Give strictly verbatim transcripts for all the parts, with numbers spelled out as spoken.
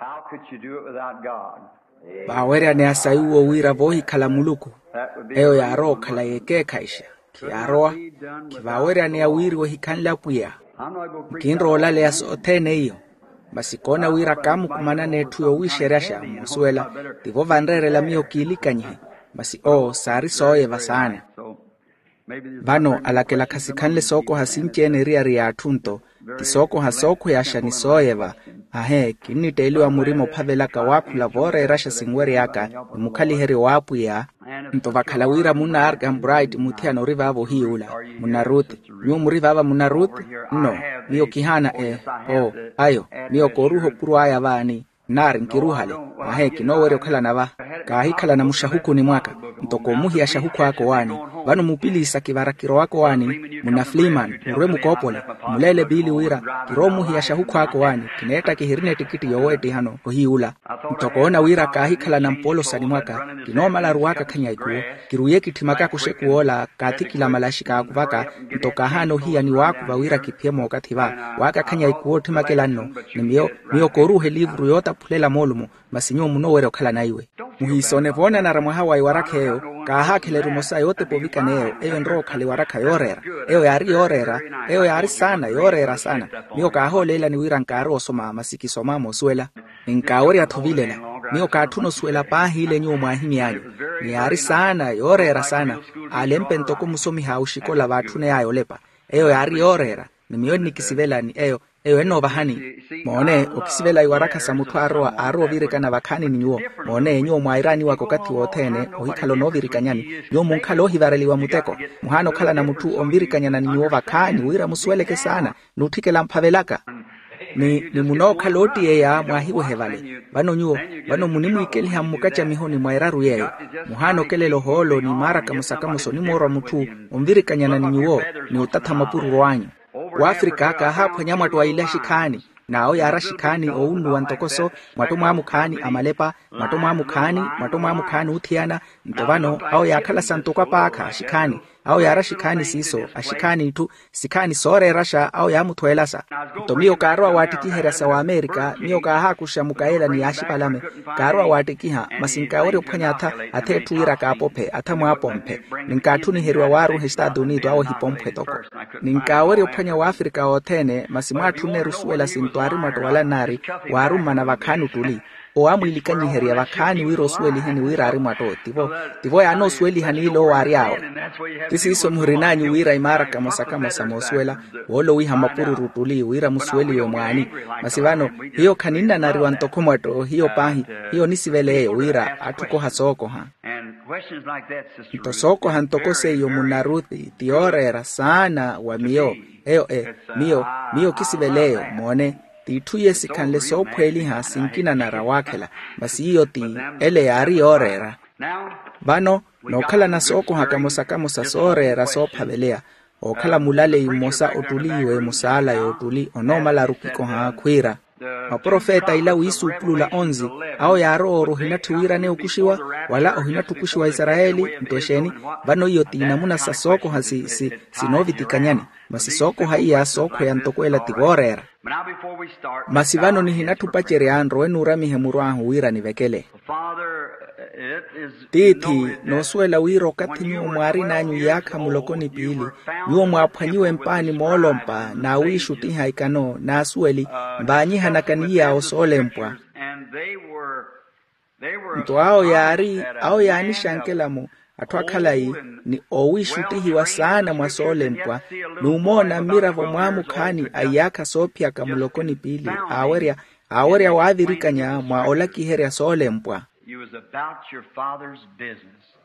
How could you do it without God? Vaaweryaneya sayuwo wira voohikhala muluku. Eyo yaarowa okhala yekeekhayixa. Khiyaarowa. Khivaaweryaneya wiiriwa ohikhanle apwiya. Nkinrowa olaleya sothene iyo. Masi koona wira kaamukumanana etthu yoowiixeryaxa moosuwela. Tivo vanreerela miyo kiilikanyihe. Masi owo saari sooyeva saana. Vano alakela khasikhanle sookoha sinci-ene eriyari y'atthu nto ti sookoha sookhweyaxa ni sooyeva. Ahe kinnitteeliwa murima ophavelaka waakhula vooreeraxa sinwery'aka ni mukhaliheryo w'apwiya. Nto vakhala wira munna arkham bright muthiyana ori vaava ohiy'ula, munna ruth. Nyuwo muri vaava munna ruth? Nno. Miyo kihaana e o ayo. Miyo kooruuha opuro aya vaani. Nnaari nkiruuhale. Ahe kinoowerya okhalana va. Kaahikhalana muxahukhuni mwaka. Nto koomuhiya xahukhu aka owaani. Vano mupiliisa kivara kirowaka owaani. Munna fliman murwe mukoopole. Muleele piili wira kiroomuhiya xahukhu aka owaani. Kineetta kihirina ettikitti yooweettihano ohiy'ula. Nto koona wira kaahikhalana mpoolosani mwaka. Kinoomala aruwaka akhanyayi kuwo. Kiruiye kitthimaka kuxekuw'ola kaathi kilamalaxi kaakuvaka. Nto kaahaana ohiya ni waakuva wira kiphiye mookathi va. Waakakhanyayi kuwo otthimakela nno. Ni miyo miyo kooruuha eliivuru yootaphulela moolumo. Masi nyuwo munoowerya okhalana iwe. Muhiisone voonanara mwaha wa iwarakha eyo. Kaahaakhela erumo sa yootepa ovikana eyo eyo enrowa okhala iwarakha yooreera. Eyo yaari yooreera. Eyo yaari saana yooreera saana. Miyo kaahooleelani wira nkaari osoma masi kisoma moosuwela. Ni nkaawerya-tho ovilela. Miyo kaatthuna osuwela paahi ile nyuwo mwaahimy'anyu. Ni yaari saana yooreera saana. Aalempe ntoko musomiha a oxikola vaatthuney'aya olepa. Eyo yaari yooreera. Ni miyo nnikisivela ni eyo. Eyo ennoovahani. Moone okisivela iwarakha sa mutthu aarowa aarowa ovirikana vakhaani ni nyuwo. Moone nyuwo mwairaaniwaka okathi wothene ohikhala onoovirikanyani. Nyuwo munkhala oohivareliwa muteko. Muhaana okhalana mutthu onvirikanyana ni nyuwo vakhaani wira musuweleke saana. N'utthikela mphavelaka. Ni ni munookhala oottiyeya mwaahiwehe vale. Vano nyuwo vano munimwiikeliha mmukacamihoni mwa eraru yeeyo. Muhaana okelela ohoolo ni maarakamosa-kamosa onimoorwa mutthu onvirikanyana ni nyuwo. Ni otatha mapururu anyu. W'afrika kaahaaphwanya mwatto a ilaxi khaani. N'awo yaara axikhaani oowunnuwa ntoko so. Mwatto mwaamukhaani a malepa. Mwatto mwaamukhaani mwatto mwaamukhaani oothiyana. Nto vano awo yaakhala sa ntoko apaakha axikhaani. Awo yaara axikhaani siiso axikhaani itthu. Sikhaani sooreeraxa awo yaamuthweelasa. Nto miyo kaarowa waattikiherya sa waamerika miyo kaahaakuxa mukaela ni yaaxipalame. Kaarowa waattikiha masi nkaawerya ophwanya atha atha etthu wira kaapophe atha mwaapomphe. Ni nkaatthuniheriwa waaruha estaatu unito awo ehipomphwe toko. Ni nkaawerya ophwanya waafrika othene masi mwaatthunneru osuwela sinto aari mwatto wala nnaari. Waarummana vakhaani ottuli. Owo aamwiilikanyiherya vakhaani wira osuweliheni wira aari mwatto tivo. Tivo yaanoosuweliha n'ile owo aari awe. Ti siiso muhirin'anyu wira imaara kamosa-kamosa moosuwela woolowiha mapururu ottuli wira musuweliwe mwaani. Masi vano hiyo khaninnanariwa ntoko mwatto hiyo paahi. Hiyo onisivela eyo wira atthu okoha sookoha. Nto sookoha ntoko seiyo munna ruthi ti yooreera saana wa miyo. Eyo e miyo miyo kisivela eyo moone. T'itthu iye sikhanle soophweeliha sinkinanara waakhela. Masi iyo ti ele yaari yooreera. Vano nookhalana sookoha kamosa-kamosa sooreera soophaveleya. Ookhala mulaleyi mmosa ottuliiwe musaala y'ottuli onoomala arukikoha khwiira maprofeta ila wiisuupulula onzi. Awo yaarowa ori ohinatthi wiiraneya okuxiwa wala ohinatthi okuxiwa isarayeli. Nto exeeni? Vano iyo t'inamuna sa sookoha si si sinoovitikanyani. Masi sookoha iya sookhweya ntoko ela ti vooreera. Masi vano nihinatthi opacerya nrowe nuuramihe muru ahu wira nivekele. Tiithi noosuwela wira okathi nyuwo mwaarin'anyu iyaakha muloko ni piili nyuwo mwaaphwanyiwe mpaani moolompa n'awiixuttiha ikano n'asuweli nvaanyihanaka ni iyaawo soolempwa. Nto awo yaari awo yaanixankela-mo atthu akhalayi ni oowiixuttihiwa saana mwa soolempwa. N'umoona mmiravo mwaamukhaani a iyaakha soophiyaka muloko ni piili aawerya aawerya waavirikanya mwa olakiherya soolempwa.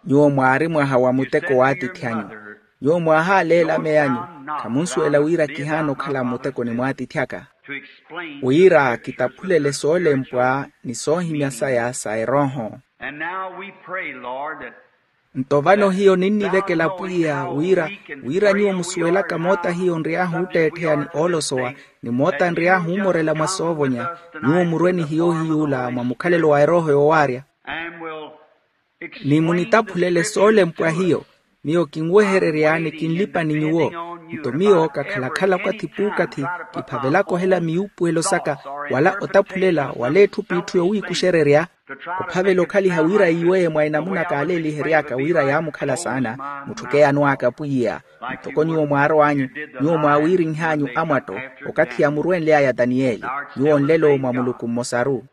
Nyuwo mwaari mwaha wa muteko w'atiithi anyu. Nyuwo mwahaaleela ameya anyu. Khamunsuwela wira kihaana okhala mmutekoni mw'atiithi aka wira kitaphulele soolempwa ni soohimya saya sa erooho. Nto vano hiyo ninnivekela pwiya wira wira nyuwo musuwelaka moota hiyo nry'ahu ootteettheya ni oolosowa ni moota nry'ahu omorela mwa soovonya nyuwo murwe ni hiyo ohiy'ula mwa mukhalelo wa erooho yoowaarya. Ni munitaphulele soolempwa hiyo. Miyo kinwehererya ni kinlipa ni nyuwo. Nto miyo kakhala-khala okathi p'ukathi, kiphavelaka ohela miyuupuwelo saka, wala otaphulela wala etthu p'itthu yowiikuxererya, ophavela okhaliha wira yiiweye mwa enamuna kaaleeliheryaka wira yaamukhala saana. Mutthu keyanw'aka pwiya. Ntoko nyuwo mwaarow'anyu, nyuwo mwaawiirinh'anyu amwatto, okathi yaamurwenly'aya taniyeli. Nyuwo nlelo mwa muluku mmosaru.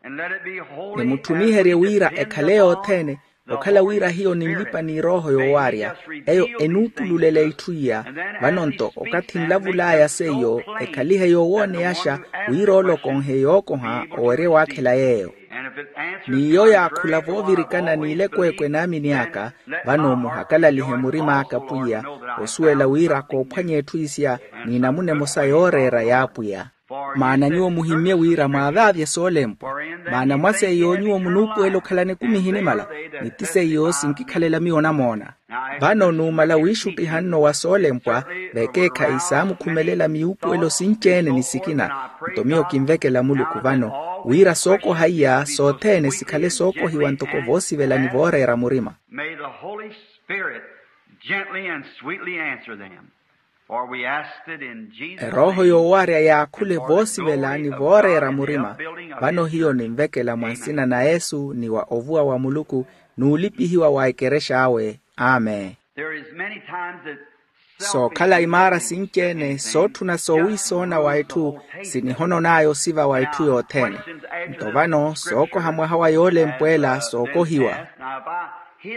Ni mutthumiherye wira ekhale yothene, okhala wira hiyo ninlipa ni erooho yoowaarya, eyo enuupululela itthu iya. Vano-nto okathi nlavul'aya seiyo, ekhalihe yoowooneyaxa wira olokonhe yookoha owerye waakhela yeeyo. N'iyo yaakhula voovirikana n'ilekweekwe naamini aka. Vano muhakalalihe murim'aka pwiya, osuwela wira koophwanya etthu isiya, n'inamuna emosa yooreera y'apwiya. Maana nyuwo muhimmye wira mwaavaavye soolempwa. Maana mwa seiyo nyuwo munuupuwela okhalana ekumi ehinimala, ni ti seiyo sinkikhalela miyo onamoona. Vano numala wiixuttiha nno wa soolempwa, vekeekhayi saamukhumelela miyuupuwelo sinci-ene ni sikina. Nto miyo kinvekela muluku vano, wira sookoha iya sothene sikhale sookohiwa ntoko voosivela ni vooreera murima. May the Holy Spirit gently and sweetly answer them. For we asked it in Jesus' name. Erooho yoowaarya yaakhule voosivela ni vooreera murima. Vano hiyo ninvekela mwa nsina na yesu ni wa ovuwa wa muluku, n'ulipihiwa wa ekerexa awe. Amen. There is many times that sookhala imaara sinci-ene sootthuna soowiisoona wa etthu, sinihonon'aya osiva wa etthu yothene. Nto vano sookoha mwaha wa yoolempwa ela sookohiwa.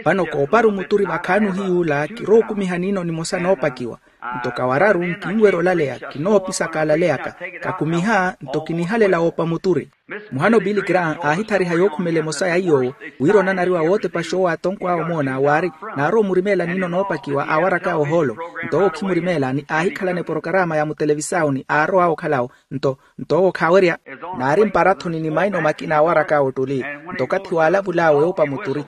Vano koopari omuturi vakhaani ohiy'ula kirowa okumiha niino nimosa noopakiwa. Nto kawararu nkinwerya olaleya, kinoopisaka alaleyaka. Kakumiha nto kinihalela woopa muturi. Muhano billy graham aahithariha yookhumela emosa ya iy'owo, wira onanariwa wootepaxa owo atonko awe omoona waari, naarowa omurimeela niino noopakiwa aawarak'awe ohoolo. Nto owo khimurimeela ni aahikhalana eporokarama ya mutelevisawu ni aarowa awe okhalawo. Nto nto owo khaawerya. Naari mparathoni ni maino makina aawarak'awe ottuli. Nto okathi waalavul'awe oopa muturi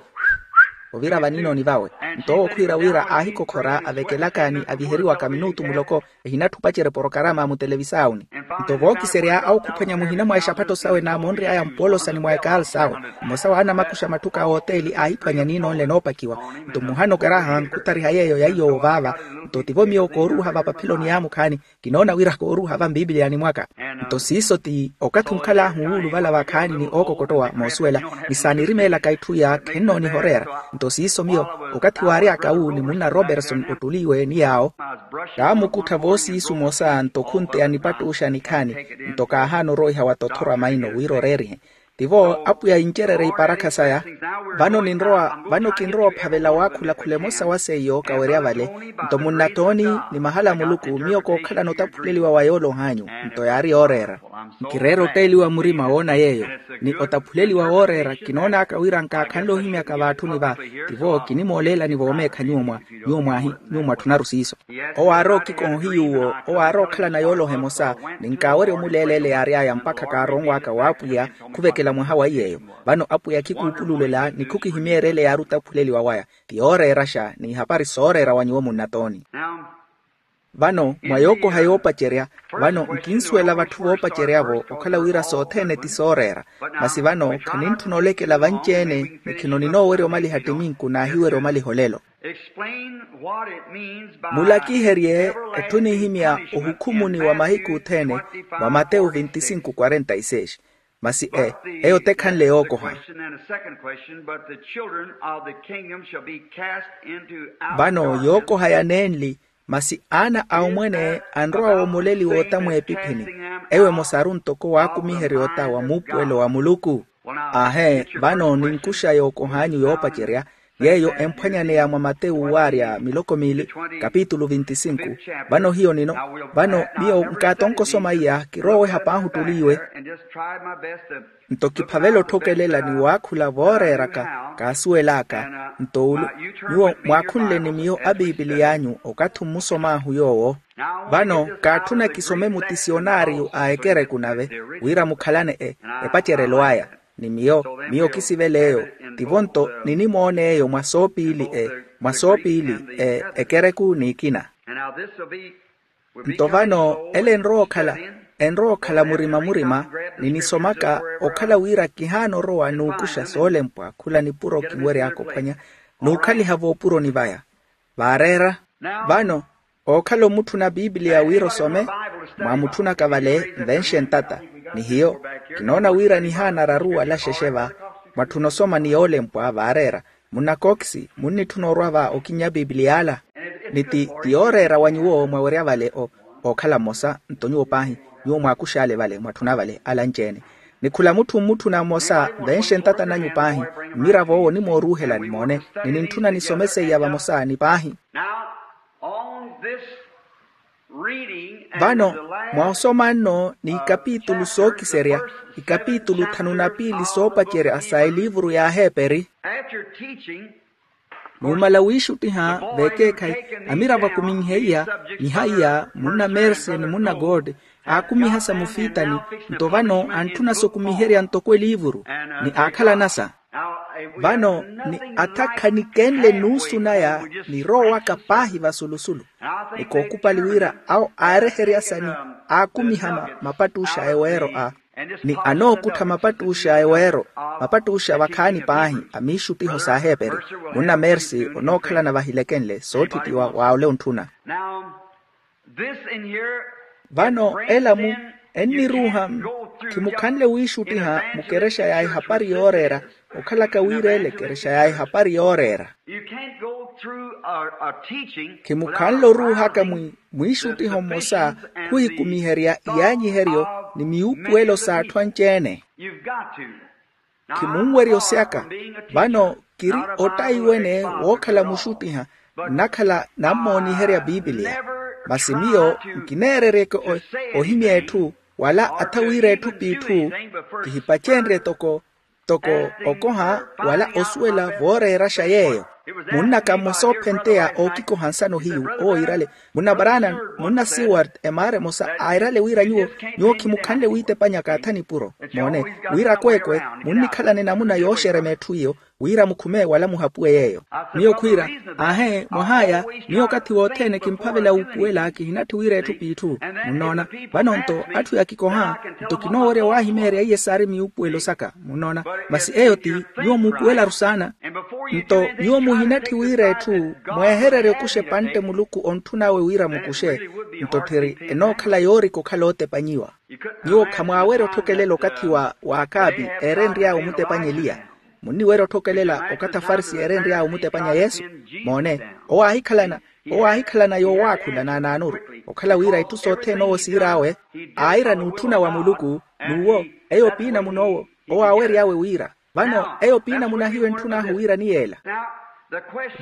ovira vaniinoni vawe. Nto owo khwiira wira aahikokhora avekelaka ni aviheriwaka minutu muloko, ehinatthu opacerya eporokarama a mutelevisaawuni. Nto vookiserya awukhuphwanya muhina mwa exaphatto sawe naamonry'aya mpoolosani mwa ekaali sawe. Mmosa wa anamakuxa matthuka a oteeli aahiphwanya niino nle noopakiwa. Nto muhano graham khuthariha yeeyo ya iy'owo vaava. Nto tivo miyo kooruuha vapapheloni yaamukhaani. Kinoona wira kooruuha va mpiipiliyani mwaka. Nto siiso ti okathi onkhal'ahu wuuluvala vakhaani ni ookokottowa moosuwela, ni saanirimeelaka itthu iya khennooniha oreera. Nto siiso miyo okathi waary'aka wu ni munna roberson ottuli iwe ni yaawo, kaamukuttha voosiisu mosa nto khunteya nipattuxa nikhaani. Nto kaahaana oroiha wa tothora maino wira oreerihe. Tivo apwiya incererye iparakha saya. Vano ninrowa vano kinrowa ophavela waakhulakhula emosa wa seiyo kawerya vale. Nto munnatooni ni mahala a muluku miyo kookhalana otaphuleliwa wa yoolohanyu. Nto yaari yooreera. Nkireera otteeliwa murima woona yeeyo. Ni otaphuleliwa wooreera kinoon'aka wira nkaakhanle ohimyaka vaatthuni va. Tivo kinimooleelani voomeekha nyuwo mwa nyuwo mwahi nyuwo mwatthunaru siiso. Owo aarowa okikoha ohiyuwo owo aarowa okhalana yooloha emosa. Ni nkaawerya omuleeleela eyaary'aya mpakha kaaronw'aka w'apwiya khuvekela mwaha wa iy'eyo. Vano apwiya khikuupululela ni khukihimyeerya ele yaari otaphuleliwa waya. Ti yooreeraxa n'ihapari sooreera wa nyuwo munnatooni. Vano mwa yookoha yoopacerya. Vano nkinsuwela vatthu voopacerya-vo okhala wira sothene ti sooreera. Masi vano khanintthuna olekela vanci-ene. Ni khino ninoowerya omaliha ttiminku naahiwerya omaliha olelo. Mulakiherye etthu enihimya ohukhumuni wa mahiku othene. Mwa matewu vinti sinku kwarenta e seis. Masi e eyo tekhanle yookoha. Vano yookoha ya nenli. Masi aana a omwene anrowa woomoleliwa ota mweepiphini. Ewo emosaru ntoko waakumiherya ota wa muupuwelo wa muluku. Aahe. Vano ninkuxa yookoh'anyu yoopacerya yeeyo emphwanyaneya mwa matewu waarya miloko miili kapitulu vinti sinku. Vano hiyo nino vano miyo nkaatonka osoma iya kirowa oweha paahi ottuli iwe. Nto kiphavela otthokelela ni waakhula vooreeraka kaasuwel'aka. Nto ulu nyuwo mwaakhunle ni miyo apiipiliy'anyu okathi mmusom'ahu yoowo. Vano kaatthuna kisome mutisionariyo a ekereku nave wira mukhalane e epacerelo aya. Ni miyo miyo kisivela eyo. Tivo nto ninimoona eyo mwa soopiili e mwa soopiili e ekereku n'ikina. Nto vano ele enrowa okhala enrowa okhala murima-murima. Ninisomaka okhala wira kihaana orowa n'ukuxa soolempwa khula nipuro kinwery'aka ophwanya n'ukhaliha voopuroni vaya. Vaareera. Vano, ookhala omutthuna piipiliya wira osome, mwaamutthunaka vale nvenxe ntata. Ni hiyo, kinoona wira nihaana araru wala xexe va. Mwatthuna osoma ni yoolempwa vaareera. Munna cox, munnitthuna orwa va okinnya piipiliya ala. Ni ti ti yooreera wa nyuwo mwawerya vale o ookhala mmosa nto nyuwo paahi. Nyuwo mwaakuxale vale mwatthuna vale ala anci-ene. Ni khula mutthu mmutthuna mmosa nvenxe ntata nanyu paahi. Mmirav'owo onimooruuhelani moone, ni nintthuna nisome seiya vamosa ni paahi. Now, on this reading and vano, the last mwahosoma nno ni ikapitulu sookiserya, ikapitulu thanu na piili soopacerya sa eliivuru y'aheeperi. After teaching, numala wiixuttiha veekeekhayi, amiravo akuminheiya, nihaiya munna mersi ni munna gold, aakumiha sa mufiitani. Nto vano antthuna sokumiherya ntoko eliivuru, ni aakhalanasa. Vano ni atha khanikenle nuusu naya, ni roowaka paahi vasulusulu. Ni kookupali wira awo aareheryasani, aakumiha mapattuxa a eweero a, ni anookuttha mapattuxa a eweero, mapattuxa vakhaani paahi a miixuttiho s'aheeperi. Munna mersi onookhalana vahilekenle soottittiwa wa ole ontthuna. Vano ela mu enniruuha, khimukhanle wiixuttiha mukerexa ya ehapari yooreera, okhalaka wira ele kerexa ya ehapari yooreera. Khimukhanle oruuhaka mwiixuttiho mmosa khuhikumiherya iyaanyiheryo ni miwuupuwelo s'atthu anci-ene. Khimunwerya osyaka. Vano kiri ottayi wene wookhala muxuttiha, nnakhala nammooniherya piipiliya. Masi miyo nkineereryeke ohimya etthu wala atha wira etthu p'itthu. Kihipacenrye toko toko okoha wala osuwela vooreeraxa yeeyo. Munnaka mmosa ophenteya ookikoha nsano hiyu owo iirale, munna barana, munna siward emaara emosa airale wira nyuwo nyuwo khimukhanle wiitepanya kaathani puro. Moone, wira akweekwe munnikhalane namuna yooxerema etthu iyo, wira mukhume wala muhapuwe yeeyo. Miyo khwiira, aahe mwah'aya, miyo okathi wothene kimphavela wuupuwela kihinatthi wira etthu p'itthu. Munnoona? Vano nto atthu yaakikoha, nto kinoowerya waahimeerya iye saari miwuupuwelo saka. Munnoona? Masi eyo ti nyuwo muupuwelaru saana. Nto nyuwo muhinatthi wira etthu mweehererye okuxa epantte muluku ontthun'awe wira mukuxe. Nto tthiri enookhala yoorika okhala ootepanyiwa. Nyuwo khamwaawerya otthokelela okathi wa waakaapi eerenry'awe omutepanya eliya. Munniwerya otthokelela okathi afarisi eerenry'awe omutepanya yesu. Moone, owo aahikhalana owo aahikhalana yoowaakhula naanaanuru, okhala wira itthu sothene owo siir'awe aayira n'utthuna wa muluku. N'uwo eyo opiina mun'owo owo aawery'awe wira. Vano eyo opiina munahiwa entthun'ahu wira ni yeela.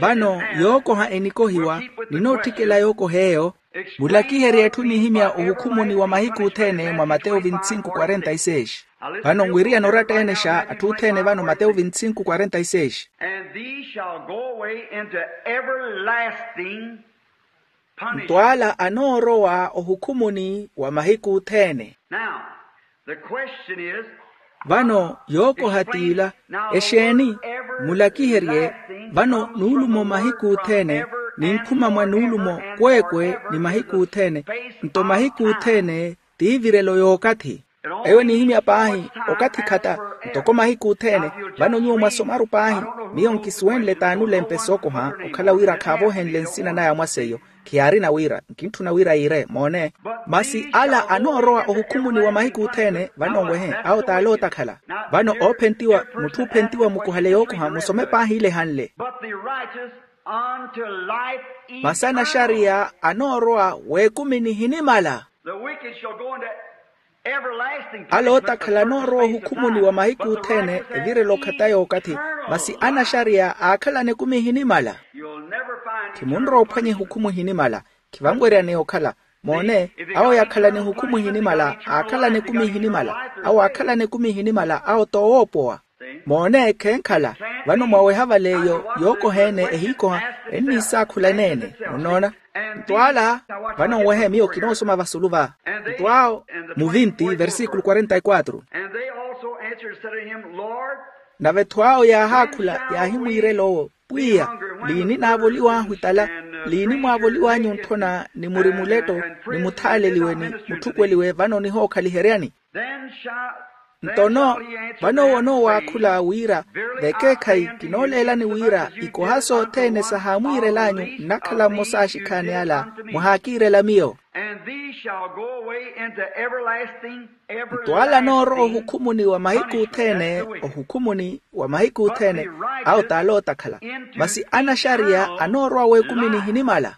Vano yookoha enikohiwa, ninootthikela yookoha eyo. Mulakiherye etthu nihimya ohukhumuni wa mahiku othene mwa mateyo vinti sinku kwarenta e seis. Vano nwiriyana oratta-ene xa atthu othene vano mateyo vinti sinku kwarenta e seis. And these shall go away into everlasting punishment. Nto ala anoorowa ohukhumuni wa mahiku othene. Now, the question is, vano yookoha t'ila, exeeni? Mulakiherye, vano nuulumo mahiku othene, ninkhuma mwa nuulumo kweekwe ni mahiku othene. Nto mahiku othene t'ivirelo y'okathi. Eyo enihimya paahi okathi khata, ntoko mahiku othene. Vano nyuwo mwasomaru paahi, miyo nkisuwenle t'anulempesa okoha okhala wira khaavohenle nsina naya mwaseiyo. Khiyaarina wira nkintthuna wira yiire moone. Masi ala anoorowa ohukhumuni wa mahiku othene vano nwehe awo t'ale ootakhala. Vano oophentiwa mutthu oophentiwa mukuhale yookoha musome paahi ile ehanle. Masi anaxariya anoorowa w'ekumi nihinimala. Ala ootakhala anoorowa ohukhumuni wa mahiku othene evirela okhata y'okathi. Masi anaxariya aakhalana ekumi ehinimala. Khimunrowa ophwanya ehukhumu ehinimala. Khivanweryaneya okhala. Moone, awo yaakhalana ehukhumu ehinimala aakhalana ekumi ehinimala. Awo aakhalana ekumi ehinimala awo t'owoopowa. Moone khenkhala. Vano mwaweha vale eyo yookoha-ene ehiikoha enniisaakhula eneene. Munnoona? Nto ala, vano nwehe miyo kinoosoma vasulu va. Nto awo, mu vinti versículo quarenta e quatro. Nave-tho awo yaahaakhula yaahimwiirela owo, pwiya, liini naavoliw'ahu etala? Liini mwaavoliw'anyu onthona ni muri muletto, ni muthaaleliwe ni mutthukweliwe vano nihookhaliheryani? Nto no, vano owo onoowakhula wira, vekeekhayi kinooleelani wira ikoha sothene sahaamwiirel'anyu nnakhala mmosa a axikhaani ala muhaakiirela miyo. And these shall go away into everlasting, nto ala anoorowa ohukhumuni wa mahiku othene ohukhumuni wa mahiku othene, awo t'ala ootakhala, masi anaxariya anoorowa w'ekumi nihinimala.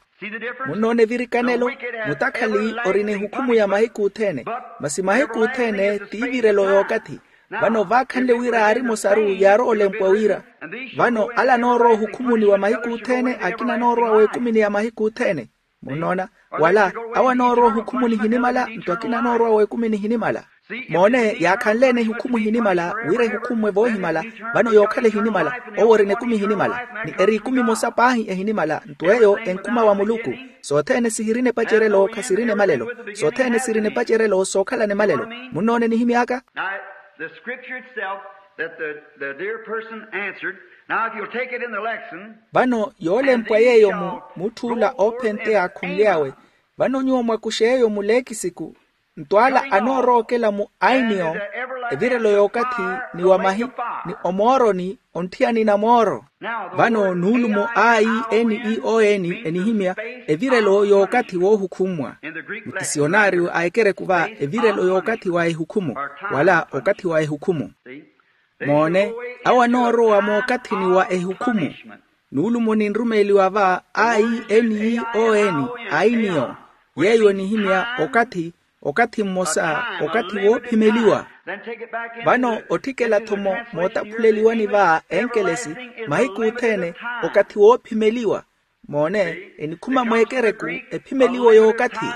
Munnoona evirikanelo? Mutakhali ori n'ehukhumu ya mahiku othene, masi mahiku othene t'ivirelo y'okathi. Vano vaakhanle wira aari mosaru yaarowa olempwa wira, vano ala anoorowa ohukhumuni wa mahiku othene akina anoorowa w'ekumini ya mahiku othene. Munnoona? Wala awo anoorowa ohukhumuni hinimala nto akina anoorowa w'ekumi nihinimala. Moone yaakhanle-ene ehukhumu hinimala, wira ehukhummwe voohimala, vano yookhala ehinimala, owo ori n'ekumi hinimala, ni eri ekumi emosa paahi ehinimala nto eyo enkhuma wa muluku. Sothene sihirina epacerelo khasirina emalelo. Sothene sirina epacerelo sookhalana emalelo. Munnoona enihimy'aka? Now, the scripture itself that the, the dear person answered. Now, if you'll take it in the lesson, vano yoolempwa yeeyo mu mutthuula oophenteya akhunly'awe. Vano nyuwo mwakuxe yeeyo mu leekisiku, nto ala anoorowa okela mu ainiyo, evirelo y'okathi, ni wa mahi, ni omooroni, ontthiyani na mooro. Vano nuulumo a i n i o n enihimya evirelo y'okathi woohukhummwa. Mutisionaario a ekereku va evirelo y'okathi wa ehukhumu, wala okathi wa ehukhumu. Moone, awo anoorowa mookathini wa ehukhumu. Nuulumo ninrumeeliwa va a i n i o n, ainiyo, yeeyo enihimya okathi, okathi mmosa, okathi woophimeliwa. Vano otthikela-tho mootaphuleliwani va enkelesi, mahiku othene, okathi woophimeliwa. Moone, enikhuma mweekereku, ephimeliwo y'okathi.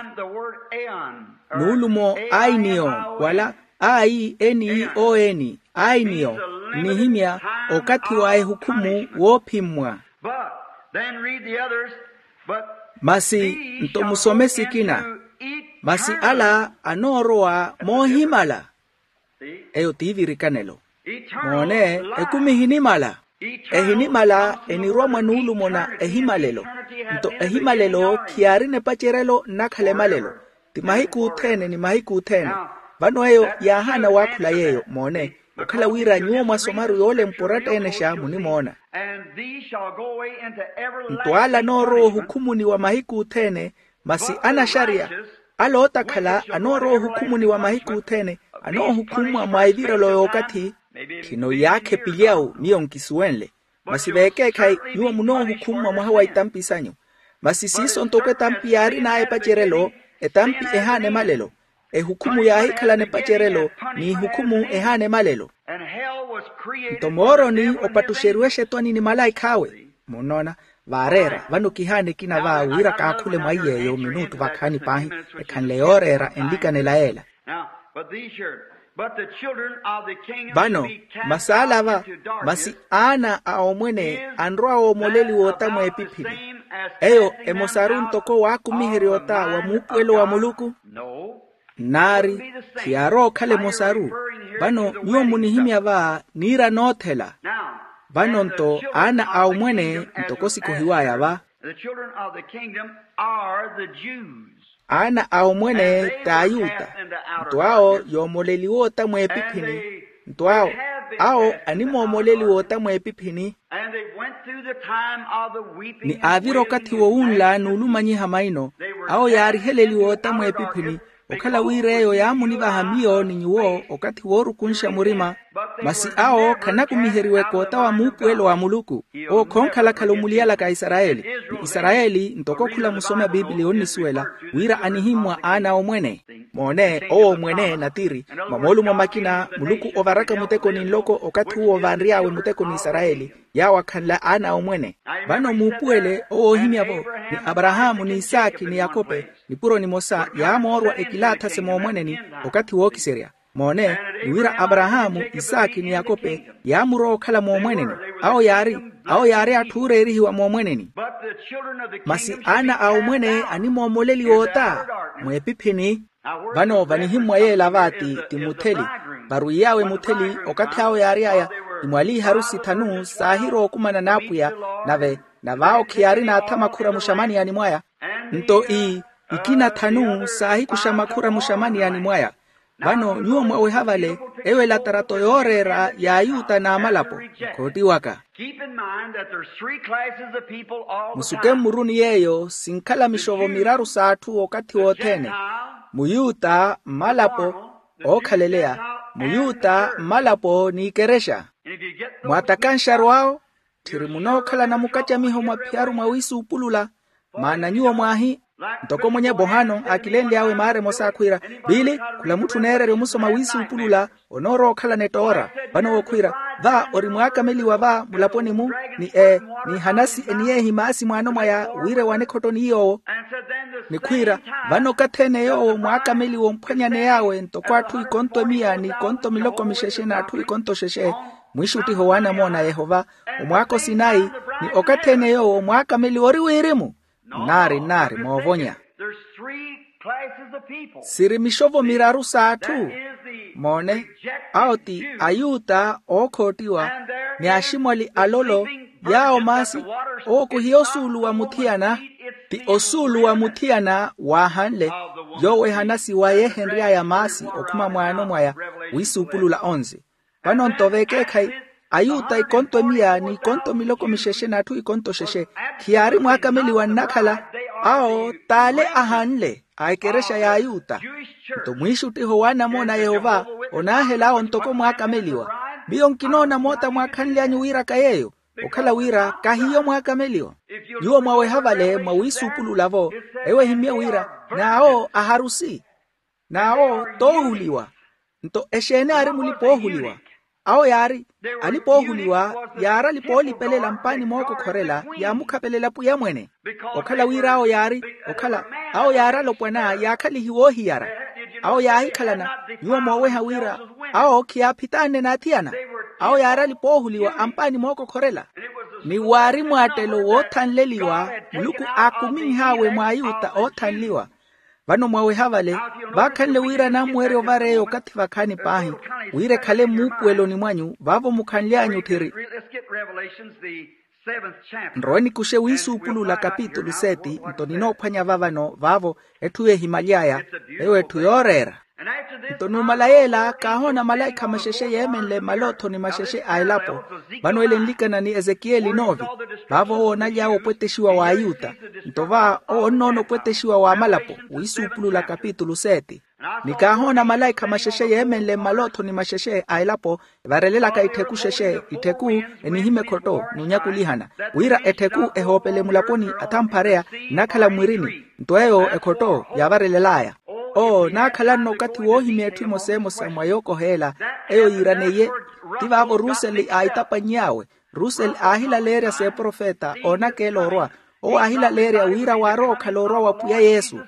Nuulumo ainiyo, wala a i n i o n, ainiyo, nnihimya okathi wa ehukhumu woophimmwa. Masi nto musome sikina, masi ala anoorowa moohimala. Eyo t'ivirikanelo. Moone, ekumi ehinimala. Ehinimala enirwa mwa nuulumo na ehimalelo. Nto ehimalelo khiyaarina epacerelo nnakhala emalelo. Ti mahiku othene ni mahiku othene. Vano eyo yaahaana waakhula yeeyo. Moone, okhala wira nyuwo mwasomaru yoolempwa oratta-enexa munimoona. Nto ala anoorowa ohukhumuni wa mahiku othene, masi anaxariya, ala ootakhala anoorowa ohukhumuni wa mahiku othene, anoohukhummwa mwa evirelo y'okathi. Khino iyaakha epilyawu miyo nkisuwenle, masi veekeekhayi nyuwo munoohukhummwa mwaha wa itampi sanyu. Masi siiso ntoko etampi yaarin'aya epacerelo, etampi ehaana emalelo. Ehukhumu yaahikhalana epacerelo, n'ihukhumu ehaana emalelo. Nto mooroni opattuxeriwe exetwani ni malaikha awe. Munnoona, vaareera vano kihaana ekina va wira kaakhule mwa iy'eyo minutu vakhaani paahi, ekhanle yooreera enlikanela yeela. Vano, masi ala va, masi aana a omwene anrowa woomoleliwa ota mweepiphini, eyo emosaru ntoko waakumiherya ota wa muupuwelo wa muluku? Nnaari, khiyaarowa okhala emosaru. Vano nyuwo munihimya va niira noothela. Vano nto aana a omwene ntoko sikohiw'aya va. Aana a omwene t'ayuta. Nto awo yoomoleliwa ota mweepiphini. Nto awo, awo animoomoleliwa ota mweepiphini. Ni aavira okathi wowunla n'ulumanyiha maino, awo yaariheleliwa ota mweepiphini. Okhala wira eyo yaamunivaha miyo ni nyuwo okathi woorukunxa murima. Masi awo khanakumiheriweke ota wa muupuwelo wa muluku. Owo khonkhalakhala omuliyalaka a isarayeli. Ni isarayeli ntoko khula musoma a pipiliya onnisuwela, wira anihimmwa aana a omwene. Moone, owo omwene natiri, mwa moolumo makina muluku ovaraka muteko ni nloko okathi uwo vanry'awe muteko ni isarayeli, yaawo akhanla aana a omwene. Vano muupuwele owo oohimya-vo, ni aparahaamu ni isaakhi ni yakope, nipuro nimosa yaamoorwa ekilaathase moomweneni okathi wookiserya. Moone, ni wira aparahaamu isaakhi ni yakope yaamurowa okhala moomweneni. Awo yaari, awo yaari atthu ooreerihiwa moomweneni. Masi aana a omwene animoomoleliwa ota mweepiphini. Vano vanihimmwa yeela vaati ti mutheli, varwiy'awe mutheli okathi awo yaary'aya, ni mwa liiharusi thanu saahirowa okumana n'apwiya. Nave nave awo khiyaari naathama khura muxamaniyani mwaya. Nto ii, ikina thanu saahikuxa makhura muxamaniyani mwaya. Vano nyuwo mwaweha vale, eyo elatarato yooreera ya ayuta n'amalapo. Khoottiwaka. Keep in mind that there's three classes of people all the time. Musuke mmuruni yeeyo sinkhala mixovo miraru s'atthu okathi wothene. Muyuta, mmalapo, ookhaleya, muyuta, mmalapo n'ikerexa. Mwaatakanxaru awo, tthiri munookhalana mukacamiho mwa phiyaru mwa wiisuupulula. Maana nyuwo mwaahi, ntoko mwenye bohano aakilenly'awe maara emosa akhwiira, biili, khula mutthu oneererya omusoma wiisuupulula, onoorowa okhalana ettoora. Vano wookhwiira, va ori mwaakameliwa va mulaponi-mu, ni ee, ni hanasi eniyeehi maasi mwaano mwaya wira ewane ekhotto ni yoowo. Nikhwiira, vano okathi-ene yoowo mwaakameliwa omphwanyaney'awe ntoko atthu ikonto emiya n'ikonto miloko mixexe n'atthu ikonto xexe, mwiixuttiho w'anamoona a yehova, omwaaka osinayi, ni okathi-ene yoowo mwaakameliwa ori wirimu. Nnaari nnaari moovonya. Siri mixovo miraru s'atthu. Moone, awo ti ayuta ookhottiwa, ni aximwali alolo, yaawo maasi, owo khuhiya osuulu wa muthiyana. Ti osuulu wa muthiyana waahanle, yoowo ehanasi wa yeehenry'aya maasi okhuma mwaano mwaya. Wiisuupulula onze. Vano-nto vekeekhayi, ayuta ikonto emiya n'ikonto miloko mixexe n'atthu ikonto xexe, khiyaari mwaakameliwa nnakhala. Awo t'ale ahanle a ekerexa y'ayuta. Nto mwiixuttiho w'anamoona a yehova, onaahela awo ntoko mwaakameliwa. Miyo nkinoona moota mwaakhanly'anyu wiiraka yeeyo, okhala wira kahiyo mwaakameliwa. Nyuwo mwaweha vale mwa wiisuupulula-vo, ewo ehimye wira, n'awo aharusi. N'awo toohuliwa. Nto exeeni aari mulipa-oohuliwa? Awo yaari, alipa-oohuliwa yaari alipa-oolipelela mpaani mookokhorela, yaamukhapelela pwiya mwene. Okhala wira awo yaari, okhala, awo yaari alopwana yaakhalihiwa oohiyara. Awo yaahikhalana, nyuwo mooweha wira, awo khiyaaphitaanne n'athiyana. Awo yaari alipa-oohuliwa ampaani mookokhorela. Ni waari mwaattelo woothanleliwa, muluku aakuminh'awe mwa ayuta oothanliwa. Vano mwaweha vale, vaakhanle wira naamweerya ovareya okathi vakhaani paahi, wira ekhale mmuupuweloni mwanyu vaavo mukhanly'anyu tthiri. Nrowe nikuxe wiisuupulula kapitulu seti nto ninoophwanya va vano vaavo, etthu yeehimaly'aya, eyo etthu yooreera. Nto numala yeela kaahoona malaikha maxexe yeemenle mmaloothoni maxexe a elapo. Vano ele nlikana ni ezekiyeli noovi, vaavo owo onaly'awe opwetexiwa w'ayuta. Nto va owo onnoona opwetexiwa w'amalapo. Wiisuupulula kapitulu seti. Ni kaahoona malaikha maxexe yeemenle mmaloothoni maxexe a elapo, evarelelaka ittheku xexe, ittheku enihimya ekhotto n'unyakulihana, wira ettheku ehoopele mulaponi athamphareya, nnakhala mmwirini. Nto eyo ekhotto yaavarelel'aya. Owo naakhalanno okathi woohimya etthu emosa emosa mwa yookoheela. Eyo yiiraneiye. Ti vaavo ruseli aaitapany'awe. Ruseli aahilaleerya s'eprofeta oonakeela orwa. Owo aahilaleerya wira waari ookhala orwa wa pwiya yesu.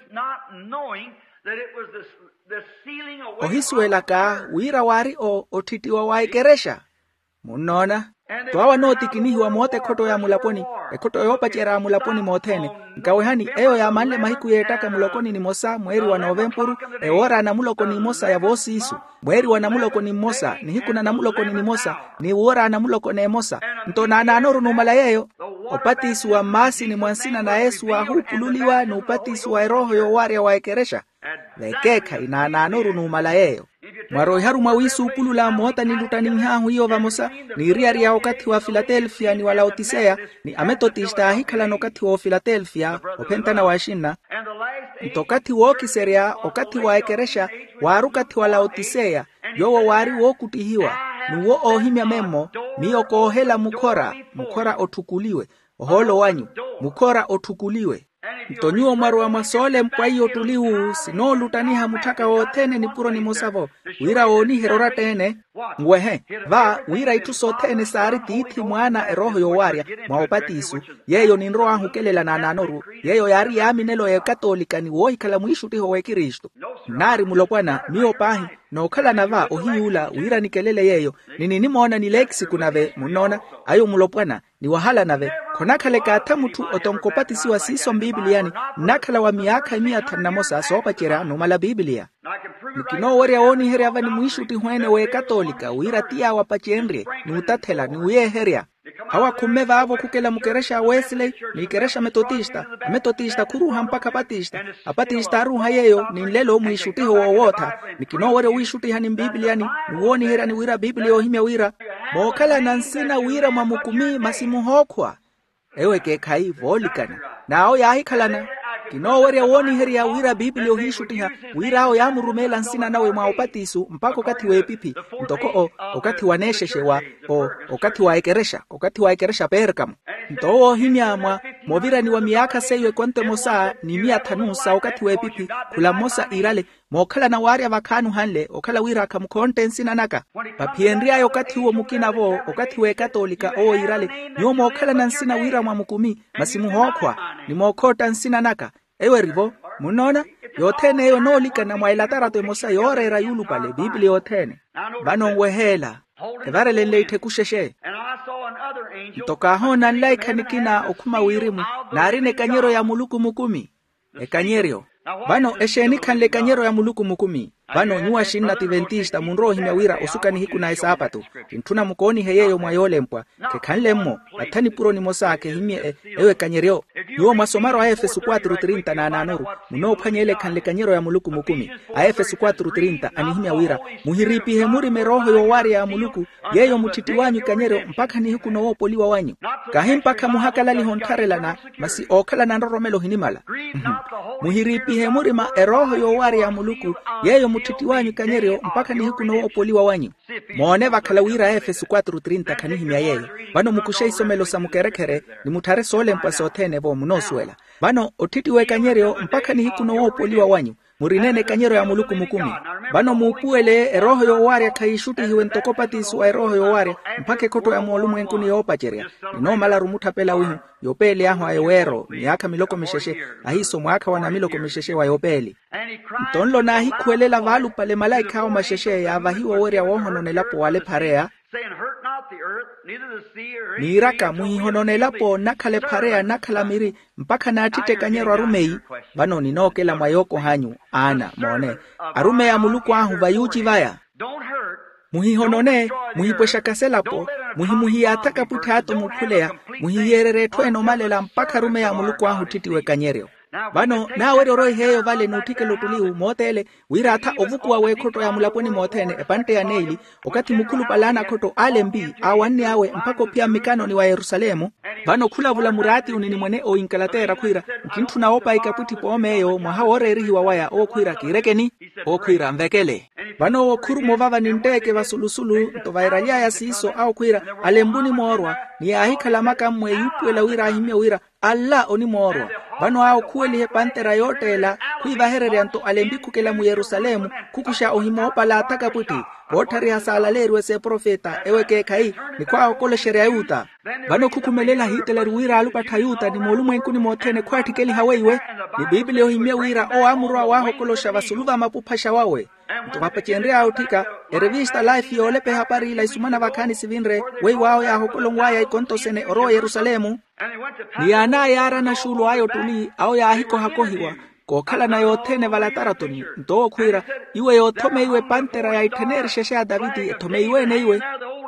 Ohisuwelaka wira waari o otthittiwa wa ekerexa. Munnoona? Twawa nootikinihiwa moota ekhotto ya mulaponi, ekhotto yoopacerya ya mulaponi mothene. Nkawehani eyo yaamanle mahiku y'ettaka muloko ni nimosa mweeri wa novempuru, ewoora ya namuloko n'imosa ya voosiisu, mweeri wa namuloko ni mmosa nihiku na namuloko ni nimosa, ni woora ya namuloko n'emosa. Nto naanaanoru numala yeeyo. Opatisiwa mmaasini mwa nsina na yesu waahuupululiwa n'upatisiwa erooho yoowaarya wa ekerexa. Vekeekhayi naanaanoru numala yeeyo. Mwaroiharu mwa wiisuupulula moota niluttaninh'ahu iyo vamosa, niiriyari ya okathi wa filatelfiya ni wa laotiseya. Ni ametotista aahikhalana okathi wa ofilatelfiya ophentana wa axinna. Nto okathi wookiserya okathi wa ekerexa, waari okathi wa laotiseya. Yoowo waari wookuttihiwa. N'uwo oohimya memmo, miyo koohela mukhora, mukhora otthukuliwe. Ohoolo wanyu, mukhora otthukuliwe. Nto nyuwo mwarowa mwa soolempwa iyo ottuli wu sinooluttaniha mutthaka wothene nipuro nimosa-vo, wira wooniherya oratta-ene. Nwehe, va wira itthu sothene saari tiithi mwaana erooho yoowaarya, mwa opatiso. Yeeyo ninrow'ahu okelela naanaanoru. Yeeyo yaari yaaminelo y'ekatoolika ni woohikhala mwiixuttiho w'ekristu. Nnaari mulopwana miyo paahi, nookhalana va ohiyuula wira nikelele yeeyo. Ni ninimoona ni leekisiku nave munnoona, ayo mulopwana. Ni wahala nave, khonakhala ekaatha mutthu otonka opatisiwa siiso mpipiliyani. Nnakhala wa miyaakha emiya thanu na mosa soopacerya numala pipiliya. Ni kinoowerya wooniherya va ni mwiixuttiho ene w'ekatoolika wira ti yaawo apacenrye, n'utathela ni wuyeeherya. Awo akhumme vaavo khukela mukerexa a wesley, n'ikerexa metotista. Ametotista khuruuha mpakha apatista. Apatista aaruuha yeeyo ni nlelo mwiixuttiho woowootha. Ni kinoowerya owiixuttiha ni mpiipiliyani, ni wooniheryani wira piipiliya oohimya wira, mookhalana nsina wira mwa mukumi masi muhookhwa. Ewo ekeekhayi voolikana. N'awo yaahikhalana. Kinoowerya wooniherya wira piipiliya ohiixuttiha, wira awo yaamurumeela nsina nawe mwa opatiso mpakha okathi w'epiphi, ntoko o okathi wa neexexe wa o okathi wa ekerexa okathi wa ekerexa perkamo. Nto owo oohimya mwa movirani wa miyaakha seiyo ekonto emosa ni miya thanu sa okathi w'epiphi, khula mmosa iirale, mookhalana waarya vakhaani ohanle okhala wira khamukhontte nsina naka. Vaphiyenry'aya okathi uwo mukina-vo, okathi w'ekatoolika owo iirale, nyuwo mookhalana nsina wira mwa mukumi masi muhookhwa, ni mookhootta nsina naka. Eyo eri-vo. Munnoona? Yothene eyo enoolikana mwa elatarato emosa yooreera yuulupale piipiliya yothene. Vano nweheela, evarelenle ittheku xexe. Nto kaahoona nlaikha nikina okhuma wirimu, naarina ekanyeryo ya muluku mukumi. Ekanyeryo. Vano exeeni khanle ekanyeryo ya muluku mukumi? Vano nyuwo axinna tiventista munrowa ohimya wira osuka nihiku na esaapatu. Kintthuna mukoonihe yeeyo mwa yoolempwa. Khekhanle-mmo. Atha nipuro nimosa khehimmye eyo ekanyeryo. Nyuwo mwasomaru a efeso quatro trinta na anaanoru, munoophwanya ele ekhanle ekanyeryo ya muluku mukumi. A efeso quatro trinta anihimya wira, muhiriipihe murima erooho yoowaarya ya muluku, yeeyo mutthittiw'anyu ikanyeryo mpakha nihiku nowoopoliwa wanyu. Kahi mpakha muhakalaliha onttharelana, masi ookhalana nroromelo ohinimala. Muhiriipihe murima erooho yoowaarya ya muluku, yeeyo mutthittiw'anyu ikanyeryo mpakha nihiku nowoopoliwa wanyu. Moone vakhala wira a efeso quatro trinta khanihimya yeeyo. Vano mukuxe isomelo sa mukerekhere, ni mutthare soolempwa sothene-vo munoosuwela. Vano otthittiwa o ekanyeryo mpakha nihiku nowoopoliwa wanyu, murineene ekanyeryo ya muluku mukumi. Vano muupuwele erooho yoowaarya khayiixuttihiwe ntoko opatiso wa erooho yoowaarya, mpakha ekhotto ya moolumwenkuni yoopacerya. Ninoomalaru mutthapela wihu, yopeeli ahu a eweero miyaakha miloko mixexe, ahiiso mwaakha wa namiloko mixexe wa yopeeli. Nto nlo naahikhuwelela vaalupale malaikha awo maxexe yaavahiwa owerya woohonona elapo wala ephareya, niiraka muhihonona elapo nnakhala ephareya nnakhala miri, mpakha naattitte ekanyeryo arumeyi. Vano ninookela mwa yookoh'anyu aana moone, arumeyi a muluku ahu va yuuci vaya. Muhihonone, muhipwexaka selapo, muhimuhiyaathaka pwitthi ato muukhuleya, muhihiyeererya etthu ene omalela mpakha arumeyi a muluku ahu otthittiwa ekanyeryo. Vano naawerya oroiha eyo vale n'utthikela ottuli uwo moothele, wira atha ovukuwa w'ekhotto ya mulaponi mothene epantte ya neili, okathi mukhulupale a anakhotto aalempi aawanny'awe mpakha ophiya mmikanoni wa yerusalemu. Vano khulavula muraatiyuni ni mwene o inkalateera khwiira, nkintthuna woopa ikapwitthi poom'eyo mwaha wooreerihiwa waya owo khwiira kiirekeni. Owo khwiira nvekele. Vano owo khuruma ovava ni ntteke vasulusulu nto vairaly'aya siiso awo khwiira, alempuni moorwa, ni yaahikhala makammwe yuupuwela wira ahimmye wira, alla onimoorwa. Vano awo khuweliha epantera yootteela, khwiivahererya nto alempi khukela mu yerusalemu, khukuxa ohimoopalaathaka pwitthi, voottharihasa alaleeriwe s'eprofeta ewo ekeekhayi, ni khwaahokoloxerya ayuta. Vano khukhumelela ahiitalari wira alupattha ayuta ni moolumwenkuni mothene khwaatthikelihaweiwe. Ni piipiliya ohimmye wira owo aamurowa waahokoloxa vasulu va mapuphaxa wawe. Nto vapacenry'aya otthika, erevista life yoolepa ehapari ila isumana vakhaani sivinre, weiwo awo yaahokolonw'aya ikontosene orowa oyerusalemu. Ni yaanaya yaarana xuulu aya ottuli awo yaahikohakohiwa, kookhalana yothene valataratoni nto owo khwiira, iwe yoothomeiwe epantera ya itthaneeri xexe ya taviti ethomeiwe-ene iwe.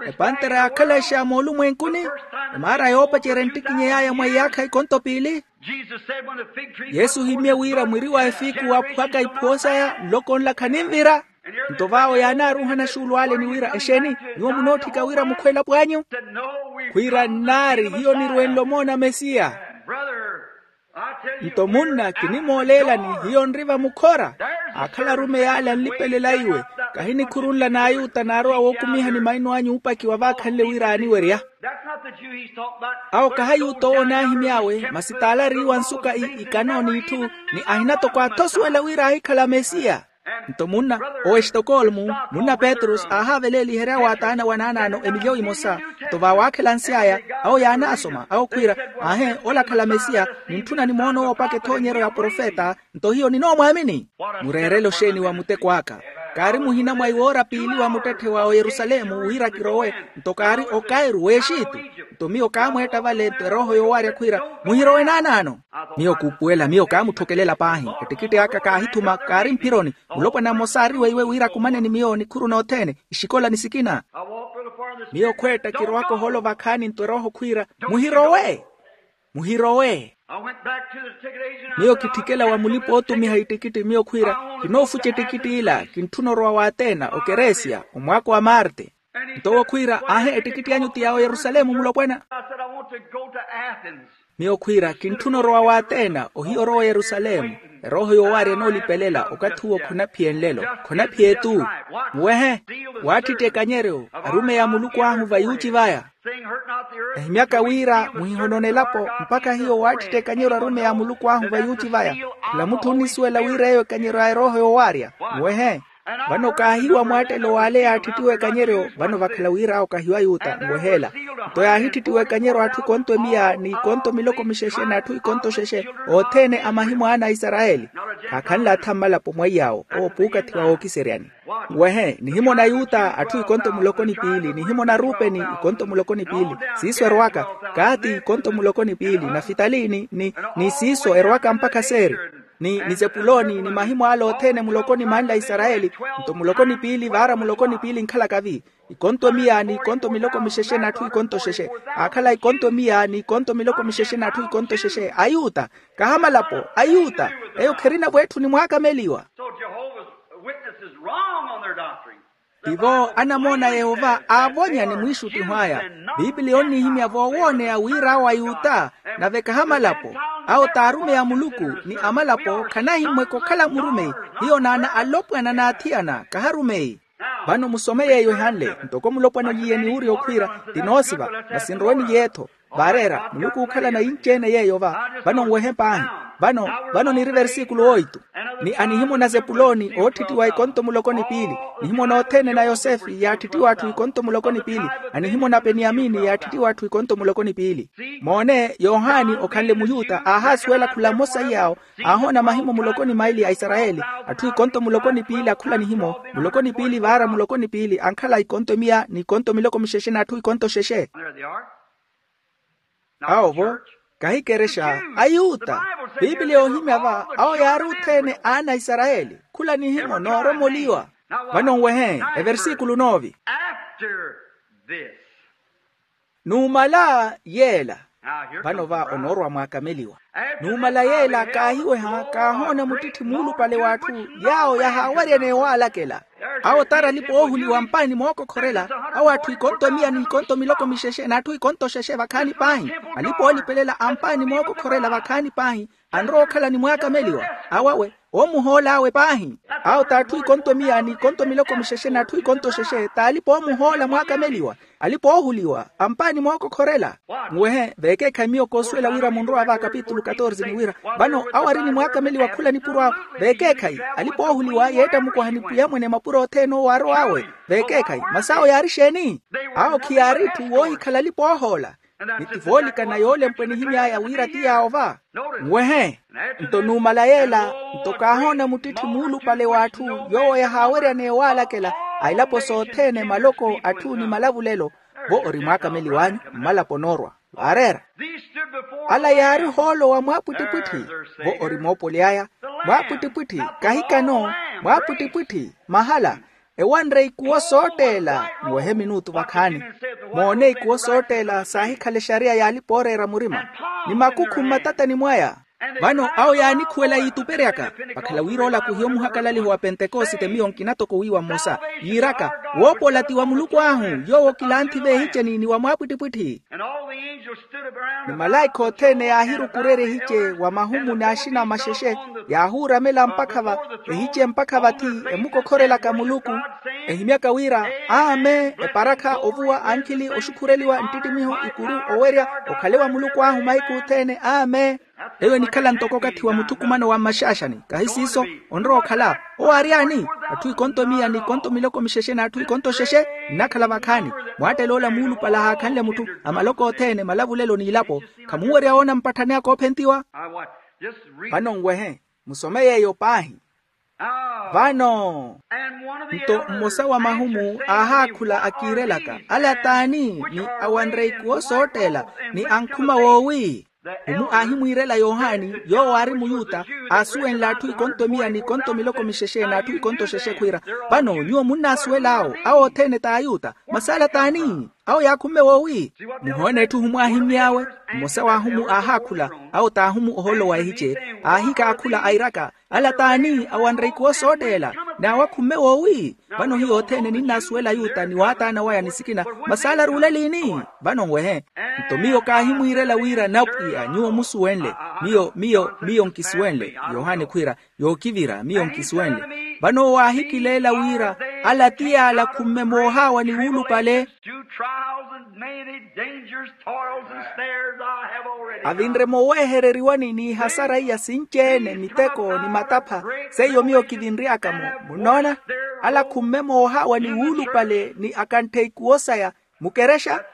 Epantera yaakhalexa moolumwenkuni, emaara yoopacerya enttikinyey'aya mwa iyaakha ikonto piili. Yesu ohimmye wira mwiri wa efiku waaphuwaka iphuwo saya nloko nla khaninvira. Nto vaawo yaanaaruuhana xuulu ale ni wira exeeni, nyuwo munootthika wira mukhwe elapo anyu? Khwiira nnaari hiyo nirwenle omoona mesiya. Nto munna kinimooleelani, hiyo nri vamukhora. Aakhala arumeyi ale anlipelela iwe. Kahi nikhuru nla n'ayuta naarowa wookumihani maino anyu uupakiwa vaakhanle wira aaniwerya. Awo kahi ayuta owo onaahimy'awe masi t'ale ariiwa nsuka ikano n'itthu, ni ahina toko athosuwela wira aahikhala mesiya. Nto munna owo estokolmu, munna petros aahaaveleeliherya wa t'anawe anaanaano emilyowi emosa. Nto vaawaakhela nsy'aya, awo yaanaasoma awo khwiira, aahe, ola akhala mesiya. Nintthuna nimoona owo opaka ethoonyeryo ya profeta. Nto hiyo ninoomwaamini. Mureerele oxeeni wa muteko aka? Kaari muhina mwa iwoora piili wa muttetthe wa oyerusalemu wira kirowe. Nto kaari okairu w'exitu. Nto miyo kaamweetta vale nto erooho yoowaarya khwiira, muhirowe naanaano. Miyo kuupuwela miyo kaamutthokelela paahi. Ettikitti aka kaahithuma kaari mphironi. Mulopwana mmosa aari weiwe wira akumane ni miyo nikhuru nothene, ixikola ni sikina. Miyo khweetta kirowaka ohoolo vakhaani nto erooho khwiira, muhirowe. Muhirowe. Miyo kitthikela wa mulipa ootumiha ittikitti miyo khwiira, kinoofuca ettikitti ila kintthuna orowa w'atena okeresia, omwaako wa marte. Nto owo khwiira, aahi ettikitti anyu ti yaawo yerusalemu mulopwana. Miyo khwiira kintthuna orowa w'atena ohiya orowa oyerusalemu. Erooho yoowaarya enoolipelela okathi uwo khonaphiye nlelo, khonaphiye-tu. Muwehe, waattitta ekanyeryo, arumeyi a muluku ahu vayuuci vaya. Ehimyaka wira muhihonone elapo mpakha hiyo waattitta ekanyeryo arumeyi a muluku ahu vayuuci vaya. Khula mutthu onnisuwela wira eyo ekanyeryo a erooho yoowaarya. Muwehe. Vano kaahiiwa mwaattelo w'ale yaattittiwa ekanyeryo, vano vakhala wira awo kahiiwa ayuta nweheela. Nto yaahittittiwa ekanyeryo atthu ikonto emiya ni ikonto miloko mixexe n'atthu ikonto xexe, othene a mahimu a ana a isarayeli. Khaakhanle atha mmalapo mwaiy'awo owo puukathiwa wookiseryani. Nwehe nihimona ayuta atthu ikonto muloko ni piili, nihimona arupeni ikonto muloko ni piili. Siiso erowaka, kaati ikonto muloko ni piili, nafitali ni, ni, ni siiso erowaka mpakha seeri, ni, ni zepuloni ni mahimu ale othene muloko ni manle a isarayeli. Nto muloko ni piili vaara muloko ni piili nkhalaka vi, ikonto miya ni ikonto miloko mixexe n'atthu ikonto xexe. Aakhala ikonto miya ni ikonto miloko mixexe n'atthu ikonto xexe ayuta. Kaha malapo ayuta, eyo kherina vweetthuni mwaakameliwa. So Jehovah's Witnesses wrong on their doctrine. Tivo anamoona a yehova aavonya ni mwiixuttiho aya. Piipiliya onnihimya voowooneya wira awo ayuta, nave kaha malapo. Awo t'arumeyi a muluku, ni amalapo khanahimmweka okhala murumeyi. Hiyo naana alopwana n'athiyana kaha arumeyi. Vano musome yeeyo ehanle, ntoko mulopwana oliye ni wurya okhwiira, ti noosiva, masi nrowe ni yeetho. Vaareera muluku ookhalana yinci-ene yeeyo va. Vano nwehe paahi. Vano, vano niri versikulu oitu. Ni anihimona zepuloni ootthittiwa ikonto muloko ni piili, nihimona othene na yosefe yaattittiwa atthu ikonto muloko ni piili, anihimona peniyamini yaattittiwa atthu ikonto muloko ni piili. Moone yohani okhanle muyuta aahaasuwela khula mmosa iy'awo, aahoona mahimu muloko ni maili a isarayeli, atthu ikonto muloko ni piili akhula nihimo, muloko ni piili vaara muloko ni piili ankhala ikonto miya ni ikonto miloko mixexe n'atthu ikonto xexe. Awo vo, kahi kerexa ayuta. Piipiliya yoohimya va awo yaari othene aana a isarayeli khula nihimo nooromoliwa. Vano nwehe, eversikulu noovi. Numala yeela. Vano va onoorwa mwaakameliwa. Numala yeela kaahiweha kaahoona muttitthi muulupale w'atthu, yaawo yahaawaryaneya owaalakela. Awo t'ari alipa oohuliwa ampaani mookokhorela. Awo atthu ikonto miya ni ikonto miloko mixexe n'atthu ikonto xexe vakhaani paahi. Alipa oolipelela ampaani mookokhorela vakhaani paahi, anrowa okhala ni mwaakameliwa. Awo awe oomuhoola awe paahi. Awo t'atthu ikonto miya ni ikonto miloko mixexe n'atthu ikonto xexe t'alipa oomuhoola mwaakameliwa. Alipa oohuliwa ampaani mookokhorela. Muwehe veekeekhayi miyo koosuwela wira munrowa va kapitulu katorze ni wira, vano awo ari ni mwaakameliwa khula nipuro awo. Veekeekhayi alipa oohuliwa yeetta mukwaha ni pwiya mwene mapuro othene owo aarowa awe. Veekeekhayi masi awo yaari exeeni? Awo khiyaari etthu woohikhala alipa oohoola. Ni ti voolikana yoolempwa enihimy'aya wira ti yaawo va. Nwehe. Nto numala yeela, nto kaahoona muttitthi muulupale w'atthu, yoowo yahaaweryaneya owaalakela a ilapo sothene maloko atthu ni malavulelo. Vo ori mwaakameliw'anyu mmalapo onoorwa. Vaareera. Ala yaari ohoolo wa mwaapwittipwitthi. Vo ori moopoli aya. Mwaapwittipwitthi, kahikano. Mwaapwittipwitthi mahala. Ewanre ikuwo sootteela. Muwehe minutu vakhaani. Moone ikuwo sootteela saahikhala exariya y'alipa ooreera murima, ni makukhu mmatatani mwaya. Vano awo yaanikhuwela yiituperyaka. Vakhala wira ola khuhiya omuhakalaliho wa pentekosite miyo nkina toko wiiwa mmosa, yiiraka, woopola ti wa muluku ahu, yoowo kilanthi v'ehiceni ni wa mwaapwittipwitthi. Ni malaikha othene yaahirukurerya ehice wa mahumu n'axina a maxexe, yaahuuramela mpakha va ehice mpakha vathi, emukokhorelaka muluku, ehimyaka wira, amen, eparakha, ovuwa, ankhili, oxukhureliwa, nttittimiho, ikuru, owerya, okhale wa muluku ahu mahiku othene, amen. Eyo enikhala ntoko okathi wa muthukumano wa mmaxaaxani, kahi siiso? Onrowa okhala. Owo aari ani? Atthu ikonto miya n'ikonto miloko mixexe n'atthu ikonto xexe. Nnakhala vakhaani. Mwattel'ola muulupale ahaakhanle mutthu, a maloko othene, malavulelo n'ilapo. Khamunwerya woona mpatthani aka oophentiwa? Vano nwehe, musome yeeyo paahi. Vano nto mmosa wa mahumu aahaakhula akiirelaka, ala t'ani? Ni awanre ikuwo sootteela, ni ankhuma woowi. Khumu aahimwiirela yohani yoowo aari muyuta, aasuwenle atthu ikonto miya n'ikonto miloko mixexe n'atthu ikonto xexe khwiira, vano nyuwo munnaasuwel'awo awo othene t'ayuta. Masi ala t'ani? Awo yaakhumme woowi? Muhoone etthu ohumu aahimmy'awe. Mmosa w'ahumu aahaakhula, awo t'ahumu ohoolo wa ehice, aahikaakhula airaka, ala t'ani awanre ikuwo sootteela? N'awo akhumme woowi? Vano hiyo othene ninnaasuwela ayuta ni waataana waya ni sikina. Masi ala aruule liini? Vano nwehe. Nto miyo kaahimwiirela wira napwiya nyuwo musuwenle. Miyo miyo miyo nkisuwenle. Yohane khwiira, yookivira miyo nkisuwenle. Vano owo aahikileela wira ala ti y'ala khumme moohaawa ni wuulupale. Two trials and many dangers, toils and snares I have already. Avinre moowehereriwani n'ihasara iya sinci-ene miteko ni matapha. Seiyo miyo kivinry'aka-mo. Munnoona? Ala khumme moohaawa ni wuulupale ni akanttheiku osaya. Mukerexa?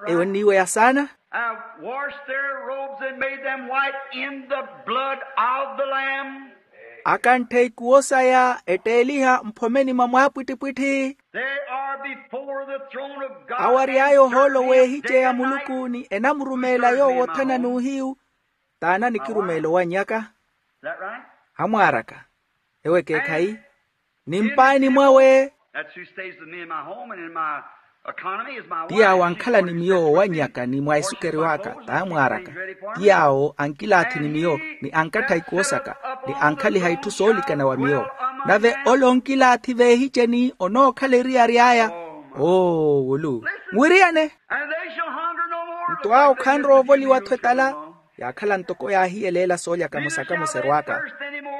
Eyo nniiweya saana. Have washed their robes and made them white in the blood of the Lamb. Akanttheiku osaya etteeliha mphomeni mwa mwaapwittipwitthi. They are before the throne of God. Awo ary'aya ohoolo w'ehice ya muluku ni enamurumeela yoowo othana n'uhiyu. T'ana ni kirumeelo wannyaka. Is that right? Amwaaraka. Ewo ekeekhayi. Ni mpaani mwawe. That's who stays with me in my home and in my economy is my wife. Ti yaawo ankhala ni miyo owannyaka ni mwa esukeri w'aka t'amwaaraka. Ti yaawo ankilaathi ni miyo ni ankattha ikuwo saka ni ankhaliha itthu soolikana wa miyo. Nave ole onkilaathi v'ehiceni onookhala eriyari aya. Oo wulu. Nwiriyane. Nto awo khanrowa ovoliwa-tho etala. Yaakhala ntoko yaahiyeleela soolyaka musaka muserw'aka.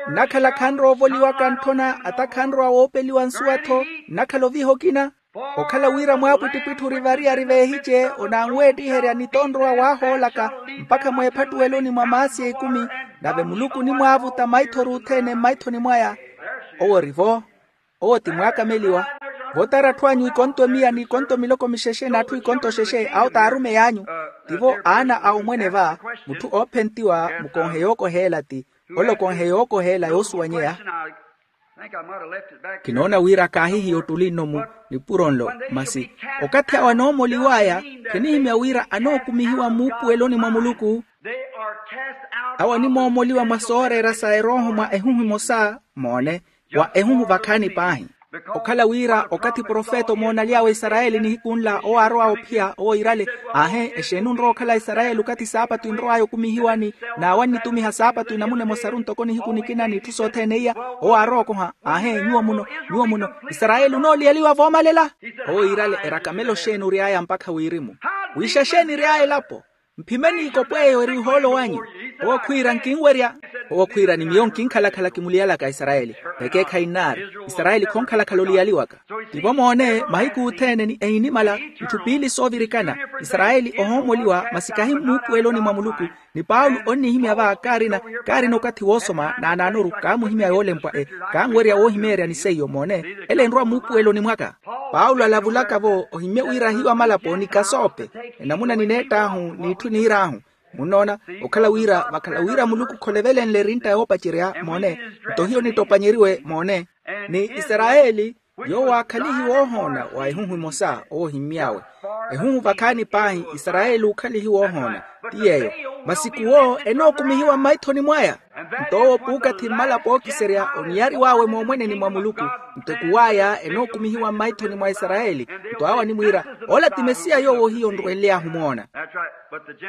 Nnakhala khanrowa ovoliwaka ntthona ata khanrowa woopeliwa nsuwa-tho. Nnakhala oviha okina. Okhala wira mwaapwittipwitti ori variyari v'ehice onanweettiherya ni tonrowa waahoolaka mpakha mweephattuweloni mwa maasi ekumi. Nave muluku onimwaavuta maitho oruuthene mmaithoni mwaya. Owo ori-vo. Owo ti mwaakameliwa. Votara atthu anyu ikonto miya n'ikonto miloko mixexe n'atthu ikonto xexe awo t'arumeyi anyu. Tivo aana a omwene va. Mutthu oophentiwa mukonhe yookoheela ti ole okonhe yookoheela yoosuwanyeya. Kinoona wira kaahihiya ottuli nno mu nipuro nlo. Masi okathi awo anoomoliw'aya, khinihimya wira anookumihiwa muupuweloni mwa muluku. Awo animoomoliwa mwa sooreera sa erooho mwa ehuhu emosa. Moone, wa ehuhu vakhaani paahi. Okhala wira okathi profeta omoonaly'awe isarayeli nihiku nla owo aarowa ophiya owo iirale. Aahe, exeeni onrowa okhala isarayeli okathi saapatu enrow'aya okumihiwani? N'awo annitumiha saapatu enamuna emosaru ntoko nihiku nikina n'itthu sothene iya. Owo aarowa okoha. Aahe, nyuwo muno, nyuwo muno, isarayeli onooliyaliwa voomalela. Owo iirale erakamelo xeeni ory'aya mpakha wirimu? Wiixa xeeni ery'aya elapo? Mphimeni ikopwe eyo eri ohoolo wanyu. Owo khwiira nkinwerya. Owo khwiira ni miyo nkinkhalakhala kimuliyalaka isarayeli. Ekeekhayi nnaari. Isarayeli khonkhalakhala oliyaliwaka. Tivo moone mahiku othene ni ehinimala itthu piili soovirikana. Isarayeli ohoomoliwa masi kahi mmuupuweloni mwa muluku. Ni paulo onnihimya va kaarina kaarina okathi woosoma naanaanoru kaamuhimya yoolempwa-e. Kaanwerya woohimeerya ni seiyo moone. Ele enrowa mmuupuweloni mwaka. Paulo alavulaka-vo ohimmye wira ahiyu amalapo ni kasoope. Enamuna nineett'ahu n'itthu niir'ahu. Munnoona, okhala wira vakhala wira muluku kholovelenle erintta yoopacerya moone. Nto hiyo nitopanyeriwe moone. Ni isarayeli yoowo aakhalihiwa ohoona wa ehuhu emosa owo ohimmy'awe. Ehuhu vakhaani paahi isarayeli ookhalihiwa ohoona. Ti yeeyo. Masi khuwo enookumihiwa mmaithoni mwaya. Nto owo puukathi mmalapo ookiserya oniyariw'awe moomweneni mwa muluku. Nto ekuw'aya enookumihiwa mmaithoni mwa isarayeli. Nto awo animwiira, ola ti mesiya yoowo hiyo onrwenly'ahu omoona.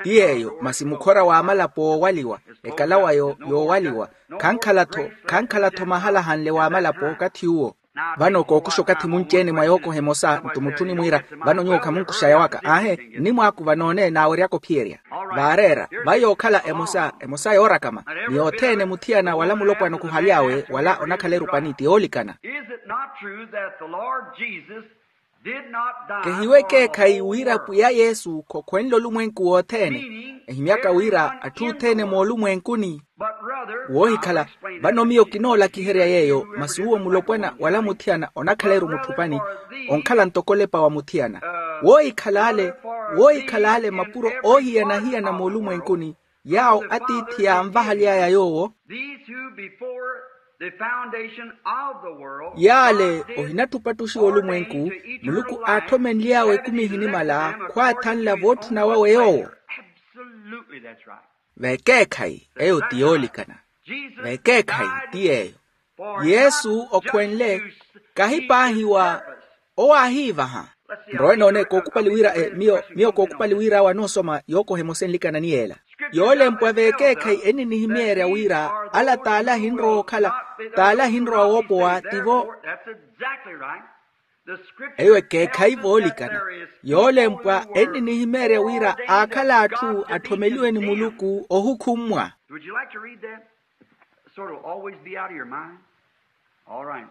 Ti yeeyo masi mukhora w'amalapo woowaliwa. Ekalawa yoowaliwa. Khankhala-tho khankhala-tho mahala ahanle w'amalapo okathi uwo. Vano kookuxa okathi munci-ene mwa yookoha emosa nto mutthu onimwiira, vano nyuwo khamunkuxaya waka aahe. Nnimwaakuva noone naaweryaka ophiyerya. Vaareera. Vai yookhala emosa emosa yoorakama. Ni yothene muthiyana wala mulopwana okhuhaly'awe wala onakhala erupani ti yoolikana. Is it not true that the Lord Jesus did not die for a whole world? Kehiwe ekeekhayi wira pwiya yesu khokhwenle olumwenku wothene. Ehimyaka wira atthu othene moolumwenkuni. Woohikhala. Vano miyo kinoolakiherya yeeyo masi uwo mulopwana wala muthiyana onakhala-eri omutthupani. Onkhala ntoko olepa wa muthiyana. Woohikhala ale woohikhala ale mapuro oohiyana-hiyana moolumwenkuni. Yaawo atiithi yaanvahaly'aya yoowo. These who before the foundation of the world, yaale God did ohinatthu opattuxiwa olumwenku. Muluku aathomenly'awe ekumi ehinimala khwaathanla vootthuna wawe yoowo. Absolutely, that's right. Vekeekhayi eyo ti yoolikana. Vekeekhayi ti yeeyo. Yesu okhwenle kahi paahi wa owo aahiivaha. Nrowe noone kookupali wira miyo miyo kookupali wira awo anoosoma yookoha emosa enlikana ni yeela. Yoolempwa vekeekhayi enninihimyeerya wira ala t'ale ahinrowa okhala t'ale ahinrowa woopowa tivo. Eyo ekeekhayi voolikana. Yoolempwa enninihimeerya wira aakhala atthu atthomeliwe ni muluku ohukhummwa. Would you like to read that? Sort of always be out of your mind. All right.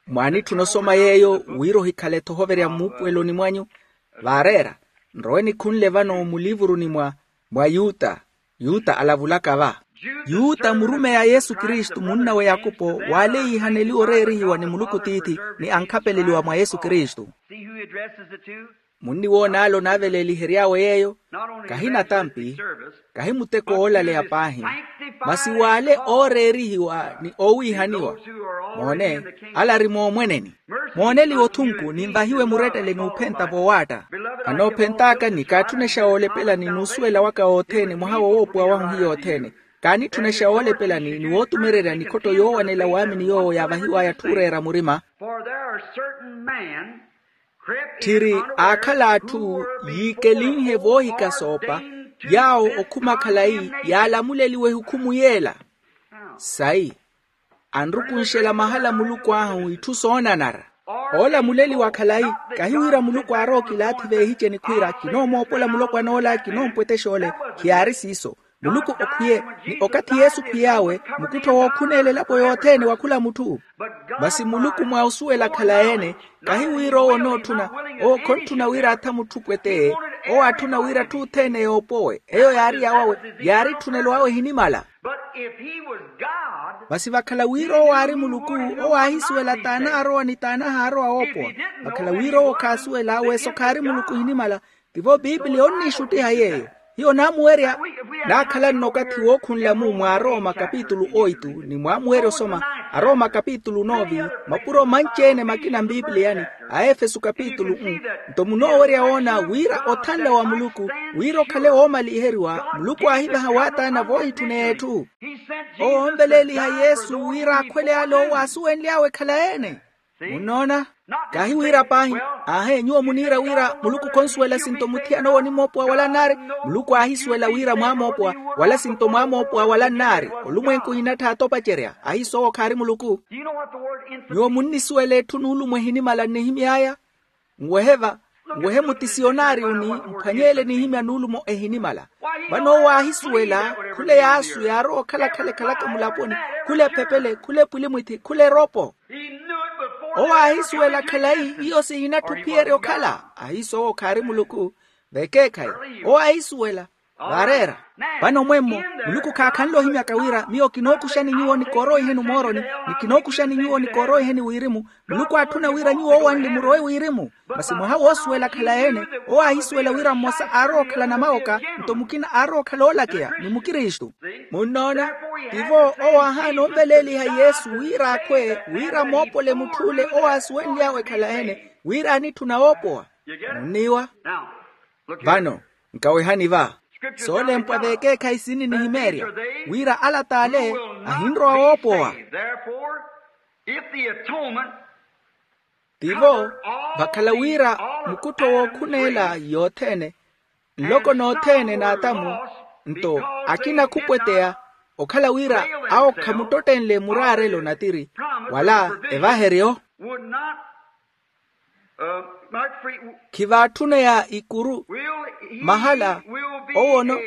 Mwaanitthuna osoma yeeyo wira ohikhale-tho ohoverya mmuupuweloni mwanyu. Vaareera nrowe nikhunle vano muliivuruni mwa mwa yuta. Yuta alavulaka va. Yuta murumeyi a yesu kristu munna w'eyakupo waale yiihaneliwa oreerihiwa ni muluku tiithi ni ankhapeleliwa mwa yesu kristu. Munniwoon'ale onaaveleelihery'awe yeeyo. Kahi natampi kahi muteko woolaleya paahi masi waale ooreerihiwa ni oowiihaniwa. Moone ala ari moomweneni. Mooneliwe othunku ninvahiwe murettele n'uphenta voowaatta. Anoophent'aka ni kaatthunexa woolepelani n'usuwela waka wothene mwaha wowoopuwa wahu hiyo othene. Kaanitthunexa woolepelani ni wootumererya nikhotto yoowanela waamini yoowo yaavahiw'aya atthu ooreera murima. Tthiri aakhala atthu yiikelinhe voohikasoopa yaawo okhuma khalayi yaalamuleliwa ehukhumu yeela. Sayi anrukunxela mahala muluku ahu itthu soonanara. Oolamuleliwa khalayi kahi wira muluku aarowa okilaathi veehiceni khwiira kinoomoopola mulopwan'ola kinoompwetex'ole. Khiyaari siiso. Muluku okhwiye ni okathi yesu okhwiy'awe mukuttho wookhun'ela elapo yothene wa khula mutthu. Masi muluku mwa osuwela khalayi-ene kahi wira owo onootthuna owo khonttuna wira atha mutthu pweteye. Owo aatthuna wira atthu othene yoopowe eyo yaari yawawe. Yaari etthunelo awe ehinimala. Masi vakhala wira owo aari muluku owo aahisuwela t'anaarowa ni t'anahaarowa woopowa. Vakhala wira owo khaasuwela weso khaari muluku ehinimala. Tivo piipiliya onniixuttiha yeeyo. Hiyo naamuwerya naakhala nno okathi wookhunla-mu mwa arooma kapitulu oitu ni mwaamuwerya osoma arooma kapitulu noovi mapuro manci-ene makina mpiipiliyani a efesu kapitulu nto munoowerya woona wira othanla wa muluku wira okhale woomaliheriwa muluku aahivaha waataana voohitthuneya etthu. Owo onveleeliha yesu wira akhwele ale owo aasuwenly'awe ekhalayi-ene. Munnoona? Kahi wira paahi aahe nyuwo muniira wira muluku khonsuwela sinto muthiyana owo onimoopowa wala nnaari. Muluku aahisuwela wira mwaamoopowa wala sinto mwaamoopowa wala nnaari. Olumwenku ohinattha atopacerya ahiiso owo khaari muluku. Nyuwo munnisuwela etthu nuulumo ehinimala nnihimy'aya. Nwehe va nwehe muti siyonaari uni mphwanyeele nihimya nuulumo ehinimala. Vano owo aahisuwela khula eyaasu yaarowa okhala-khala ekhalaka mulaponi khula ephepele khula epwilimwithi khula eropo. Owo aahisuwela khalayi iyo sihinatthi ophiyerya okhala. Ahiiso owo khaari muluku vekeekhayi owo aahisuwela. Vaareera vano mwemmo muluku khaakhanle ohimyaka wira miyo kinookuxani nyuwo ni koorowa ihenu mooroni ni kinookuxani nyuwo ni koorowa iheni wirimu. Muluku aatthuna wira nyuwo owanli murowe wirimu. Masi mwaha woosuwela khalayi-ene owo aahisuwela wira mmosa aarowa okhala namawoka nto mukina aarowa okhala oolakeya ni mukristu. Munnoona? Tivo owo aahaana onveleeliha yesu wira akhwe wira moopole mutth'ule owo aasuwenly'awe khalayi-ene wira aanitthuna woopowa. Munniiwa? Vano nkawehani va soolempwa veekeekhayi sininihimeerya wira ala t'ale ahinrowa woopowa. Tivo vakhala wira mukuttho wookhuneela yothene nloko nothene n'atamu nto akina khupweteya okhala wira awo khamuttottenle muraarelo natiri wala evaheryo. Khivaatthuna ya ikuru mahala owono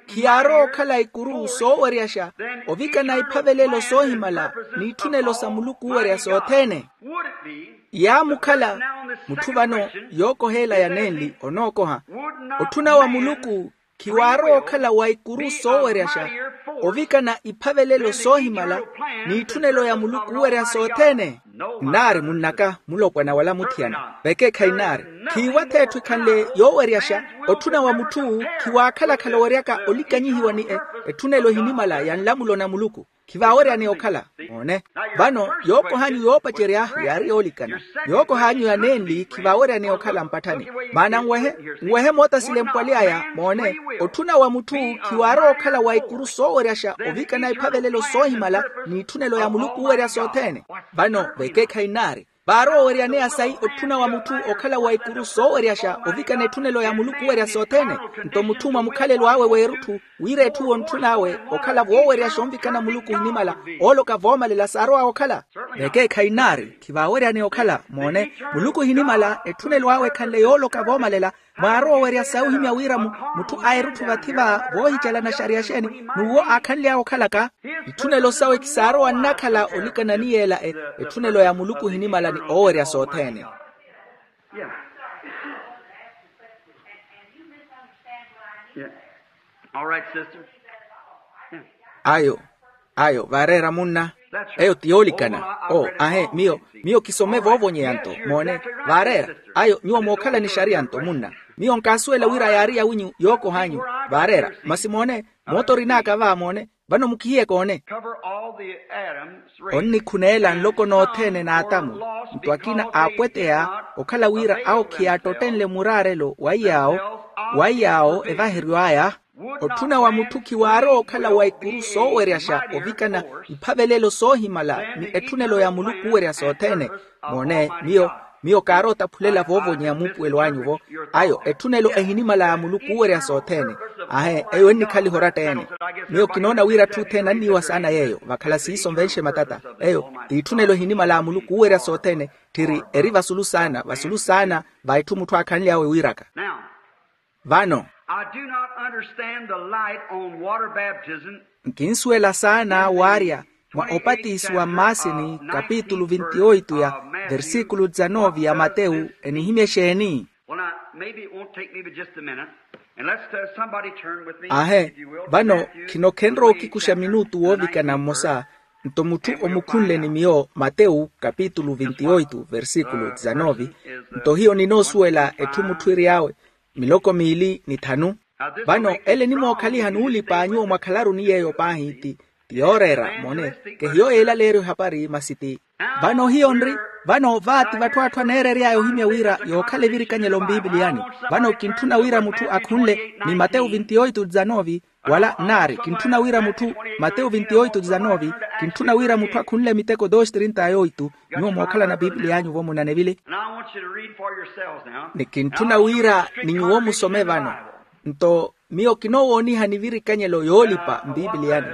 khiyaarowa okhala ikuru sooweryaxa ovikana iphavelelo soohimala n'itthuneelo sa muluku oowerya sothene. Yaamukhala mutthu vano yookoheela ya nenli onookoha otthuna wa muluku khiwaarowa okhala wa ikuru sooweryaxa ovikana iphavelelo soohimala n'itthunelo ya muluku oowerya sothene. Nnaari munnaka mulopwana wala muthiyana vekeekhayi nnaari khiiwa-tho etthu ekhanle yooweryaxa otthuna wa mutthu khiwaakhala-khala oweryaka olikanyihiwa ni etthunelo ehinimala ya nlamulo na muluku. Khivaaweryaneya okhala. Moone. Vano yookoh'anyu yoopacerya yaari yoolikana. Yookoh'anyu ya nenli khivaaweryaneya okhala mpatthani. Maana nwehe, nwehe moota silempwali aya. Moone. Otthuna wa mutthu khiwaarowa okhala wa ikuru sooweryaxa ovikana iphavelelo soohimala n'itthunelo ya muluku oowerya sothene. Vano vekeekhayi nnaari, vaarowa oweryaneya sayi otthuna wa mutthu okhala wa ikuru sooweryaxa ovikana etthunelo ya muluku oowerya sothene. Nto mutthu mwa mukhalelo awe w'erutthu, wira etthu yontthun'awe okhala wooweryaxa onvikana muluku ohinimala, ooloka voomalela saarowa okhala. Vekeekhayi nnaari, khivaaweryaneya okhala. Moone. Muluku ohinimala etthunelo awe ekhanle yooloka voomalela. Mwaarowa owerya sayi ohimya wira mutthu a erutthu vathi va voohicalana xariya xeeni, n'uwo aakhanly'awe okhalaka. Itthunelo sawe khisaarowa nnakhala olikana ni yeela etthunelo ya muluku ohinimala ni oowerya sothene. Ayo. Ayo vaareera munna. Eyo ti yoolikana. O ahe miyo, miyo kisome voovonyeya nto. Moone. Vaareera. Ayo nyuwo mookhala ni xariya nto munna. Miyo nkaasuwela wira yaari yawinyu yookoh'anyu. Vaareera. Masi moone. Mootorin'aka va moone. Vano mukihiye koone. Onnikhuneela nloko nothene n'atamu. Nto akina aapweteya okhala wira awo khiyaattotthenle muraarelo wa iyaawo, wa iyaawo evaheryo aya. Otthuna wa mutthu khiwaarowa okhala wa ikuru sooweryaxa ovikana iphavelelo soohimala ni etthunelo ya muluku oowerya sothene. Moone. Miyo, miyo kaarowa otaphulela voovonyeya muupuwelo anyu-vo. Ayo etthunelo ehinimala ya muluku oowerya sothene. Ahe eyo ennikhaliha oratta-ene. Miyo kinoona wira atthu othene anniiwa saana yeeyo vakhala siiso nvenxe matata. Eyo t'itthunelo ehinimala ya muluku oowerya sothene. Tthiri eri vasulu saana vasulu saana va etthu mutthu aakhanly'awe wiiraka. Vano. I do not understand the light on water baptism. Nkinsuwela saana waarya mwa opatisiwa mmaasini kapitulu vintioitu ya versikulu dizanove ya matewu enihimya exeeni? Well, now, maybe it won't take me but just a minute. And let's, uh, somebody turn with me, ahe if you will, vano Matthew khino khenrowa okhikuxa minutu woovikana mmosa. Nto mutthu omukhunle ni miyo matewu kapitulu vintioitu versikulu dizanove. Nto hiyo ninoosuwela etthu mutthu eri awe miloko miili ni thanu. Vano ele enimookhaliha n'ulipa nyuwo mwakhalaruni yeeyo paahi ti, ti yooreera moone. Kehiyo yeelaleeryo ehapari masi ti. Vano hiyo nri, vano vaati vatthu atthu aneerery'aya ohimya wira yookhala evirikanyelo mpipiliyani. Vano kintthuna wira mutthu akhunle ni matewu vintioitu dizanove. Wala nnaari kintthuna wira mutthu, matewu vintioitu dizanove, kintthuna wira mutthu akhunle miteko dos trinta yoitu. Nyuwo mookhalana pipiliya anyu vo munanevile. Ni kintthuna wira ni nyuwo musome vano. Nto miyo kinoowoonihani evirikanyelo yoolipa mpipiliyani.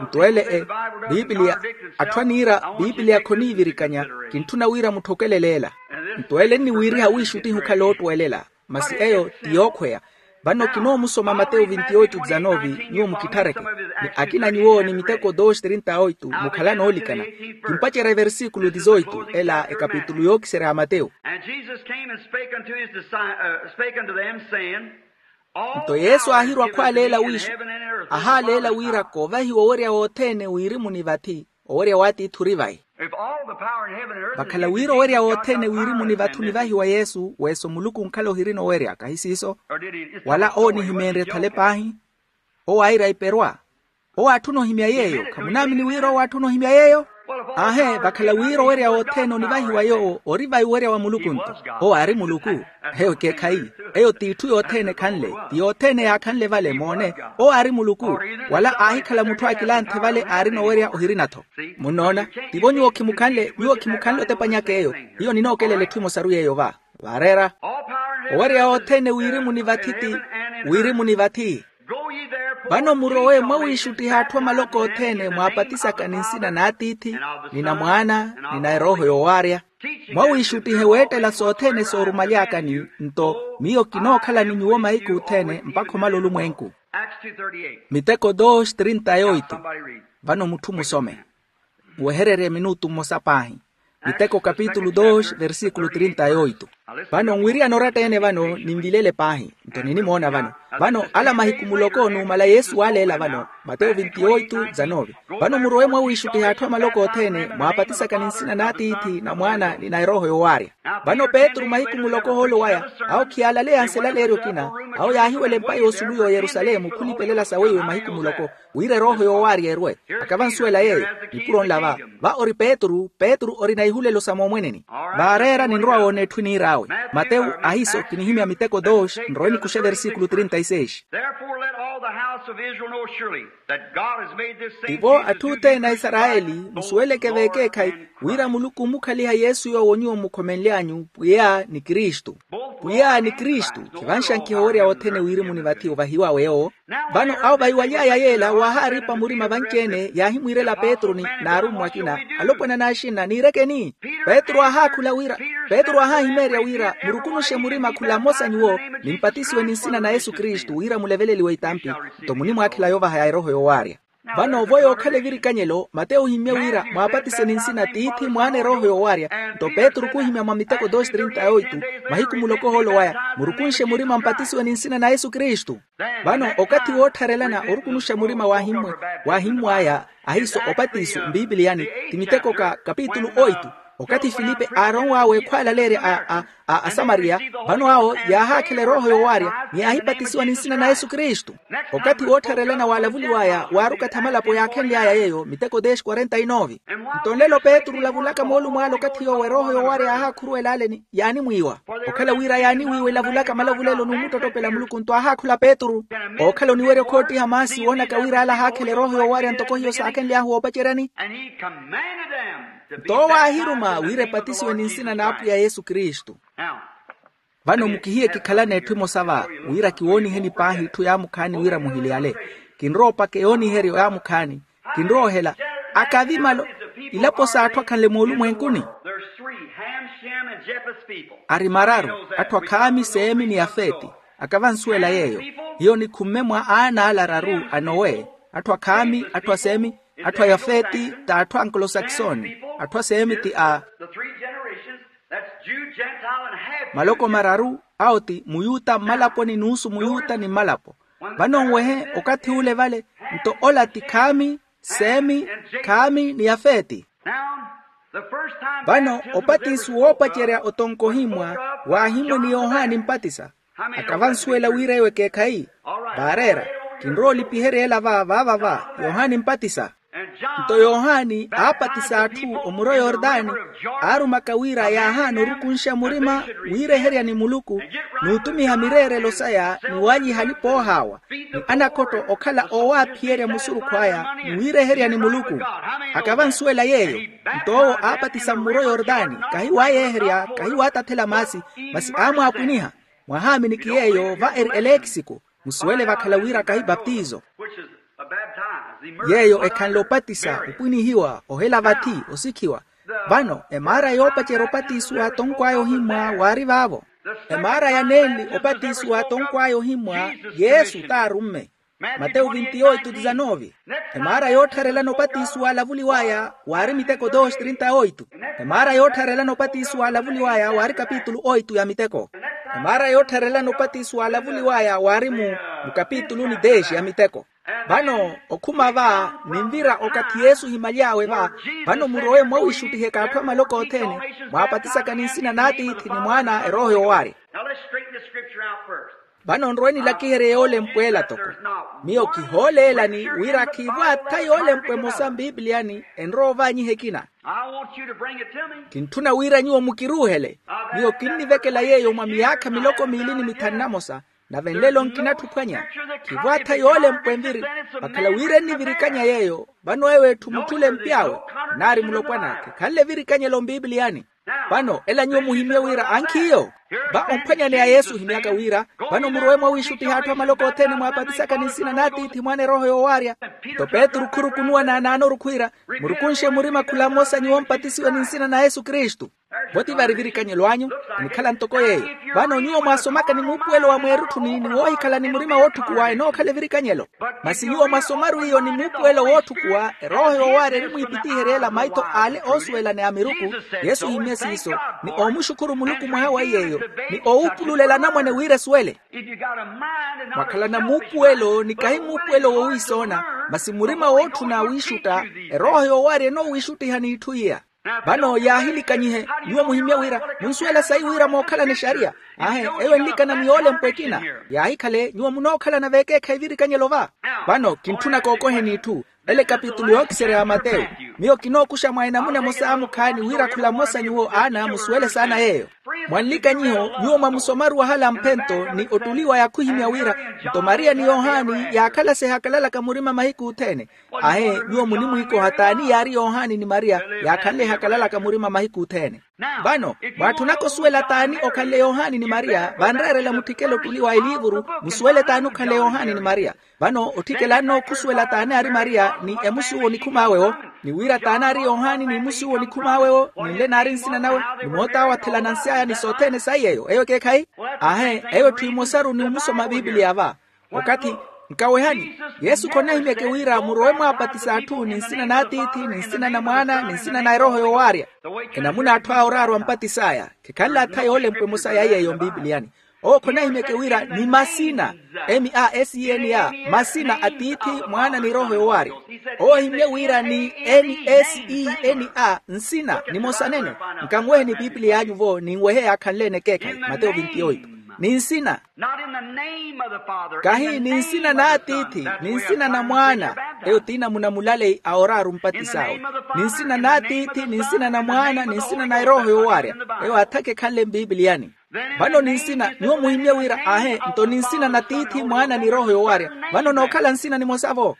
Nto ele e pipiliya, atthu aniira pipiliya khoniivirikanya. Kintthuna wira mutthokele leela. Nto ele nniwiiriha wiixuttihi okhala oottuwelela. Masi eyo ti yookhweya. Vano kinoomusoma matewu vintioitu dizanove nyuwo mukitthareke. Ni akina nyuwo ni miteko dos trinta oitu mukhala noolikana. Kimpacerya eversikulo dizoitu ela ekapitulu yookiserya ya matewu. And Jesus came and spake unto his disci- uh, spake unto them, saying, nto yesu aahirwa khwaaleela wiixu, ahaaleela wira koovahiwa owerya wothene wiirimuni vathi. Owerya w'atiithi ori vayi. Vakhala wira owerya wothene wiirimuni vathi onivahiwa yesu weeso muluku onkhala ohirina owerya kahi siiso? Wala owo onihimeenrye thale paahi? Owo aira iperwa. Owo aatthuna ohimya yeeyo khamunaamini wira owo aatthuna ohimya yeeyo? Aahe vakhala wira owerya wothene onivahiwa yoowo ori vayi owerya wa muluku nto. Owo aari muluku. Eyo ekeekhayi. Eyo t'itthu yothene ekhanle ti yothene yaakhanle vale moone. Owo aari muluku. Wala aahikhala mutthu akilanthe vale aarina owerya ohirina-tho. Munnoona? Tivo nyuwo khimukhanle nyuwo khimukhanle otepanyaka eyo. Hiyo ninookelela etthu emosaru yeeyo va. Vaareera. Owerya othene wiirimuni vathi ti wiirimuni vathi. Vano murowe mwawiixuttiha atthu amaloko othene mwaapatisaka ni nsina n'atiithi ni na mwaana ni na erooho yowaarya. Mwawiixuttihe weettela sothene soorumaly'akani. Nto miyo kinookhala ni nyuwo mahiku othene mpakha omala olumwenku. Miteko dos trinta yoitu. Vano mutthu musome. Nwehererye minutu mmosa paahi. Miteko kapitulu dos versíkulu trinta yoitu. Vano nwiriyana oratta-ene vano ninvilele paahi. Nto ninimoona vano. Vano ala mahiku muloko numala yesu waaleela vano. Mateyo vinti yoitu dizanove. Vano murowe mwawiixuttiha atthu amaloko othene mwaapatisaka ni nsina n'atiithi na mwaana ni na erooho yowaarya. Vano petru mahiku muloko ohoolo waya awo khiyaalaleya nselaleeryo okina. Awo yaahiwela empa yoosulu y'oyerusalemu khulipelela saweiwe mahiku muloko, wira erooho yoowaarya erwe. Akavansuwela yeeyo. Nipuro nla va. Va ori petru petru orina ihulelo sa moomweneni. Vaareera ninrowa woona etthwi niir'awe. Matewu ahiso kinihimya miteko dos nrowe nikuxe versikulu trinta e seis. Therefore let all the house of Israel know surely that God has made this same tivo Jesus atthu who othene a isarayeli musuweleke veekeekhayi wira muluku ommukhaliha yesu yoowo nyuwo mmukhomenly'anyu pwiya ni kristu. Pwiya ni kristu khivanxankiha owerya wothene wiirimuni vathi ovahiwawe yoowo. Vano awo vahiwaly'aya yeela waahaaripa murima vanci-ene yaahimwiirela petru ni n'arummwa akina alopwana n'axinna niirekeni. Petru aahaakhula wira petru aahaahimeerya wira murukunuxe murima khula mmosa nyuwo nimpatisiwe ni nsina na yesu kristu wira muleveleliwe itampi. Nto munimwaakhela yoovaha ya erooho yoowaarya. Vano vo yookhala evirikanyelo mateyo ohimmye wira mwaapatise ni nsina tiithi mwaana erooho yoowaarya. Nto petru khuhimya mwa miteko dos trinta e oitu mahiku muloko ohoolo waya murukunxe murima mpatisiwe ni nsina na yesu kristu. Vano okathi woottharelana orukunuxa murima waahimmwaya ahiiso opatiso mpipiliyani ti miteko ka kapitulu oitu. Okathi filipe aaronw'awe ekhwaalaleerya a asamariya vano awo yaahaakhela erooho yoowaarya ni yaahipatisiwa ni nsina na yesu kristu. Okathi woottharelana waalavuliw'aya waari okathi amalapo yaakhenly'aya yeeyo miteko deshi quarenta e nove. Nto nlelo petru olavulaka moolumo ale okathi yoowo erooho yoowaarya yaahaakhuruwela aleni yaanimwiiwa okhala wira yaaniwiiwa elavulaka malavulelo n'umuttottopela muluku nto aahaakhula petru. Ookhala oniwerya okhoottiha maasi woonaka wira ale ahaakhela erooho yoowaarya ntoko hiyo saakhenly'ahu woopaceryani. Nto owo aahiruma wira epatisiwe ni nsina n'apwiya yesu kristu. Vano mukihiye kikhalana etthu emosa va wira kiwooniheni paahi etthu yaamukhaani wira muhiliyale. Kinrowa opaka yooniheryo yaamukhaani. Kinrowa ohela akavi malo ilapo s'atthu akhanle moolumwenkuni. Ari mararu atthu a khami semi ni yafeti. Akavansuwela yeeyo hiyo nikhumme mwa aana ala araru a nowe atthu a khami atthu a semi atthu a yafeti t'atthu a nkolosakisoni atthu a semi ti a maloko mararu awo ti muyuta mmalaponi n'usu muyuta ni mmalapo. Vano nwehe okathi ule vale nto ola ti khami semi khami ni yafeti. Vano opatiso woopacerya otonkohimmwa waahimmwe ni yohani mpatisa. Akavansuwela wira ewo ekeekhayi vaareera kinrowa olipiherya ela va vaava va yohani mpatisa. Nto yohani aapatisa atthu omuro yordani aarumaka wira yaahaana orukunxa murima wiireheryani muluku n'utumiha mireerelo saya ni walyiha alipa oohaawa ni anakhotto okhala oowaaphiyerya musurukhu aya ni wiireheryani muluku. Akavansuwela yeeyo nto owo aapatisa mmuro yordani kahi waayeeherya kahi waatathela maasi masi aamwaapwiniha. Mwahaamini ki yeeyo va eri eleekisiku musuwele vakhala wira kahi baptizo. Yeeyo ekhanle opatisa opwinihiwa ohela vathi osikhiwa. Vano emaara yoopacerya opatiso w'atonkw'aya ohimmwa waari vaavo. Emaara ya nenli opatiso w'atonkw'aya ohimmwa yesu t'arumme. Matewu vinti oitu dizanove. Emaara yoottharelana opatiso waalavuliw'aya waari miteko dos trinta oitu. Emaara yoottharelana opatiso waalavuliw'aya waari kapitulu oitu ya miteko. Emaara yoottharelana opatiso waalavuliw'aya waari mu kapituluni deshi ya miteko. Vano okhuma va ninvira okathi yesu ohimaly'awe va. Vano murowe mwawiixuttiheka atthu a maloko othene mwaapatisaka ni nsina n'atiithi ni mwaana erooho yoowaarya. Vano nrowe nilakiherye yoolempwa ela toko miyo kihooleelani wira khiivwaatha yoolempwa emosa mpipiliyani enrowa ovaanyiha ekina. Kintthuna wira nyuwo mukiruuhele. Miyo kinnivekela yeeyo mwa miyaakha miloko miili ni mithanu namosa. Nave nlelo nkinatthi ophwanya khivwaatha yoolempwa enviri vakhala wira ennivirikanya yeeyo. Vano ewo etthu mutthu olempy'awe nnaari mulopwan'aka ekhanle evirikanyelo mpipiliyani. Vano ela nyuwo muhimmye wira ankhiiyo va omphwanyaneya yesu ohimy'aka wira vano murowe mwawiixuttiha atthu a maloko othene mwaapatisaka ni nsina n'atiithi mwaana erooho yoowaarya. Nto petru khurukunuwa naanaanoru khwiira murukunxe murima khula mmosa nyuwo mpatisiwe ni nsina na yesu kristu. Vo ti vari evirikanyelo anyu enikhala ntoko yeeyo. Vano nyuwo mwaasomaka ni muupuwelo wa mweerutthuni ni woohikhala ni murima wootthukuwa enookhala evirikanyelo. Masi nyuwo mwasomaru iyo ni muupuwelo wootthukuwa erooho yoowaarya erimwiipitiherya ela maitho ale oosuwelane a miruku. Yesu ohimmye siiso ni oomuxukhuru muluku mwaha wa iy'eyo ni oowuupululela anamwane wira esuwele. Mwakhalana muupuwelo ni kahi muupuwelo wowiisoona masi murima wootthuna wiixutta erooho yoowaarya enoowiixuttiha n'itthu iya. Vano yaahilikanyihe, nyuwo muhimye wira, munsuwela sayi wira mookhalana exariya? Aahe, eyo enlikana mwiyoolempwe ekina. Yaahikhale nyuwo munookhalana veekeekhayi virikanyelo va. Vano kintthuna kookoheni itthu. Ele ekapitulu yookiserya ya mateyu. Miyo kinookuxa mwa enamuna emosa mukhaani wira khula mmosa nyuwo aana musuwele saana yeeyo. Mwanlikanyiho, nyuwo mwamusomaru wahala mphento ni ottuliwa ya khuhimya wira, nto mariya ni yohani yaakhala sihakalalaka murima mahiku othene. Ahe, nyuwo munimwiikoha t'ani yaari yohani ni mariya yaakhanle ehakalalaka murima mahiku othene. Vano mwaatthunaka osuwela t'ani okhanle yohani ni mariya, vanreerela mutthikele ottuliwa eliivuru, musuwele t'ani okhanle yohani ni mariya. Vano otthikela annookhusuwela t'ani aari mariya ni emusuwo nikhum'awe-wo, ni wira t'ani aari yohani ni emusuwo nikhum'awe-wo, ni nle naari nsina nawe, ni moot'awe athelana nsi aya ni sothene sayi eyo eyo ekeekhayi. Ahe, eyo etthu emosaru ni omusoma a pipiliya va. Okathi nkawehani, yesu khonahimyeke wira murowe mwaapatisa atthu ni nsina n'atiithi ni nsina na mwaana ni nsina na erooho yoowaarya. Enamuna atthu aya oraaru ampatis'aya khekhanle atha yoolempwa emosa ya yeeyo mpipiliyani. Owo khonahimyeke wira ni masina, m a s i n a, masina a tiithi, mwaana ni erooho yoowaarya. Owo ohimye wira ni n s i n a, nsina nimosa nene. Nkanweheni pipiliya anyu vo ninwehe yaakhanle-ene ekeekhayi. Mateyo vintioito. Ni nsina. Kahi ni nsina n'atiithi ni nsina na mwaana. Eyo t'inamuna mulaleyi a oraaru mpatis'awe. Ni nsina n'atiithi ni nsina na mwaana ni nsina na erooho yoowaarya. Eyo athaka ekhanle mpipiliyani. Vano ni nsina nyuwo muhimye wira aahe nto ni nsina na tiithi mwaana ni erooho yoowaarya. Vano nookhala nsina nimosa vo.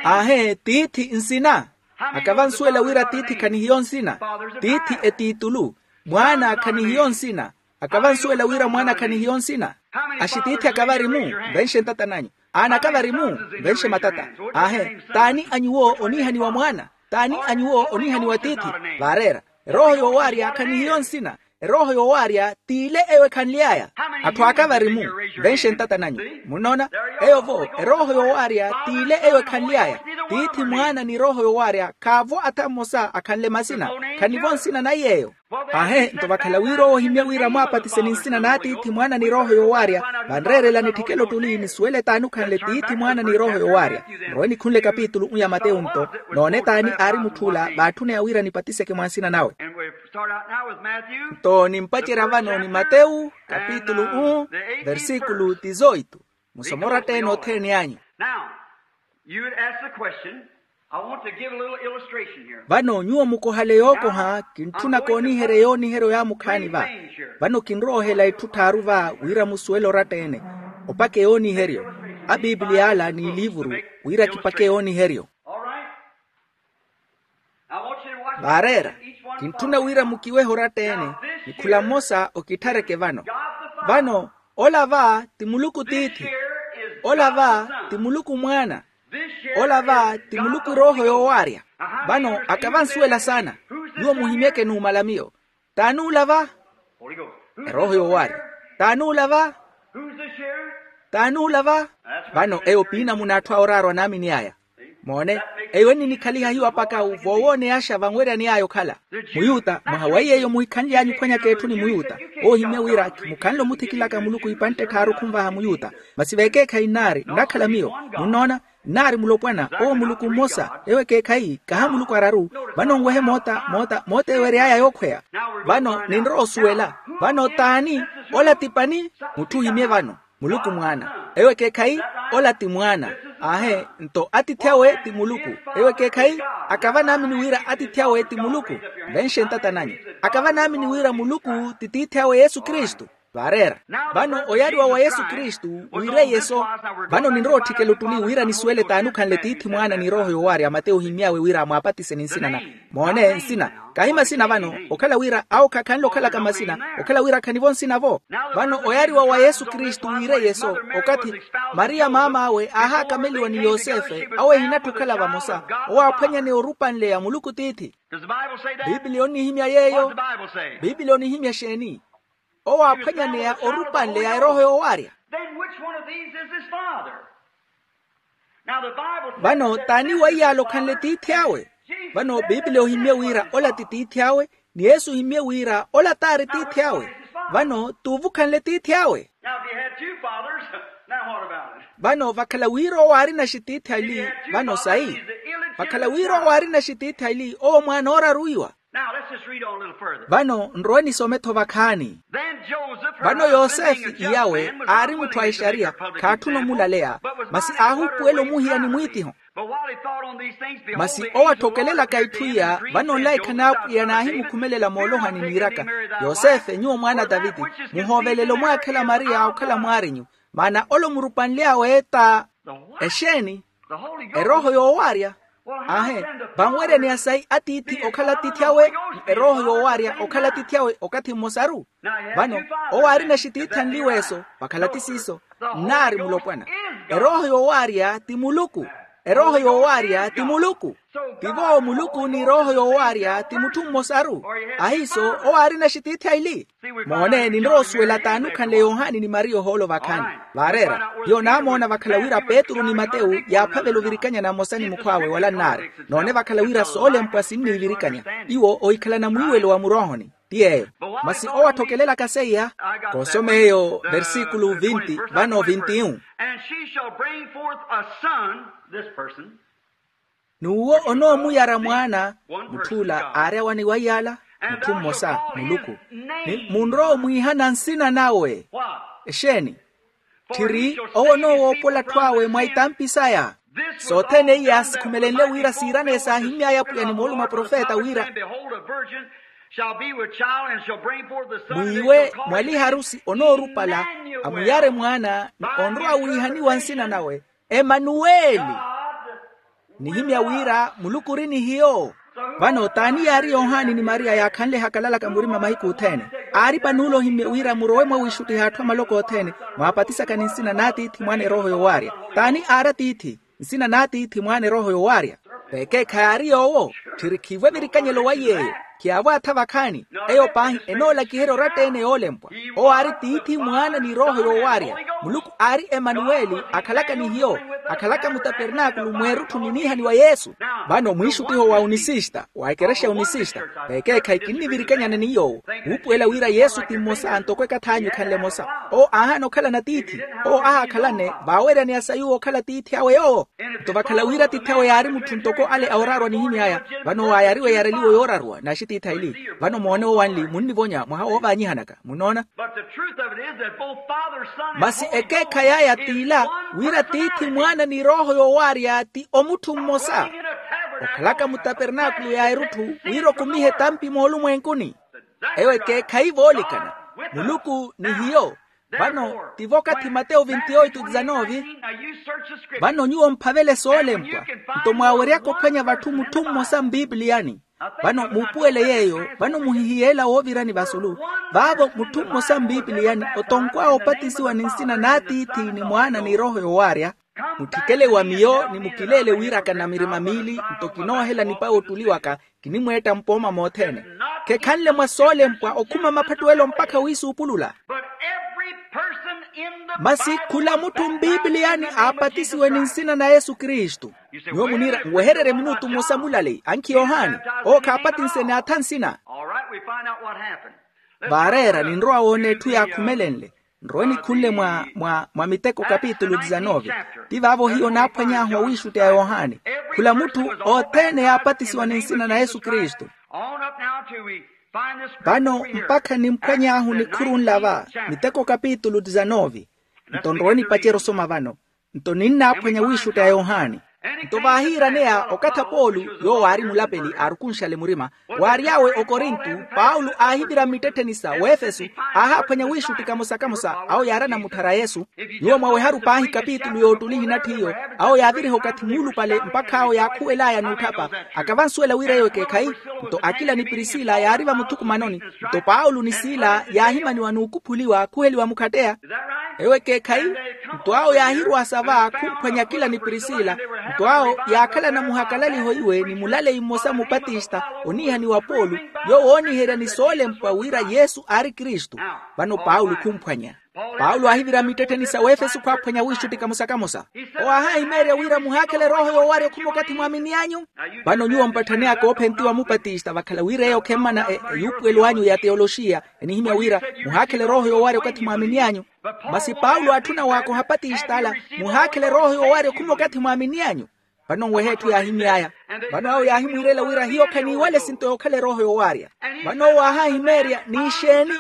Aahe tiithi nsina. Akava nsuwela wira tiithi khanihiyo nsina. Tiithi etiitulu. Mwaana khanihiyo nsina. Akava nsuwela wira mwaana khanihiyo nsina. Axitiithi akava ari-mu? Nvenxe ntata nanyu. Aana akava ari-mu? Nvenxe matata. Aahe t'ani a nyuwo oniihaniwa mwaana? T'ani a nyuwo oniihaniwa tiithi? Vaareera. Erooho yoowaarya khanihiyo nsina. Erooho yoowaarya t'ile eyo ekhanly'aya. Atthu aka vari-mu? Venxe ntata nanyu. Munnoona? Eyo-vo erooho yoowaarya t'ile eyo ekhanly'aya. Tiithi mwaana ni erooho yoowaarya khaavo atha mmosa akhanle masina. Khanivo nsina na iy'eyo. Aahe nto vakhala wira owo ohimya wira mwaapatise ni nsina n'atiithi mwaana ni erooho yoowaarya. Vanreerela nitthikele ottuli nisuwele t'ani okhanle tiithi mwaana ni erooho yoowaarya. Murowe nikhunle kapitulu u ya mateyu nto noone t'ani aari mutth'ula vaatthuneya wira nipatiseke mwa nsina nawe. Nto nimpacerya vano ni mateyu kapitulu u versikulu tizoitu. Musoma oratta-ene othene anyu. Vano nyuwo mukohale yookoha kintthuna kooniherya yooniheryo ya mukhaani va. Vano kinrowa ohela itthu tthaaru va wira musuwele oratta-ene. Opake yooniheryo. Apipiliya ala n'iliivuru wira kipake yooniheryo. Vaareera. Kintthuna wira mukiwehe oratta-ene. Ni khula mmosa okitthareke vano. Vano ola va ti muluku tiithi. Ola va ti muluku mwaana. Ola va ti muluku erooho yoowaarya. Vano akava nsuwela saana. Nyuwo muhimyeke numala miyo. T'ani ola va? Erooho yoowaarya. T'ani ola va? T'ani ola va? Vano eyo p'inamuna atthu a oraarwa naamini aya. Moone. Eyo enninikhaliha hiyo apakawu voowooneyaxa vanweryaney'aya okhala muyuta mwaha wa iy'eyo muhikhanly'anyu ophwanyaka etthu ni muyuta. Owo ohimye wira khimukhanle omuthikilaka muluku ipantte tthaaru khunvaha muyuta. Masi vekeekhayi nnaari nnakhala miyo. Munnoona? Nnaari mulopwana owo muluku mmosa ewo ekeekhayi kaha muluku araru. Vano nwehe moota moota moota ewery'aya yookhweya. Vano ninrowa osuwela. Vano t'ani? Ola ti pani? Mutthu ohimye vano muluku mwaana. Ewo ekeekhayi ola ti mwaana. Aahe nto atiithi awe ti muluku. Ewo ekeekhayi akava naamini wira atiithi awe ti muluku. Venxe ntata nanyu. Akava naamini wira muluku ti tiithi awe yesu kristu. Vaareera. Vano oyariwa wa yesu kristu wiireiye-so. Vano ninrowa otthikela ottuli wira nisuwele t'ani okhanle tiithi mwaana ni erooho yoowaarya mateyu ohimy'awe wira mwaapatise ni nsina na moone nsina. Kahi masina vano okhala wira awo khakhanle okhalaka masina. Okhala wira khanivo nsina-vo. Vano oyariwa wa yesu kristu wiireiye-so okathi mariya maam'awe aahaakameliwa ni yosefe awo ehinattha okhala vamosa. Owo aaphwanyaneya orupanle ya muluku tiithi. Biblia onihimya yeeyo. Biblia onihimya exeeni? Owo aaphwanyaneya orupanle ya erooho yoowaarya. Vano t'ani wa iy'ala okhanle tiithi awe? Vano biblia ohimye wira ola ti tiithi awe. Ni yesu ohimye wira ola t'ari tiithi awe. Vano t'uvu okhanle tiithi awe. Vano vakhala wira owo aarina axitiithi ali. Vano sayi? Vakhala wira owo aarina axitiithi aili owo mwaana ooraruwiwa. Vano nrowe nisome-tho vakhaani. Vano yosefe iyawe aari mutthu a exariya, khaatthuna omulaleya, masi aahuupuwela omuhiya ni mwiitiho. Masi owo atthokelelaka itthu iya vano nlaikha n'apwiya naahimukhumelela moolohani niiraka, yosefe nyuwo mwaana a taviti, muhoovelele omwaakhela mariya okhala mwaarinyu, maana ole omurupanly'awe ta exeeni? Erooho yoowaarya. Aahe, vanweryaneya sayi atiithi okhala atiithi awe ni erooho yoowaarya okhala atiithi awe okathi mmosaru? Vano owo aarina axitiithi anliweeso vakhala ti siiso, nnaari mulopwana. Erooho yoowaarya ti muluku. Erooho yoowaarya ti muluku. Tivo muluku ni erooho yoowaarya ti mutthu mmosaru. Ahiiso owo aarina axitiithi aili. Moone ninrowa osuwela t'anukhanle yohani ni mariya ohoolo vakhaani. Vaareera hiyo naamoona vakhala wira petru ni matewu yaaphavela ovirikanyana mmosa ni mukhw'awe wala nnaari. Noone vakhala wira soolempwa sinniivirikanya. Iwo ohikhalana mwiiwelo wa muroohoni. Ti yeeyo. Masi owo atthokelelaka seiya. Koosoma eyo versikulu vinti vano vinti-un. And she shall bring forth a son, this person. N'uwo onoomuyara mwaana. Mutth'ula aari awaniwa iyala. Mutthu mmosa muluku. Ni munrowa omwiihana nsina nawe. Exeeni? Tthiri owo onoowoopola atthu awe mwa itampi saya. Sothene iya sikhumelenle wira siiraneye saahimy'aya apwiya ni moolumo a profeta wira, mwiiwe mwaliharusi onoorupala amuyare mwaana ni onrowa wiihaniwa nsina nawe emanuweli. Nihimya wira muluku ori ni hiyo. Vano t'ani yaari yohani ni mariya yaakhanle hakalalaka murima mahiku othene? Aari panuula ohimye wira murowe mwawiixuttiha atthu amaloko othene, mwaapatisaka ni nsina n'atiithi mwaana erooho yoowaarya. T'ani aari atiithi? Nsina n'atiithi mwaana erooho yoowaarya. Vekeekha yaari yoowo. Tthiri khiivo evirikanyelo wa yeeyo. Khiyaavo atha vakhaani. Eyo paahi enoolakiherya oratta-ene yoolempwa. Owo aari tiithi mwaana ni erooho yoowaarya. Muluku aari emanuweli akhalaka ni hiyo. Akhalaka mutapernakulu mweerutthu ni niihani wa yesu. Vano mwiixuttiho wa unisista wa ekerexa ya unisista. Vekeekhayi kinnivirikanyana ni yoowo. Wuupuwela wira yesu ti mmosa ntoko ekath'anyu ekhanle emosa. Owo aahaana okhalana tiithi. Owo ahaakhalane vaaweryaneya sa yuwo okhala tiithi awe yoowo. Nto vakhala wira tiithi awe yaari mutthu ntoko ale a oraarwa nihimy'aya. Vano owo aayariwa eyareliwo yooraruwa n'axitiithi aili. Vano moone owanli munnivonya mwaha woovaanyihanaka. Munnoona? Masi ekeekhayi aya t'ila, wira tiithi mwaana ni erooho yoowaarya ti omutthu mmosa, okhalaka mutapernakulu ya erutthu wira okumihe etampi moolumwenkuni. Eyo ekeekhayi voolikana. Muluku ni hiyo. Vano tivo okathi matewu vinti oitu dizanovi. Vano nyuwo mphavele soolempwa, nto mwaaweryaka ophwanya vatthu mutthu mmosa mpipiliyani. Vano muupuwele yeeyo vano muhihiyeela woovirani vasulu. Vaavo mutthu mmosa mpipiliyani otonkw'awe opatisiwa ni nsina n'atiithi ni mwaana ni erooho yoowaarya. Mutthikele wa miyo ni mukileele wira kana mirima miili nto kinoohela nipawe ottuli waka. Kinimweetta mpooma mothene. Khekhanle mwa soolempwa okhuma maphattuwelo mpakha wiisuupulula. Masi khula mutthu mpipiliyani aapatisiwe ni nsina na yesu kristu. Nyuwo muniira nwehererye minutu mmosa mulaleyi ankhi yohani. Owo khaapatinse n'atha nsina. Vaareera ninrowa woona etthu yaakhumelenle. Nrowe nikhunle mwa mwa mwa miteko kapitulu dizanove. Ti vaavo hiyo naaphwany'ahu awiixutti a yohani. Khula mutthu othene yaapatisiwa ni nsina na yesu kristu. Vano mpakha nimphwany'ahu nikhuru nla va. Miteko kapitulu dizanove. Nto nrowe nipacerya osoma vano. Nto ninnaaphwanya wiixutti a yohani. Nto vaahiiraneya okathi a paulo, yoowo aari mulapeli aarukunxale murima, waary'awe okorintu, paulo aahivira mmittettheni sa wefesu. Aahaaphwanya wiixutti kamosa-kamosa awo yaari anamutthara yesu. Nyuwo mwaweharu paahi kapitulu yoottuli ehinatthi iyo. Awo yaaviriha okathi muulupale mpakha awo yaakhuwel'aya n'utthapa. Akavansuwela wira eyo ekeekhayi. Nto akila ni prisila yaari vamuthukumanoni. Nto paulo ni sila yaahimaniwa n'ukuphuliwa khuheliwa mukhatteya. Ewo ekeekhayi. Nto awo yaahiruwasa va khumphwanya akila ni prisila. Nto awo yaakhalana muhakalaliho iwe ni mulaleyi mmosa mupatista oniihaniwa paulo, yoowo ooniherya ni soolempwa wira yesu aari kristu. Vano paulo khumphwanya. Paulo aahivira mmittettheni sa wefesu khwaaphwanya wiixutti kamosa-kamosa. Owo aahahimeerya wira muhaakhele erooho yoowarya okhuma okathi mwaamini anyu. Vano nyuwo mpatthaneyaka oophentiwa mupatista vakhala wira eyo khemmana eyuupuwelo anyu ya teyoloxiya. Enihimya wira muhaakhele erooho yoowarya okathi mwaamini anyu. Masi paulo atthuna waakoha apatista ala, muhaakhele erooho yoowarya okhuma okathi mwaamini anyu. Vano nwehe etthu yaahimy'aya. Vano awo yaahimwiirela wira hiyo khaniiwale esinto yookhala erooho yoowaarya. Vano owo aahahimeerya ni ixeeni?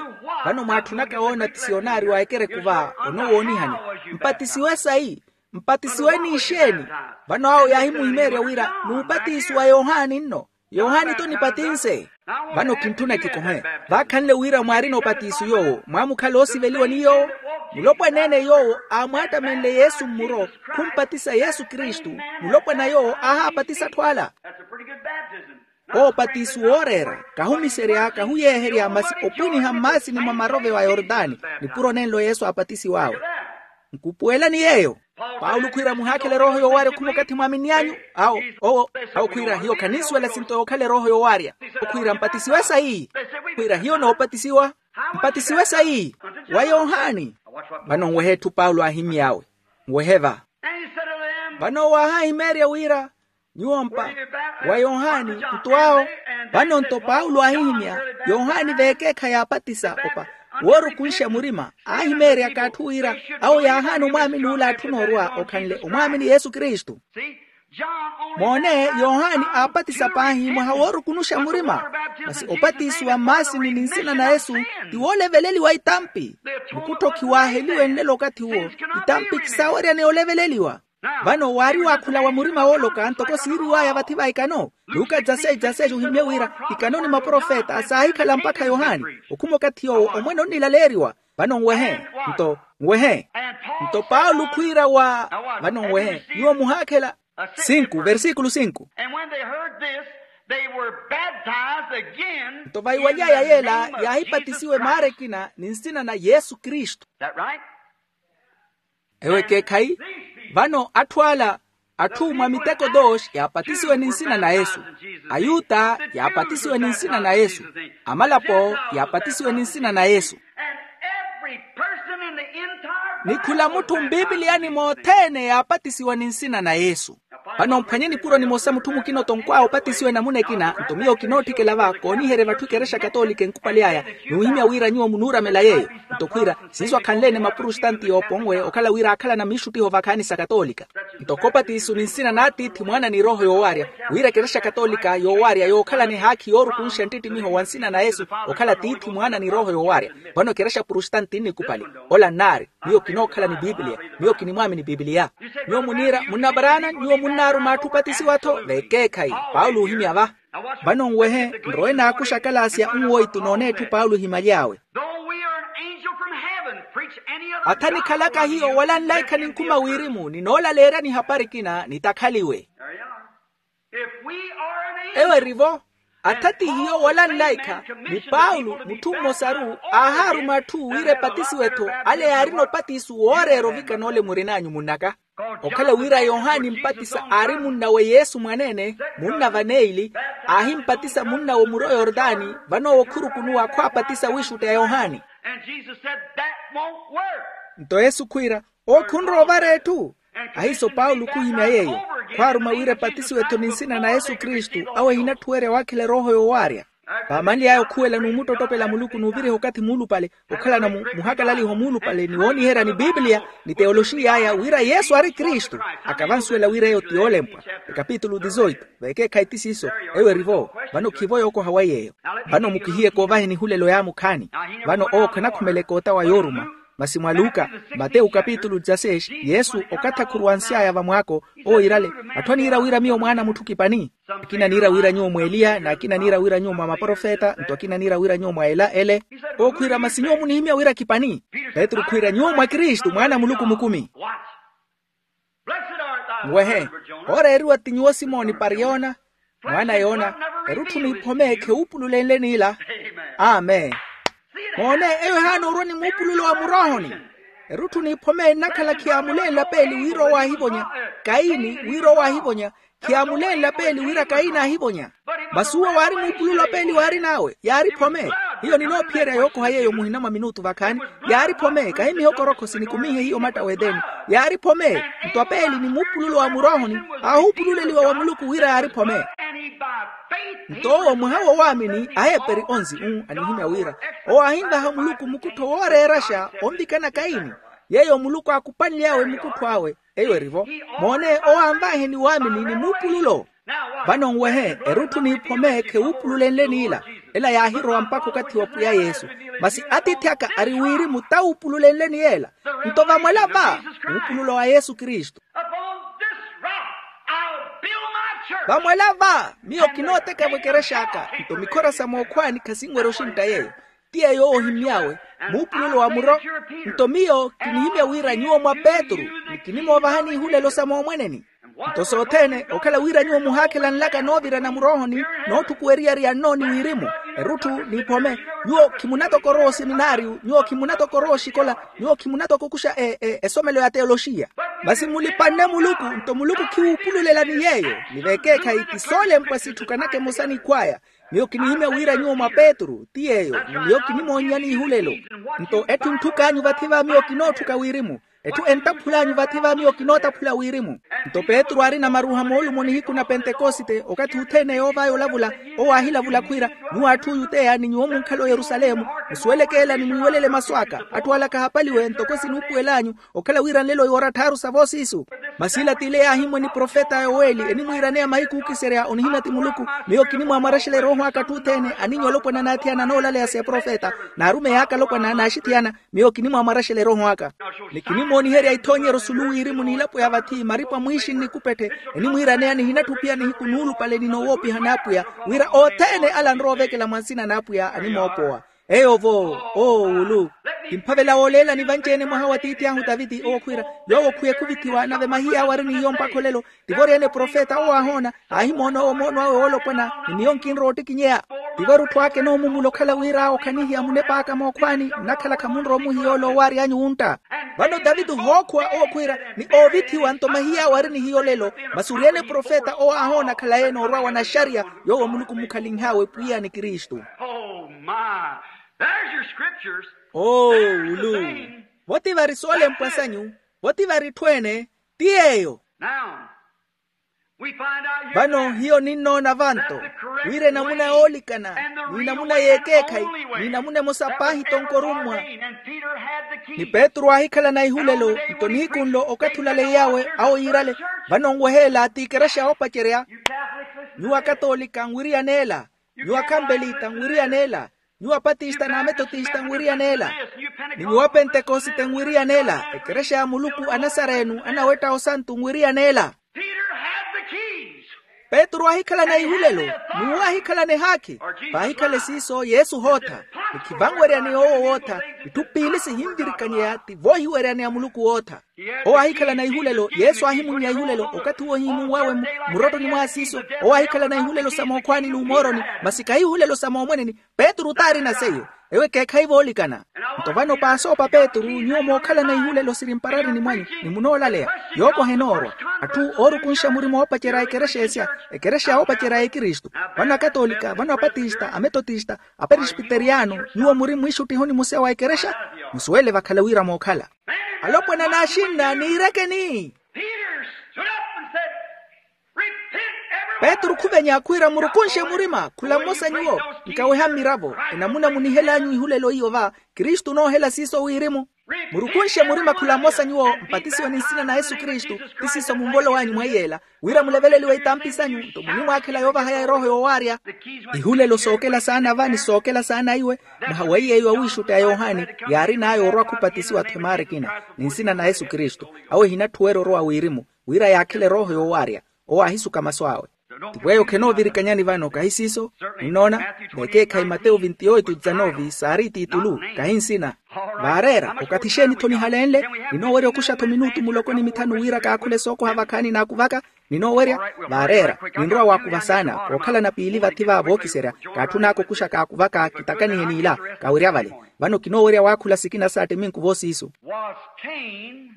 Vano mwaatthunaka woona ti siyonaari wa ekereku va, onoowoonihani. Mpatisiwe sayi? Mpatisiwe ni ixeeni? Vano awo yaahimuhimeerya wira, n'upatiso wa yohani nno. Yohani-tho nipatinse. Vano kintthuna kikohe. Vaakhanle wira mwaarina opatiso yoowo mwaamukhala oosiveliwa ni yoowo. Mulopwana-ene yoowo aamwaattamenle yesu mmuro, khumpatisa yesu kristu. Mulopwana yoowo aahaapatisa atthu ala. Oopatiso wooreera kahumiserya kahuyeeherya masi opwiniha mmaasini mwa maroveyo a yortani. Nipuro nenlo yesu aapatisiw'awe. Nkupuwelani yeeyo. Paulo khwiira muhaakhela erooho yoowaarya okhuma okathi mwaamini anyu. Awo owo awo khwiira hiyo khaninsuwela esinto yookhala erooho yoowaarya. Okhwiira mpatisiwe sayi? Khwiira hiyo noopatisiwa. Mpatisiwe sayi? Wa yohani. Vano nwehe etthu paulo aahimy'awe. Nwehe va. Vano owo aahahimeerya wira, nyuwo mpa wa yohani. Nto awo vano nto paulo aahihimya yohani veekeekha yaapatisa opa woorukunxa murima aahimeeryaka atthu wira awo yaahaana omwaamini ula atthuna orwa okhanle omwaamini yesu kristu. Moone, yohani aapatisa paahi mwaha woorukunuxa murima. Masi opatisiwa mmaasini ni nsina na yesu ti wooleveleliwa itampi. Mukuttho khiwaaheliwe nlelo okathi uwo. Itampi khisaaweryaneya oleveleliwa. Vano waari waakhula wa murima wooloka ntoko siiriw'aya vathi va ikano. Luka dzaseji dzaseji ohimmye wira ikano ni maprofeta saahikhala mpakha yohani. Okhuma okathi yoowo omwene onnilaleeriwa. Vano nwehe. Nto nwehe. Nto paulo khwiira wa vano nwehe nyuwo muhaakhela. Sinku versikulu sinku. And when they heard this, they were baptized again. Nto vaiwaly'aya yeela yaahipatisiwe maara ekina ni nsina na yesu kristu. That right? Ewo ekeekhayi. Vano atthu ala atthu mwa miteko dos yaapatisiwe ni nsina na yesu. Ayuta yaapatisiwe ni nsina na yesu. Amalapo yaapatisiwe ni nsina na yesu. And every person in the entire ni khula mutthu mpipiliyani mothene yaapatisiwa ni nsina na yesu. Vano mphwanye nipuro nimosa mutthu mukina otonkw'awe opatisiwe namuna ekina nto miyo kinootthikela va kooniherye vatthu ekerexa katoolika enkupali aya. Nuuhimya wira nyuwo munuuramela yeeyo. Nto khwiira siiso akhanle-ene mapurustanti yooponwe okhala wira aakhalana miixuttiho vakhaani sa katoolika. Nto khopatiso ni nsina n'atiithi mwaana ni erooho yoowaarya. Wira ekerexa katoolika yoowaarya yookhalana ehaakhi yoorukunxa nttittimiho wa nsina na yesu okhala tiithi mwaana ni erooho yoowaarya. Vano ekerexa purustanti nnikupali ola nnaari. Miyo kinookhala ni pipiliya. Miyo kinimwaamini pipiliya. Nyuwo muniira munnaparaana nyuwo munnaaruma atthu opatisiwa-tho veekeekhayi. Paulo oohimya va. Vano nwehe nrowe naakuxa akalaasiya nwoitu noona etthu paulo ohimaly'awe. Atha nikhalaka hiyo wala nlaikha ninkhuma wirimu ninoolaleeryani hapari ekina nitakhaliwe. Ewo eri-vo. Atha ti hiyo wala nlaikha ni paulo mutthu mmosaru aahaaruma atthu wira epatisiwe-tho ale yaarina opatiso wooreera ovikana ole murin'anyu munnaka. Okhala wira yohani mpatisa aari munnawe yesu mwaneene munna vaneili aahimpatisa munnawe muro yortani vano owo khurukunuwa khwaapatisa wiixutti a yohani. Nto yesu khwiira owo khunrowa ovara etthu. Ahiiso paulo khuhimya yeeyo khwaaruma wira epatisiwe-tho ni nsina na yesu kristu awo ehinatthuwerya waakhela erooho yoowaarya. Vaamanly'aya okhuwela n'umuttottopela muluku n'uviriha okathi muulupale okhalana muhakalaliho muulupale ni wooniherya ni pipiliya ni teyoloxiy'aya wira yesu ari kristu. Akavansuwela wira eyo ti yoolempwa. Ekapitulu dizoito. Veekeekhayi ti siiso. Ewo eri-vo. Vano khivo yookoha wa yeeyo. Vano mukihiye koovahe nihulelo yaamu khaani. Vano owo khanakhumela ekoota wa yooruma. Masi mwa luka, matewu kapitulu dzaseis, yesu okathi akhuruwansy'aya vamwaako owo iirale. Atthu aniira wira miyo mwaana a mutthu kipani. Akina aniira wira nyuwo mwa eliya n'akina aniira wira nyuwo mwa maprofeta nto akina aniira wira nyuwo mwa ela ele. Owo khwiira masi nyuwo munihimya wira kipani? Petru khwiira nyuwo mwa kristu mwaana a muluku mukumi. Nwehe. Ooreeriwa ti nyuwo simoni pariyona. Mwaana yoona, erutthu n'iphome kheupululenle n'ila. Amen. Moone, eyo ehaana orwa ni muupululo wa muroohoni. Erutthu n'iphome ennakhala khiyaamulenlapeeli wira owaahivonya. Kaini wira owaahivonya. Khiyaamulenlapeeli wira kaini aahivonya. Masi uwo waari muupululo apeeli waarin'awe yaari phome. Hiyo ninoophiyerya yookoha yeeyo muhina mwa minutu vakhaani. Yaari phome kahi mihokorokho sinikumihe hiyo matta w'edeni. Yaari phome. Nto apeeli ni muupululo wa muroohoni aahuupululeliwa wa muluku wira yaari phome. Nto owo mwaha w'owaamini aheperi onzi-u anihimya wira owo aahinvaha muluku mukuttho wooreeraxa onvikana kaini. Yeeyo muluku aakupanly'awe mukuttho awe. Eyo erivo. Moone owo anvaihe ni waamini ni muupululo. Vano nwehe erutthu n'iphome khewuupululenle n'ila. Ela yaahirowa mpakha okathi wa pwiya yesu. Masi atiithi aka ari wirimu tawuupululenle ni yeela. Nto vamwela va muupululo wa yesu kristu. Upon this rock I'll build my church. Vamwela va miyo kinooteka-vo ekerexa aka. Nto mikhora sa mookhwaani khasinwerya oxintta yeeyo. Ti yeeyo owo ohimmy'awe muupululo wa muro. Nto miyo kinihimya wira nyuwo mwa petru, ni kinimoovahani ihulelo sa moomweneni. Nto sothene okhala wira nyuwo muhaakhelanlaka noovirana muroohoni, nootthukuwa eriyari ya nno ni wirimu, erutthu n'iphome. Nyuwo khimunatoka orowa osemináriyu, nyuwo khimunatoka orowa oxikola, nyuwo khimunatoka okuxa e- e- esomelo ya teoloxiya. Masi mulipanne muluku, nto muluku khiwuupululelani yeeyo. Ni vekeekhayi ti soolempwa sitthukanaka emosa n'ikhw'aya. Miyo kinihimya wira nyuwo mwa petru ti yeeyo, ni miyo kinimoonnyani ihulelo. Nto etthu entthuk'anyu vathi va miyo kinootthuka wirimu. Etthu entaphul'anyu vathi va miyo kinootaphula wirimu. Nto petru aarina maruha moolumo nihiku na pentekosite okathi othene yoovaya olavula, owo aahilavula khwiira, nyuwo atthu oyuteya ni nyuwo munkhala oyerusalemu, musuweleke ela ni mwiiwelele masu aka. Atthu ala khahapaliwe ntoko sinuupuwel'anyu, okhala wira nlelo yoora tthaaru sa voosiisu. Masi ila t'ile yaahimwa ni profeta yoweli enimwiiraneya mahiku ookiserya onihimya ti muluku. Miyo kinimwaamwarexela erooho aka atthu othene aninnya olopwana n'athiyana anoolaleya s'eprofeta, n'arumeyi aka alopwana n'axithiyana. Miyo kinimwaamwarexela erooho aka. Ni kinimooniherya ithoonyeryo sulu wirimu n'ilapo ya vathi maripu a mwiixi nnikupethe. Enimwiiraneya nihinatthi ophiya nihiku nuulupale ni nowoopiha n'apwiya, wira othene ala anrowa ovekela mwa nsina n'apwiya animoopowa. Eyo-vo, oowulu. Kimphavela wooleelani vanci-ene mwaha wa tiithi ahu taviti owo khwiira, yoowo khuye khuvithiwa nave mahiya awo ari ni hiyo mpakha olelo. Tivo oriyene profeta owo aahoona, aahimoona owo moono awe woolopwana. Ni miyo nkinrowa ottikinyeya. Tivo erutthu aka enoomumula okhala wira awo khanihiya munep'aka mookhwaani. Nnakhala khamunrowa omuhiya ole owaary'anyu wuntta. Vano taviti ohookhuwa owo khwiira, ni oovithiwa nto mahiya awo ari ni hiyo olelo. Masi oriyene profeta owo aahoona khalayi-ene orwa wa naxariya, yoowo muluku mmukhalinh'awe pwiya ni kristu. Oh my. There's your scriptures. Oowulu. Vo ti vari soolempwa sanyu. Vo ti vari etthu ene. Ti yeeyo. Now, we find out here vano hiyo ninnoona vanto, wira enamuna yoolikana, n'inamuna y'ekeekhayi, n'inamuna emosa paahi tonkorummwa. Ni petru aahikhalana ihulelo. Nto nihiku nlo okathi olaleiy'awe awo yiirale. Vano nweheela ti ekerexa yoopacerya. Nyuwo akatoolika nwiriyaneela. Nyuwo akhampelita nwiriyaneela. Nyuwo apatista n'ametotista nwiriyaneela. Ni nyuwo apentekosite nwiriyaneela. Ekerexa ya muluku anasarenu anawetta osantu nwiriyaneela. Peter had the keys. Petru aahikhalana ihulelo. N'uwo aahikhalana ehaakhi. Paahikhale siiso yesu hootha. Ni khivanweryani yoowo wootha. Itthu piili sihinvirikanyeya ti voohiweryani a muluku wootha. Owo aahikhalana ihulelo yesu aahimunnya ihulelo okathi uwo ohimunw'awe. Murottoni mwa siiso owo aahikhalana ihulelo sa mookhwaani n'umooroni. Masi kahi ihulelo sa moomweneni. Petru t'arina seiyo. Ewo ekeekhayi voolikana. Nto vano paasoopa petru nyuwo mookhalana ihulelo siri mpararini mwanyu, ni munoolaleya. Yookoha enoorwa. Atthu oorukunxa murima oopacerya ekerexa esya, ekerexa oopacerya ekristu. Vano akatolika, vano apatista, ametotista, aperesbiteriyano, nyuwo muri mwiixuttihoni musya wa ekerexa. Musuwele vakhala wira mookhala. Alopwana n'axinna niirekeni. Peter stood up and said, "Repent, every one of you." Petru khuvenya khwiira murukunxe murima khula mmosa nyuwo. Nkaweha mmiravo. Enamuna munihel'anyu ihulelo iyo va, kristu onoohela siiso wirimu. Murukunxe murima khula mmosa nyuwo mpatisiwe ni nsina na yesu kristu, ti siiso mumvolo w'anyu mwa iyeela, wira muleveleliwe itampi sanyu nto munimwaakhela yoovahaya erooho yoowaarya. Ihulelo sookela saana va ni sookela saana iwe. Mwaha wa iy'eyo awiixutti a yohani yaarin'aya orwa khupatisiwa-tho emaara ekina, ni nsina na yesu kristu. Awo ehinatthi weera orowa wirimu, wira yaakhele erooho yoowaarya. Owo aahisuka masu awe. Tipweyo khenoovirikanyani vano kahi siiso? Ninnoona, vekeekhayi matewu vinti oitu dzanovi saari itiitulu. Kahi nsina. Vaareera okathi exeeni-tho nihalenle? Ninoowerya okuxa-tho minutu muloko ni mithanu wira kaakhule sookoha vakhaani n'akuvaka. Ninoowerya. Vaareera. Ninrowa waakuva saana kookhalana piili vathi va vookiserya. Kaatthun'aka okuxa kaakuvaka kitakanihe n'ila. Kaawerya vale. Vano kinoowerya waakhula sikina saatte minku voosiisu. Was cain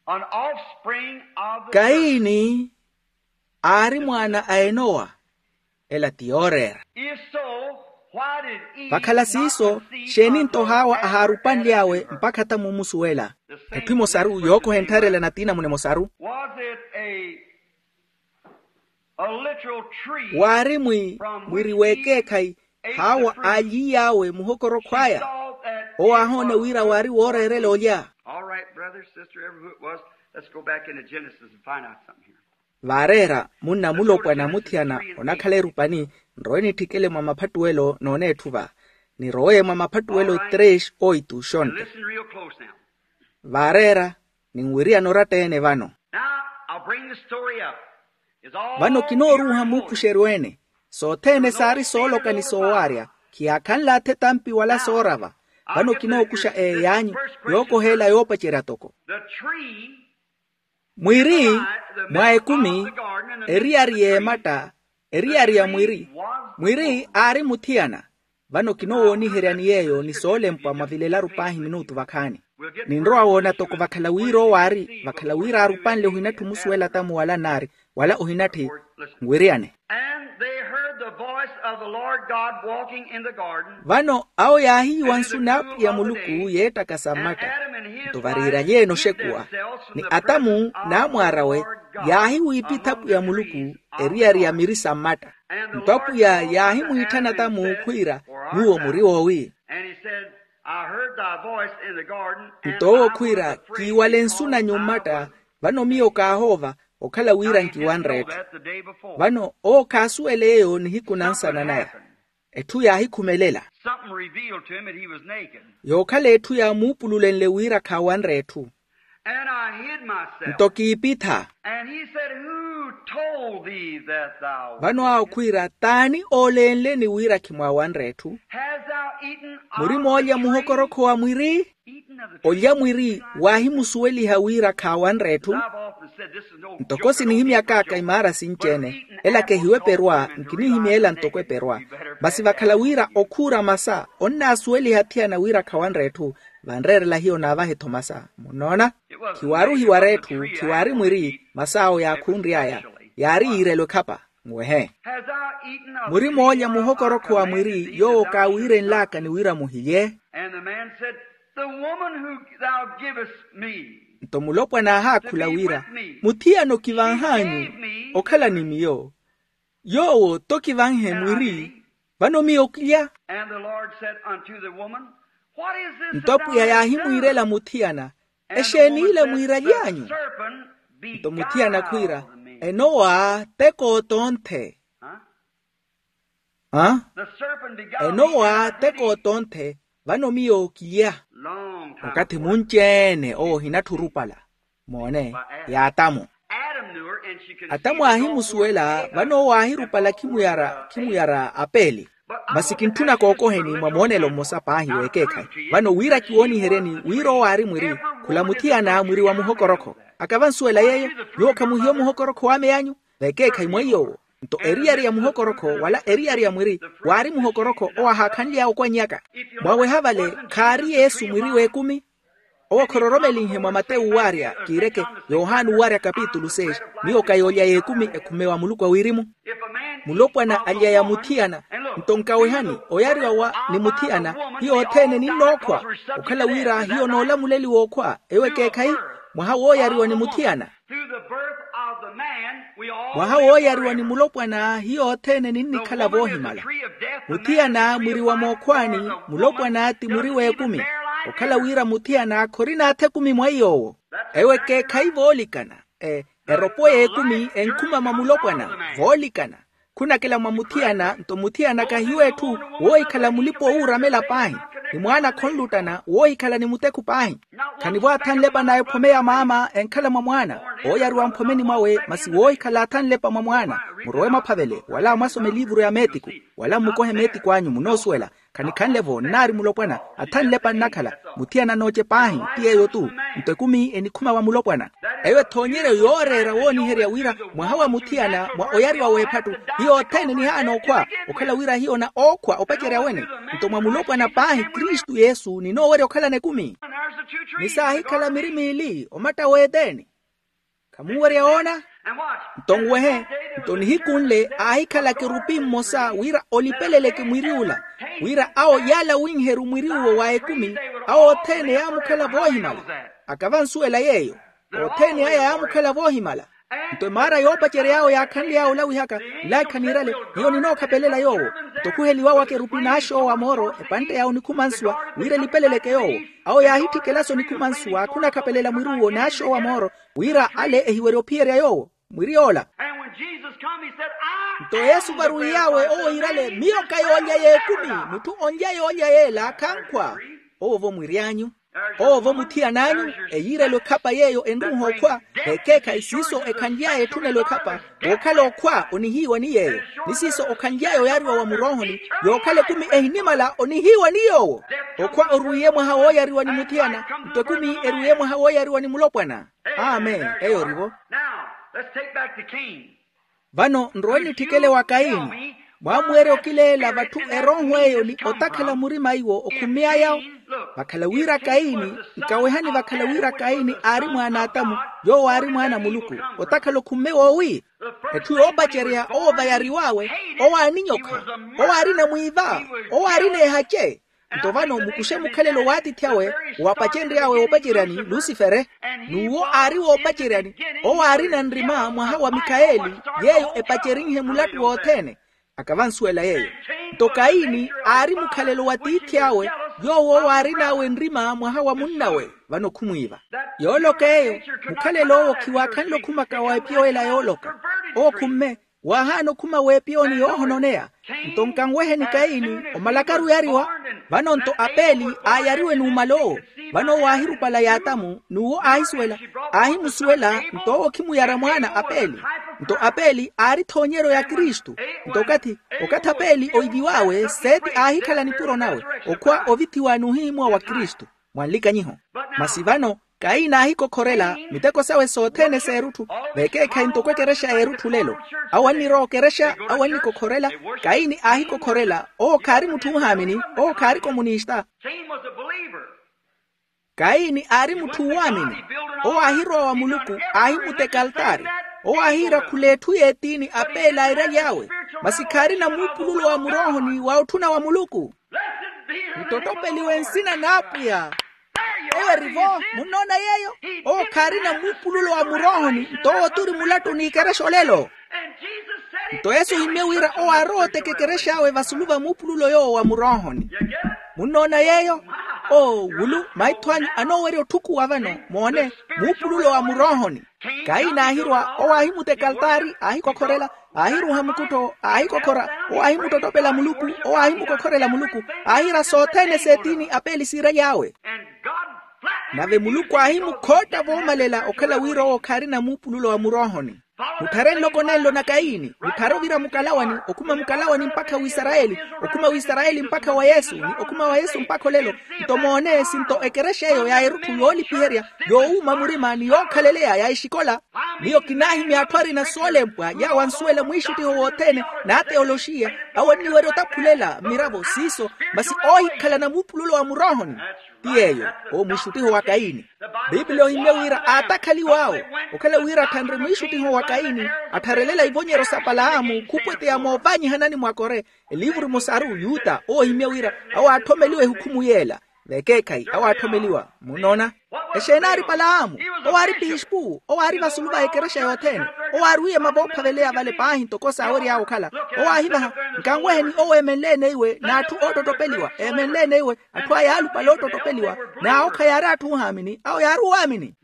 an offspring of the serpent? Kaini aari mwaana a enowa. Ela ti yooreera. If so, why did Eve vakhala siiso not conceive xeeni nto hawa ahaarupanly'awe mpakha ata muumusuwela? Etthu emosaru yookoha enttharela na tiinamuna emosaru. Was it a, a literal tree? Waari mwi mwiri w'ekeekhayi hawa aalyiiy'awe muhokorokhw'aya. Owo aahoona wira waari wooreerela olya. All right, brother, sister, ever who it was, let's go back into Genesis and find out something here. Vaareera munna mulopwana muthiyana onakhala erupani. Nrowe nitthikele mwa maphattuwelo n'oneetthuva. Nirowe mwa maphattuwelo tres oitu xonte. Listen real close now. Vaareera ninwiriyana oratta-ene vano. Now, I'll bring the story up. Vano kinooruuha muupuxeryo-ene. Sothene saari sooloka ni soowaarya. Khiyaakhanle athetampi wala soorava. Vano kinookuxa eeyaanyu yookoheela yoopacerya toko. Mwiri mwa ekumi, eriyari y'ematta, eriyari ya mwiri. Mwiri aari muthiyana. Vano kinoowooniheryani yeeyo ni soolempwa mwa vilelaru paahi minutu vakhaani. Ninrowa woona toko vakhala wira owo aari vakhala wira aarupanle ohinattha omusuwela tamu wala nnaari wala ohinatthi nwiriyane. And they heard the voice of the Lord God walking in the garden. Vano awo yaahiiwa nsu n'apwiya muluku yeettakasa mmatta. Nto variiralyeene oxekuwa ni atamu n'amwaar'awe yaahiwiipitha apwiya muluku eriyari ya miri sa mmatta. Nto apwiya yaahimwiitthana tamu khwiira, nyuwo muri woowi? Nto owo khwiira, kiiwale nsu nanyu mmatta. Vano miyo kaahoova okhala wira nkiwanre etthu. Vano owo khaasuwela eyo nihiku na nsana naya. Etthu yaahikhumelela. Yookhala etthu yaamuupululenle wira khaawanre etthu. Nto kiipitha. Vano awo khwiira, t'ani ooleenleni wira khimwaawanre etthu? Muri moolya muhokorokho wa mwiri? Olya mwiri waahimusuweliha wira khaawanre etthu. Ntoko sinihimyak'aka imaara sinci-ene, ela kehiweperwa nkinihimya ela ntoko eperwa. Masi vakhala wira okhuura masa onnaasuweliha athiyana wira khawanre etthu, vanreerela hiyo naavahe-tho masa munnoona. Khiwaari ohiwara etthu, khiwaari mwiri. Masa awo yaakhunry'aya yaari yiirelo ekhapa. Nwehe. Muri moolya muhokorokho wa mwiri yoowo kaawiirenlaka ni wira muhilye? Nto mulopwana aahaakhula wira, muthiyana okivanh'anyu okhala ni miyo. Yoowo t'okivanhe mwiri. Vano miyo kilya. Nto apwiya yaahimwiirela muthiyana, exeeni ile mwiiraly'anyu? Nto muthiyana khwiira, enowa teko tonthe. Enowa teko tonthe. Vano miyo kilya. Okathi munci-ene owo ohinattha orupala. Moone, y'atamu. Atamu aahimusuwela vano owo aahirupala khimuyara khimuyara apeeli. Masi kintthuna kookoheni mwa moonelo mmosa paahi w'ekeekhayi. Vano wira kiwooniheryeni wira owo aari mwiri. Khula muthiyana mwiri wa muhokorokho. Akavansuwela yeeyo. Nyuwo khamuhiyo muhokorokho w'ameyanyu? V'ekeekhayi mwa iy'owo. Nto eriyari ya muhokorokho wala eriyari ya mwiri waari muhokorokho owo ahaakhanly'aya okwannyaka. Mwaweha vale khaari yesu mwiri w'ekumi. Owo khororomelinhe mwa matewu waarya kiireke yohani waarya kapitulu seis. Miyo ka yoolya y'ekumi ekhumewa muluku a wirimu. Mulopwana alya ya muthiyana. Nto nkawehani oyariwa wa ni muthiyana hiyo othene ninnookhwa. Okhala wira hiyo noolamuleliwa okhwa eyo ekeekhayi. Mwaha wooyariwa ni muthiyana. Mwaha wooyariwa ni mulopwana hiyo othene ninnikhala voohimala. Muthiyana mwiri wa mookhwaani. Mulopwana ti mwiri w'ekumi. Okhala wira muthiyana khorina atha ekumi mwa iy'owo. Ewo ekeekhayi voolikana. Eropo y'ekumi enkhuma mwa mulopwana. Voolikana. Khunakela mwa muthiyana nto muthiyana kahiyo etthu woohikhala mulipa owuuramela paahi. Ni mwaana khonluttana woohikhala ni mutekhu paahi. Khanivo athanlepa na ephome ya maama enkhala mwa mwaana. Ooyariwa mphomeni mwawe masi woohikhala athanlepa mwa mwaana. Murowe mwaphavele wala mwasome eliivuru ya meetiku wala mmukohe meetiku anyu munoosuwela. Khanikhanle-vo nnaari mulopwana. Athanlepa nnakhala. Muthiyana nooce paahi ti yeeyo-tu. Nto ekumi enikhuma wa mulopwana. Eyo ethoonyeryo yooreera wooniherya wira mwaha wa muthiyana mwa oyariwa w'ephattu. Hiyo othene nihaana okhwa okhala wira hiyo na ookhwa opacerya wene. Nto mwa mulopwana paahi kristu yesu ninoowerya okhalana ekumi. Ni saahikhala miri miili omatta w'eteni. Khamunwerya woona? Nto nwehe. Nto nihiku nle aahikhala kerupi mmosa wira olipeleleke mwiri ula. Wira awo yaalawinheru mwiri uwo wa ekumi. Awo othene yaamukhala voohimala. Akavansuwela yeeyo. Othene aya yaamukhala voohimala. Nto emaara yoopacery'awe yaakhanly'awe olawihaka, nlaikha niirale, hiyo ninookhapelela yoowo. Nto okhuheliw'awe akerupi n'axoowa mooro epantte ya onikhumansuwa, wira elipeleleke yoowo. Awo yaahitthikela sonikhumansuwa, khunakhapelela mwiruwo n'axoowa mooro, wira ale ehiwerye ophiyerya yoowo. Mwiri yoola. Nto yesu varwiy'awe owo yiirale, miyo ka yoolya y'ekumi. Mutthu onlya yoolya yeela khankhwa. Owo-vo mwiri anyu. Owo-vo muthiyan'anyu. Eyiirelo ekhapa yeeyo enruuha okhwa. Ekeekhayi siiso ekhanly'aya etthunelo ekhapa, wookhala okhwa onihiiwa ni yeeyo. Ni siiso okhanly'aya oyaariwa wa muroohoni, yookhala ekumi ehinimala onihiiwa ni yoowo. Okhwa orwiiye mwaha wooyariwa ni muthiyana. Nto ekumi erwiiye mwaha wooyariwa ni mulopwana. Amen. Eyo ori-vo. Vano nrowe nitthikele wa kayini. Mwaamuwerya okileela vatthu erooho eyo ni otakhala murima iwo okhumey'aya. Vakhala wira kayini, nkawehani vakhala wira kayini aari mwaana a atamu, yoowo aari mwaana a muluku. Otakhala okhumme woowi? Etthu yoopacerya owo vayariw'awe, owo aaninyokha, owo aarina mwiiva, owo aarina ehace. Nto vano mukuxe mukhalelo w'atiithi awe, wapacenry'awe woopaceryani lusifere. N'uwo aari woopaceryani, owo aarina nrima mwaha wa mikhaeli, yeeyo epacerinhe mulattu wothene. Akavansuwela yeeyo. Nto kayini aari mukhalelo wa tiithi awe, yoowo owo aarin'awe nrima mwaha wa munnawe. Vano khumwiiva. Yooloka eyo, mukhalelo owo khiwaakhanle okhumaka wa epiyo ela yooloka. Owo khumme, waahaana okhuma w'epiyoni yoohononeya. Nto nkanweheni kayini, omalakaru oyariwa. Vano nto apeli aayariwe n'umal'owo. Vano owo aahirupala y'atamu n'uwo aahisuwela, aahimusuwela. Nto owo khimuyara mwaana apeli. Nto apeli aari ethoonyeryo ya kristu. Nto okathi, okathi apeli oiviw'awe seeti aahikhala nipuro nawe, okhwa ovithiwa n'uhihimuwa wa kristu. Mwa nlikanyiho. Masi vano, kayini aahikokhorela miteko sawe sothene s'erutthu. Vekeekhayi ntoko ekerexa y'erutthu lelo. Awo annirowa okerexa, awo annikokhorela. Kayini aahikokhorela, owo khaari mutthu oohaamini, owo khaari komunista. Kayini aari mutthu oowaamini. Owo aahirowa wa muluku, aahimuteka altaari. Owo aahiira khula etthu y'etiini apele airaly'awe. Masi khaarina muupululo wa muroohoni wa otthuna wa muluku. Ntottopeliwe nsina n'apwiya. Eyo eri-vo, munnoona yeeyo? Owo khaarina muupululo wa muroohoni, nto owo turi mulattu n'ikerexa olelo. Nto yesu ohimye wira owo aarowa oteka ekerex'awe vasulu va muupululo yoowo wa muroohoni. Munnoona yeeyo? Oo wulu maitho anyu anoowerya otthukuwa vano, moone, muupululo wa muroohoni. Kayini aahirwa, owo aahimuteka altaari, aahikokhorela, aahiruuha mukuttho, aahikokhora, owo aahimuttottopela muluku, owo aahimukokhorela muluku, aahiira sothene s'etiini apele siiraly'awe. Nave muluku aahimukhootta voomalela okhala wira owo khaarina muupululo wa muroohoni. Mutthare nloko nenlo na kayini, mutthare ovira mukalawani, okhuma mukalawani mpakha w'isarayeli, okhuma w'isarayeli mpakha wa yesu ni okhuma wa yesu mpakha olelo. Nto moone sinto ekerexa eyo ya erutthu yoolipiherya, yoowuuma murima ni yookhaleleya ya exikola. Miyo kinaahimya atthu arina soolempwa yaawo ansuwela mwiixuttiho wothene, n'ateoloxiya, awo anniwerya otakhulela mmiravo siiso. Masi oohikhalana muupululo wa muroohoni, ti yeeyo, owo mwiixuttiho wa kayini. Pipiliya ohimye wira aatakhaliw'awo, okhala wira atthanre mwiixuttiho wa kayini, attharelela ivonyeryo sa palaamu khupweteya moovaanyihanani mwa kore. Eliivuru emosaru yuta owo ohimye wira, awo aatthomeliwa ehukhumu yeela. Vekeekhayi awo aatthomeliwa. Munnoona? Exeeni aari palaamu? Owo aari pispu, owo aari vasulu va ekerexa yothene. Owo aarwiiye mavoophaveleya vale paahi ntoko saawery'awe okhala. Owo aahivaha, nkanweheni owo eemenle-ene iwe n'atthu oottottopeliwa, eemenle-ene iwe. Atthu aya aalupale oottottopeliwa, n'awo khayaari atthu oohaamini, awo yaari owaamini.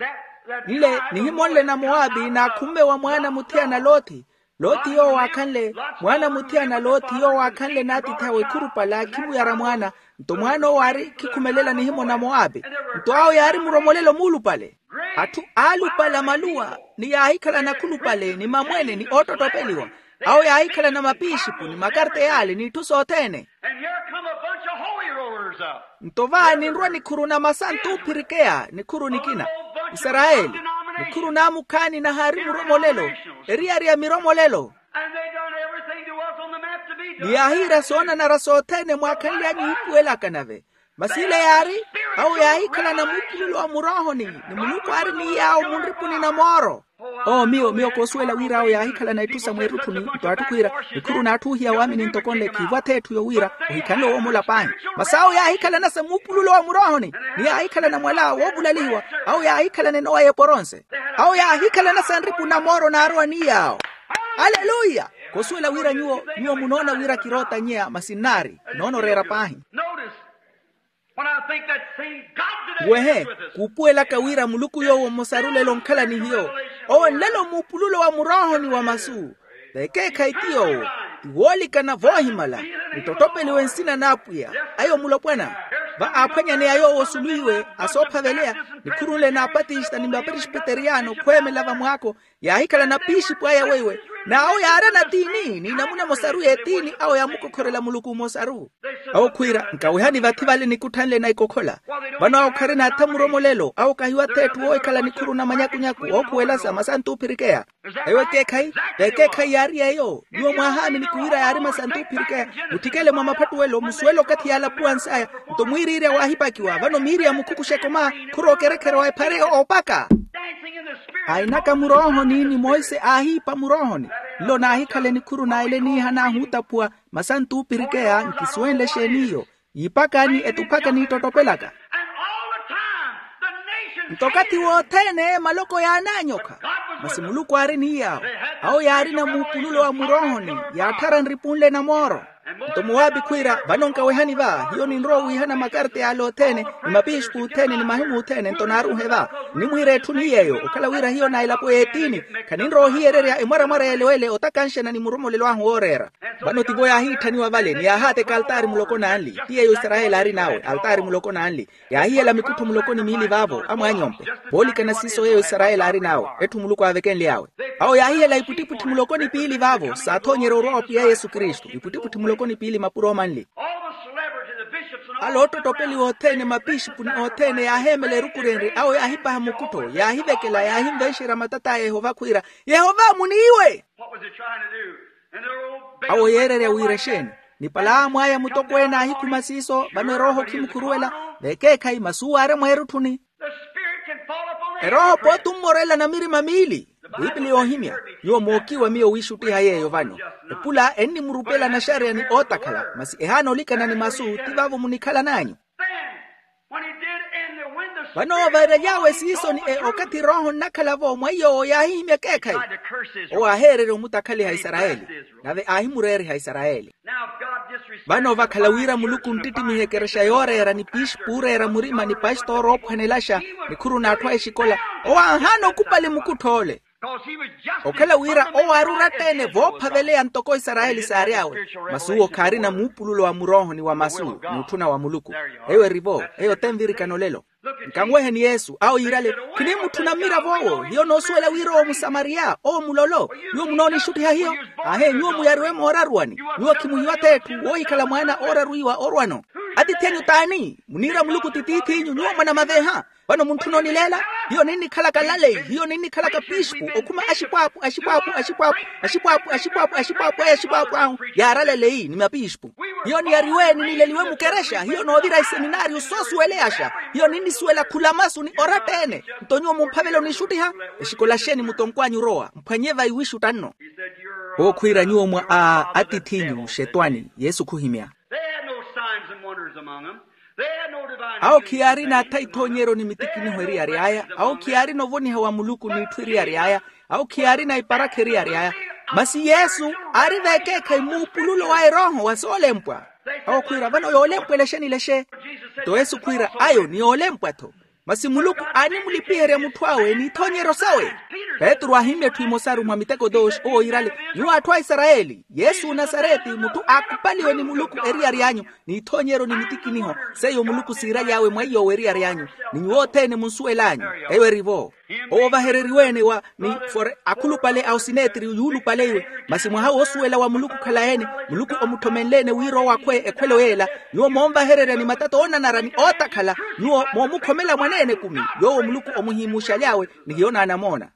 Nle nihimo nle na moabi n'akhumme wa mwaana muthiyana lothi. Lothi yoowo aakhanle, mwaana muthiyana lothi yoowo aakhanle n'atiithi awe khurupala khimuyara mwaana. Nto mwaana owo aari khikhumelela nihimo na moabi. Nto awo yaari muromolelo muulupale. Atthu aalupala maluwa ni yaahikhalana khulupale ni mamwene ni oottottopeliwa. Awo yaahikhalana mapiixipu ni makarteyaali n'itthu sothene. Nto va ninrwa nikhuru na masantu oophirikeya nikhuru nikina, isarayeli, nikhuru n'amukhaani nahaari muromolelo, eriyari ya miromolelo. Ni yaahiira soonanara sothene mwaakhanly'anyu ipuwelaka nave. Masi ile yaari, awo yaahikhalana muupululo wa muroohoni, ni muluku aari ni yaawo munripuni na mooro. Oo miyo miyo koosuwela wira awo yaahikhalana itthu sa mweerutthuni. Nto atthu khwiira, nikhuru n'atthu oohiya waamini ntoko nle khiivwa ath'etthu yoowiira, ohikhanle owoomola paahi. Masi awo yaahikhalana sa muupululo wa muroohoni, ni yaahikhalana mwala woovulalihiwa. Awo yaahikhalana enowa y'eporonse. Awo yaahikhalana sanripu na mooro naarowa ni yaawo. Aleluya. Kosuwela wira nyuwo nyuwo munoona wira kirootanyeya masi nnaari. Noona oreera paahi. Notice, when I think that same God today wehe is with us. Kuupuwelaka wira muluku yoowo mmosaru lelo onkhala ni hiyo. Owo nlelo muupululo wa muroohoni wa masu. Vekeekhayi ti yoowo, ti woolikana voohimala. Nittottopeliwe nsina n'apwiya. Ayo mulopwana. Va aaphwanyaneya yoowo osulu iwe asoophaveleya, nikhurunle n'apatista ni mapresbiteriyano khweemela vamwaako. Yaahikhalana pixipu aya weiwe. N'awo yaarana tiini n'inamuna emosaru y'etiini awo yaamukokhorela muluku mmosaru. Awo khwiira nkawehani vathi vale nikutthanle na ikokhola. Vano awo kharina atha muromolelo awo kahiwa ath'etthu woohikhala nikhuru na manyakunyaku ookhuwelasa masantu oophirikeya. Eyo ekeekhayi. Ekeekhayi yaari eyo. Nyuwo mwaahaamini khuwiira yaari masantu oophirikeya. Mutthikele mwa maphattuwelo musuwele okathi yaalapuwansaya. Nto mwiiriirya waahipakiwa vano miiri ya mukhukuxa ekoma. Khurookerekhere wa ephare oopaka. Ainaka muroohoni ni monse aahiipa muroohoni. Nlo naahikhale nikhuru naele niiha naahuutaphuwa. Masantu oopirikeya nkisuwenle exeen'iyo. Yiipakani etuphaka niittottopelaka. Nto okathi wothene maloko yaanaanyokha. Masi muluku aari ni yaawo. Awo yaarina muupululo wa muroohoni. Yaatthara nripunle na mooro. Nto muwaapi khwiira vano nkawehani va hiyo ninrowa owiihana makarta yaale othene, ni mapixipu othene ni mahimu othene nto naaruhe va. Nnimwiira etthu ni yeeyo okhala wira hiyo na elapo y'etiini. Khaninrowa ohiyererya emwaramwara yeelewele otakanxana ni muromolelo ahu wooreera. Vano tivo yaahiitthaniwa vale ni yaahaateka altaari muloko n'anli ti yeeyo isarayeli aarin'awe altaari muloko n'anli. Yaahihela mikuttho muloko ni miili vaavo amwaany'ompe. Voolikana siiso yeeyo isarayeli aarin'awe etthu muluku aavekenly'awe. Awo yaahihela ipwittipwitthi muloko ni piili vaavo saathoonyerya orwa wa pwiya yesu kristu ipwittipwitthi muloko ni piili mapuro manli. Ala oottottopeliwa othene mapixipu ni othene yaaheemela erukurenrye awo yaahipaha mukuttho yaahivekela yaahinvenxerya matata a yehova khwiira, yehova muniiwe. Awo yeererya wira exeeni? Nipalaamu aya mutokweene aahikhuma siiso vano erooho khimukhuruwela. Vekeekhayi masuwo aari mweerutthuni. Erooho pooti ommorela na mirima miili. Pipili yoohimya. Nyuwo mookiiwa miyo wiixuttiha yeeyo vano. Epula ennimurupela naxareya ni ootakhala masi ehaana olikana ni masu ti vaavo munikhalan'anyu. Vano oovaraly'awe siiso ni e okathi erooho nnakhala-vo mwa iy'owo yaahihimya ekeekhayi. Owo aaheererya omutakhaliha isarayeli. Nave aahimureeriha isarayeli. Vano vakhala wira muluku onttittimiha ekerexa yooreera ni pixipu ooreera murima ni pastooro oophwanelaxa nikhuru n'atthu a exikola. Owo aahaana okupali mukuttho ole. Okhala wira owo aari oratta-ene voophaveleya ntoko isarayeli saary'awe. Masi uwo khaarina muupululo wa murooho ni wa masu. N'utthuna wa muluku. Eyo eri-vo. Eyo tenvirikana olelo. Nkanweheni yesu awo yiirale. Khiniimutthuna mmirav'owo hiyo noosuwela wira owo musamariya owo mulolo. Nyuwo munoonixuttiha hiyo. Aahe nyuwo muyariwe mooraruwani. Nyuwo khimuhiwa t'etthu woohikhala mwaana ooraruwiwa orwano. Atiithi anyu t'ani? Muniira muluku ti tiith'inyu nyuwo mwanamaveha. Vano muntthuna onileela. Hiyo ninnikhalaka laleyi hiyo ninnikhalaka pixipu okhuma axipwaapu axipwaapu axipwaapu axipwaapu axipwaapu axipwaapu aya axipwaapu ahu. Yaaralaleyi ni mapixipu. Hiyo niyariwe ninileliwe mukerexa hiyo noovira iseminaariyo soosuweleyaxa. Hiyo ninnisuwela khula masu ni oratta-ene. Nto nyuwo mumphavela onixuttiha. Exikola xeeni mutonkw'anyu orowa mphwanye va iwixutta nno. Owo khwiira nyuwo mwa a atiith'inyu xetwani yesu khuhimya. They had no signs and wonders among them. They had no divine awo khiyaarina atha ithoonyeryo ni mitikiniho eriyari aya awo khiyaarina ovoniha wa muluku n'itthu eriyari aya. Awo khiyaarina iparakha eriyari aya. Masi yesu aari veekeekhayi muupululo wa erooho wa soolempwa. Awo khwiira vano yoolempwela exeni lexe? Nto yesu khwiira ayo ni yoolempwa-tho. Masi muluku aanimulipiherya mutthu awe n'ithoonyeryo sawe. Petru aahimmya etthu emosaru mwa miteko dooxi owo yiirale, nyuwo atthu a isarayeli yesu onasareti mutthu aakupaliwe ni muluku eriyari anyu. N'ithoonyeryo ni mitikiniho seiyo muluku siiraly'awe mwa iy'owo eriyari anyu. Ni nyuwo othene munsuwel'anyu. Eyo eri-vo. Owo vahereriwe-ene wa ni fore akhulupale a osinetiri yuulupale iwe. Masi mwaha woosuwela wa muluku khalayi-ene. Muluku omutthomenle-ene wira owo akhwe ekhwelo y'ela. Nyuwo moonvahererya ni matata oonanara ni ootakhala. Nyuwo moomukhomela mwaneene ekumi yoowo muluku omuhiimuxaly'awe. Ni hiyo naanamoona.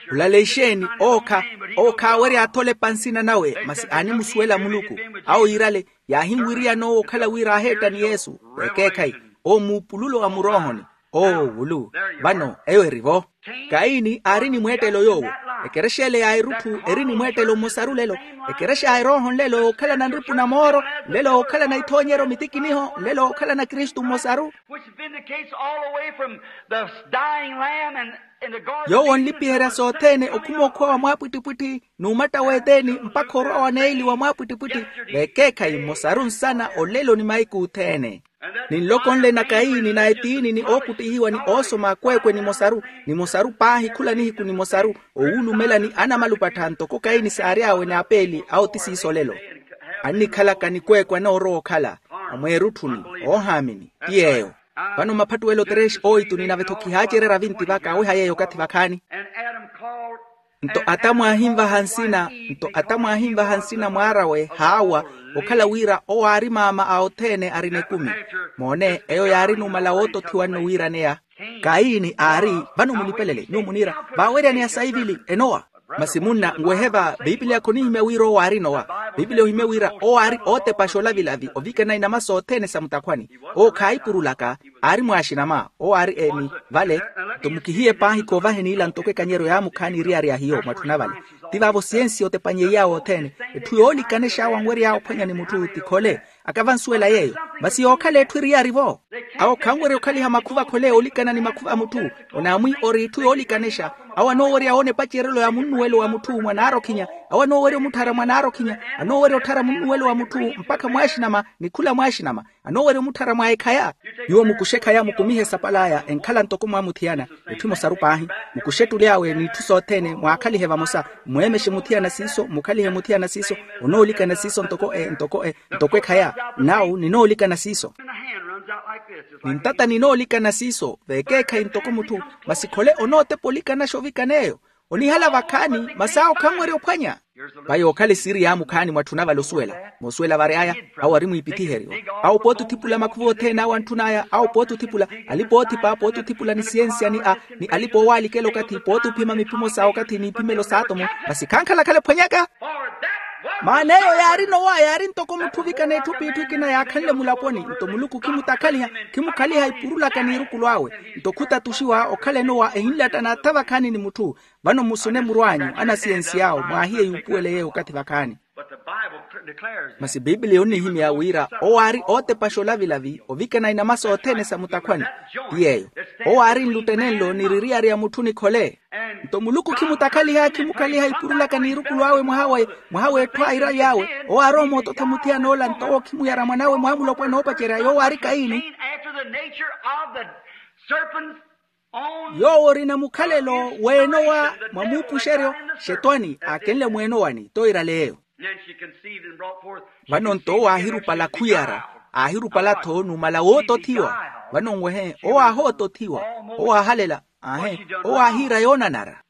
Khulale ixeeni ookha owo khaawerya atholepa nsina nawe masi aanimusuwela muluku. Awo yiirale yaahinwiriyana owo okhala wira aaheetta ni yesu. Ekeekhayi owo muupululo wa muroohoni. Oowulu. Vano eyo eri-vo. Kayini aari ni mweettelo yoowo. Ekerexa ele ya erutthu eri ni mweettelo mmosaru lelo. Ekerexa ya erooho nlelo okhalana nripu na mooro, nlelo okhalana ithoonyeryo mitikiniho, nlelo okhalana kristu mmosaru. Which vindicates all the way from the dying lamb and, and the garden. Yoowo nlipiherya sothene okhuma okhuwa wa mwaapwittipwitthi n'umatta w'eteeni mpakha orwa wa neeli wa mwaapwittipwitthi. Vekeekhayi mmosaru nsana olelo ni mahiku othene. Ni nloko nle na kayini na etiini ni ookuttihiwa ni oosoma akweekwe nimosaru, nimosaru paahi khula nihiku nimosaru. Owulumelani anamalupattha ntoko kayini saary'awe n'apeeli awo ti siiso olelo. Annikhalaka nikweekwe anoorowa okhala amweerutthuni, oohaamini ti yeeyo. Vano maphattuwelo trexi oituni nave-tho khihaacererya vinti vaka aweha yeeyo okathi vakhaani. Nto ata mwaahinvaha nsina, nto ata mwaahinvaha nsina mwaar'awe haawa, okhala wira owo aari maama a othene arina ekumi. Moone eyo yaari numala wootothiwa nno wiiraneya. Kayini aari, vano munipelele nyuwo muniira, vaaweryaneya saivili enowa. Masi munna nwehe va, piipiliya khonihimya wira owo aari nowa. Piipiliya ohimye wira owo aari ootepaxa olavilavi ovikana inama sothene sa mutakhwani. Owo khaahipurulaka, aari mwaaxinama owo aari eni. Vale nto mukihiye paahi khoovaheni ila ntoko ekanyeryo yaamukhaani eriyari ya hiyo mwatthuna vale. Ti vaavo siyensi otepanyeiy'awe othene, etthu yoolikanexa awo anwery'awe ophwanya ni mutthu ti khole. Akavansuwela yeeyo. Masi yookhala etthu eriyari-vo. Awo khanwerya okhaliha makhuva khole olikana ni makhuva a mutthu. Onaamwi ori itthu yoolikanexa. Awo anoowerya woona epacerelo ya munnuwelo wa mutthu mwa naarokhinya. Awo anoowerya omutthara mwa naarokhinya. Anoowerya otthara munnuwelo wa mutthu mpakha mwaaxinama ni khula mwaaxinama. Anoowerya omutthara mwa ekhaya. Nyuwo mukuxe ekhaya mukumihe esapal'aya enkhala ntoko mwaamuthiyana. Itthu emosaru paahi. Mukuxe ettuli awe n'itthu sothene mwaakhalihe vamosa. Mweemexe muthiyana siiso mukhalihe muthiyana siiso. Onoolikana siiso ntoko e ntoko e ntoko ekhaya. Nawu ninoolikana siiso. Nintata ninoolikana siiso vekeekhayi ntoko mutthu. Masi khole onootepa olikanaxa ovikana eyo. Onihala vakhaani masi awo khanwerya ophwanya. Vayi ookhala esiri yaamukhaani mwatthuna vale osuwela. Moosuwela vary'aya awo ari mwiipithiheryo. Awo pooti othipula makhuva othene awo antthun'aya awo pooti othipula. Alipa oothipa pooti othipula ni siyensiya ni a ni alipa oowaalikela okathi pooti ophima miphimo sa okathi n'iphimelo s'atomo. Masi khankhalakhala ephwanyaka. Maana eyo yaari nowa yaari ntoko mutthu ovikana etthu p'itthu ekina yaakhanle mulaponi nto muluku khimutakhaliha. Khimukhaliha ipurulaka n'irukulu awe. Nto khutatuxiwa okhala enowa ehinlatta n'atha vakhaani ni mutthu. Vano musune muru anyu anasiyensi awo mwaahiye yuupuwele yeeyo okathi vakhaani. Masi piipiliya onnihimya wira owo aari ootepaxa olavilavi ovikana inama sothene sa mutakhwani. Ti yeeyo owo aari nlutte nenlo ni ririari ya mutthu nikhole. Nto muluku khimutakhaliha khimukhaliha ipurulaka n'irukulu awe mwaha w'etthu a iravi awe. Owo aarowa moototha muthiyana ola nto owo khimuyara mwan'awe mwaamulopwana oopacerya yoowo aari kayini. Yoowo orina mukhalelo w'enowa mwa muupuxeryo. Xetwani aakenle mw'enowani toirale eyo. Vano nto owo aahirupala khuyara. Aahirupala-tho numala wootothiwa. Vano nwehe owo aahootothiwa. Owo aahalela. Aahe. Owo aahiira yoonanara.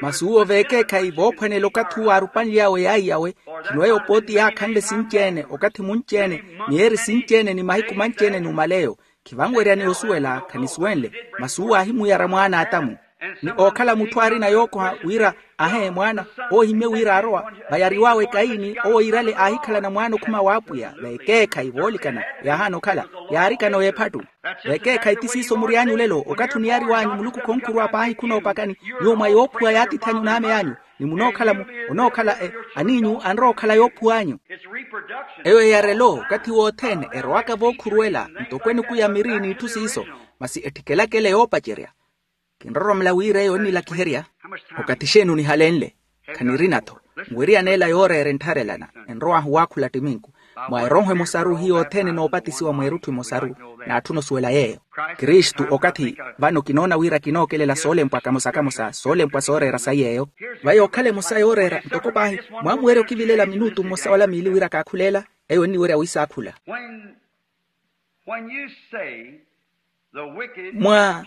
Masi uwo veekeekhayi voophwanela okathi uwo aarupanly'awe yaayi yawe. Khino eyo pooti yaakhanle sinci-ene okathi munci-ene. Miyeeri sinci-ene ni mahiku manci-ene numala eyo. Khivanweryani osuwela khanisuwenle. Masi uwo aahimuyara mwaana a atamu. Ni ookhala mutthu aarina yookoha wira ahe mwaana. Owo ohimmye wira aarowa vayariw'awe kayini owo iirale aahikhalana mwaana okhuma w'apwiya veekeekhayi voolikana. Yaahaana okhala yaarikana oyo ephattu. Veekeekhayi ti siiso mury'anyu olelo okathi oniyariw'anyu muluku khonkhuruwa paahi khunoopakani. Nyuwo mwa yoophuwa yaatiithi anyu n'ame y'anyu ni munookhala-mu onookhala aniinyu anrowa okhala yoophuw'anyu. Eyo eyarelo okathi wothene erowaka vookhuruwela ntoko enuku ya miri n'itthu siiso. Masi ettikelakele yoopacerya. Kinroromela wira eyo ennilakiherya. Okathi xeeni onihalenle? Khanirina-tho. Nwiriyaneela yooreera enttharelana enrow'ahu waakhula ttiminku mwa erooho emosaru hiyo othene noopatisiwa mweerutthu emosaru. Naatthuna osuwela yeeyo. Kristu okathi vano kinoona wira kinookelela soolempwa kamosa kamosa soolempwa sooreera sayi eyo. Vayi okhala emosa yooreera ntoko paahi mwaamuwerya okivilela minutu mmosa wala miili wira kaakhuleela. Eyo enniwerya wiisaakhula. Mwa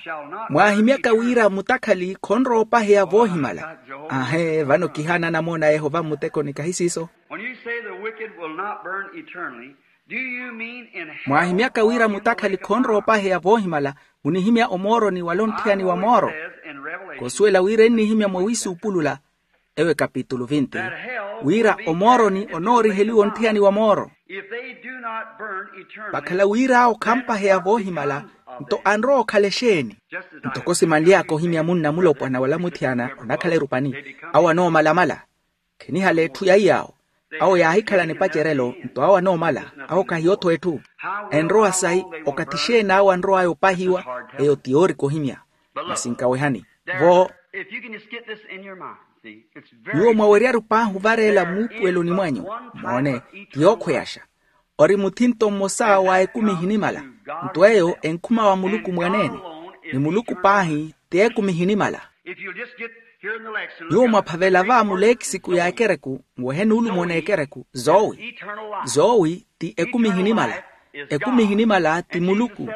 mwaahimyaka wira mutakhali khonrowa opaheya voohimala. Aahe vano kihaana anamoona a yehova mmutekoni kahi siiso. Mwaahimyaka wira mutakhali khonrowa opaheya voohimala munihimya omooroni wala ontthiyani wa mooro. Kosuwela wira ennihimya mwa wiisuupulula. Ewe kapitulu vinti, wira omooroni onooriheliwa ontthiyani wa mooro. Vakhala wira awo khampaheya voohimala, nto anrowa okhala exeeni? Ntoko simanly'aka ohimya munna mulopwana wala muthiyana onakhala erupani, awo anoomalamala. Khenihala etthu ya iy'awo. Awo yaahikhalana epacerelo, nto awo anoomala. Awo kahiyo-tho etthu. Enrowa sayi, okathi exeeni awo anrow'aya opahiwa? Eyo ti yoorika ohimya. Masi nkawehani vo. Nyuwo mwaweryaru paahi ovareela muupuweloni mwanyu. Moone, ti yookhweyaxa. Ori muthinto mmosa wa ekumi ehinimala. Nto eyo enkhuma wa muluku mwaneene. Ni muluku paahi ti ekumi ehinimala. Nyuwo mwaphavela va muleekisiku ya ekereku, nwehe nuulumo n'ekereku zowi. Zowi ti ekumi ehinimala. Ekumi ehinimala ti muluku.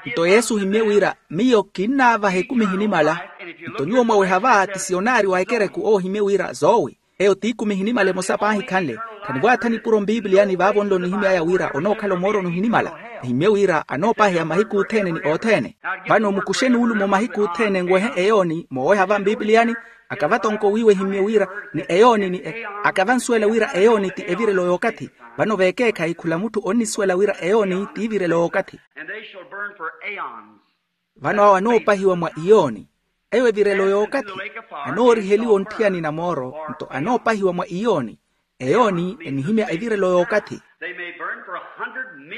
Nto yesu ohimmye wira, miyo kinnaavaha ekumi ehinimala. Nto nyuwo mwaweha va ti siyonaari wa ekereku owo ohimmye wira zowi. Eyo ti ekumi ehinimala emosa paahi khanle. Khanivwaatha nipuro mpipiliyani vaavo nlo nihimy'aya wira onookhala omooroni ohinimala. Ehimmye wira anoopaheya mahiku othene ni othene. Vano mukuxe nuulumo mahiku othene nwehe eyooni mooweha va mpipiliyani. Akava tonko wiiwa ehimmye wira ni eyooni ni e- akava nsuwela wira eyooni ti evirelo y'okathi. Vano veekeekhayi khula mutthu onnisuwela wira eyooni ti evirelo y'okathi. Vano awo anoopahiwa mwa iyooni. Eyo evirelo y'okathi. Anooriheliwa ontthiyani na mooro, nto anoopahiwa mwa iyooni. Eyooni enihimya evirelo y'okathi.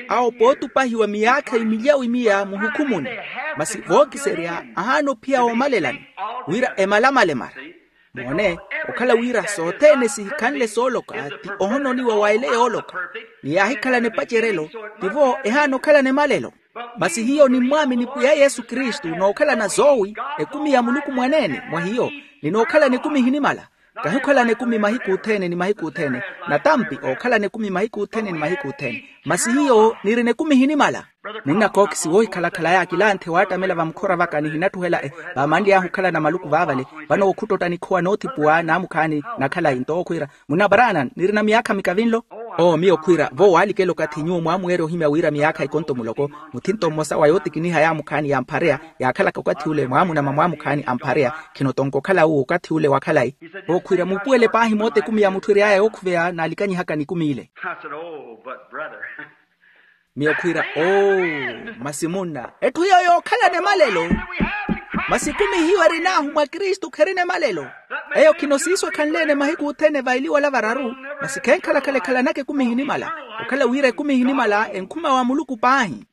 Awo pootupahiwa miyaakha imilyawi miya muhukhumuni. Masi vookiserya ahaana ophiya woomalelani, wira emalamale mara. Moone, okhala wira sothene sihikhanle sooloka ti ohononiwa wa ele yooloka. Ni yaahikhalana epacerelo, tivo ehaana okhalana emalelo. Masi hiyo nimmwaamini pwiya yesu kristu nookhalana zowi, ekumi ya muluku mwaneene mwa hiyo, ni nookhalana ekumi ehinimala. Kahi okhalana ekumi mahiku othene ni mahiku othene. Natampi ookhalana ekumi mahiku othene ni mahiku othene. Masi hiyo nirina ekumi ehinimala. Munna kookisi woohikhalakhala yaakilanthe waattamela vamukhora vaka nihinattuhela e vaamanly'ahu okhalana maluku vaavale. Vano wookhutotta nikhowa noothipuwa naamukhaani na khalayi nto owo khwiira, munna paranan nirina miyaakha mikavi nlo. Oo miyo khwiira vo waalikela okathi nyuwo mwaamuweerya ohimya wira miyaakha ikonto muloko. Muthinto mmosa wa yootikiniha yaamukhaani yaamphareya, yaakhalaka okathi ule mwaamunama mwaamukhaani amphareya. Khino tonko okhala uwo okathi ule wa khalayi. Vo khwiira muupuwele paahi moota ekumi ya mutthu ery'aya yookhuveya naalikanyihaka nikumi ile. Miyo khwiira oo, masi munna etthu iyo yookhalana emalelo. Masi ekumi hiyo erin'ahu mwa kristu kherina emalelo. Eyo khino siiso ekhanleene mahiku othene vailiwala vararu. Masi khenkhalakhala ekhalanaka ekumi ehinimala, okhala wira ekumi ehinimala enkhuma wa muluku paahi.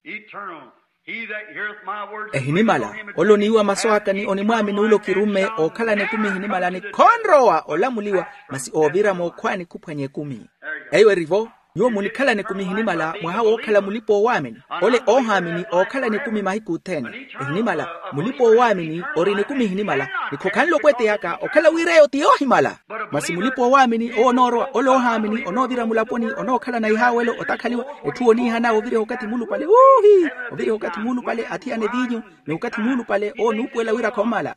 Ehinimala ole oniiwa masu aka ni onimwaamini ole okirumme ookhalana ekumi ehinimala ni khonrowa olamuliwa. Masi oovira mookhwaani khuphwanya ekumi. Eyo erivo, nyuwo munikhalana ekumi ehinimala mwaha wookhala mulipa-oowaamini. Ole oohaamini ookhalana ekumi mahiku othene ehinimala. Mulipa-oowaamini orina ekumi ehinimala, ni khokhanle opweteyaka okhala wira eyo ti yoohimala. Masi mulipa-oowaamini owo onoorowa ole oohaamini onoovira mulaponi onookhalana ihaawelo otakhaliwa. Etthu oniihana oviriha okathi muulupale uuhi, oviriha okathi muulupale athiyana eviinyu, ni okathi muulupale owo onuupuwela wira khoomala.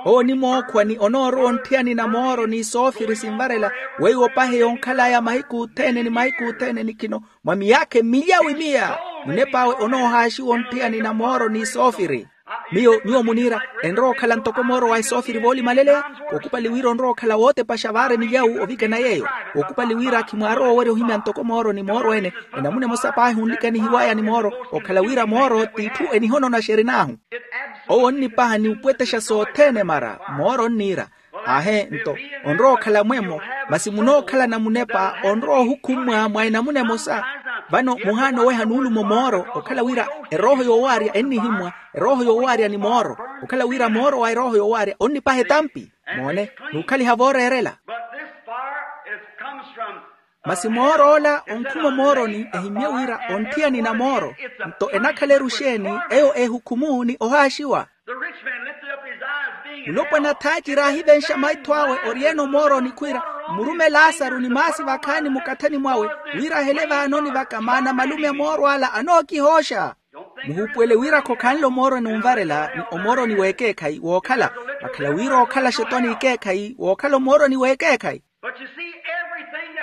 Owo onimookhwa ni onoorowa ontthiyani na mooro ni soofiri sinvarela, weiwo opaheya onkhal'aya mahiku othene ni mahiku othene ni khino mwa miyaakha emilyawi miya. Munep'awe onoohaaxiwa ontthiyani na mooro ni soofiri. Miyo nyuwo muniira, enrowa okhala ntoko mooro wa esoofiri voolimaleleya. Kookupali wira onrowa okhala wootepaxa vaara emilyawu ovikana yeeyo. Kookupali wira khimwaarowa owerya ohimya ntoko mooro ni mooro ene. Enamuna emosa paahi onlikanihiw'aya ni mooro okhala wira mooro t'itthu enihononaxa erin'ahu. Owo onnipaha ni upwetexa sothene mara. Mooro onniira, aahe nto, onrowa okhala mwemo, masi munookhalana munepa onrowa ohukhummwa mwa enamuna emosa. Vano muhaana oweha nuulumo mooro okhala wira erooho yoowaarya ennihimmwa, erooho yoowaarya ni mooro okhala wira mooro wa erooho yoowaarya onnipaha etampi. Moone, n'ukhaliha vooreerela. Masi moor'ola onkhuma omooroni ehimmye wira ontthiyani na mooro. Nto enakhala eru xeeni? Eyo ehukhumu ni ohaaxiwa. Mulopwana thaaci raahivenxa maitho awe oriyene omooroni khwiira, mmurume laasaru ni maasi vakhaani mukathani mwawe, wira ahele vaanoni vaka maana malume a mooro ala anookihooxa. Muhuupuwele wira khokhanle omooroni onvarela ni omooroni w'ekeekhayi wookhala. Vakhala wira ookhala xetwani ekeekhayi wookhala omooroni w'ekeekhayi.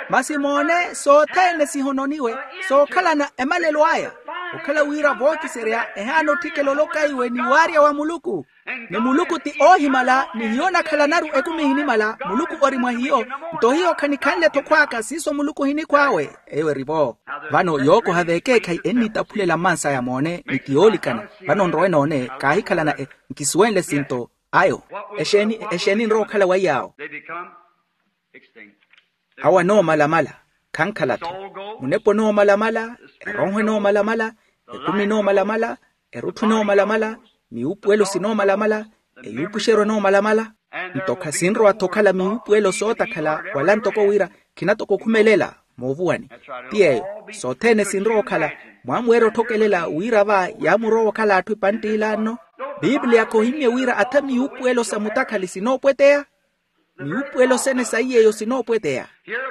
Masi moone sothene sihononiwe sookhalana emalelo aya. Okhala wira vookiserya ehaana otthikela olokaiwe ni waarya wa muluku. Ni muluku ti oohimala ni hiyo onakhalanaru ekumi ehinimala muluku ori mwa hiyo. Nto hiyo khanikhanle-tho khw'aka siiso muluku ohinikhw'awe. Eyo eri-vo. Vano yookoha v'ekeekhayi ennitaphulela mmansaya moone ni ti yoolikana. Vano nrowe noone kaahikhalana e nkisuwenle sinto ayo. Exeeni exeeni enrowa okhala wa iyaawo? Awo anoomalamala. Khankhala-tho. Munepa onoomalamala. Erooho enoomalamala. Ekumi enoomalamala. Erutthu enoomalamala. Miwuupuwelo sinoomalamala. Eyuupuxeryo enoomalamala. Nto khasinrowa-tho okhala miwuupuwelo sootakhala wala ntoko wira khinatoko okhumelela moovuwani. Ti yeeyo. Sothene sinrowa okhala mwaamuweerya otthokelela wira va yaamurowa okhala atthu epantt'ila nno. Piipiliya khohimmye wira atha miwuupuwelo sa mutakhali sinoopweteya. Miwuupuwelo sene saiy'eyo sinoopweteya.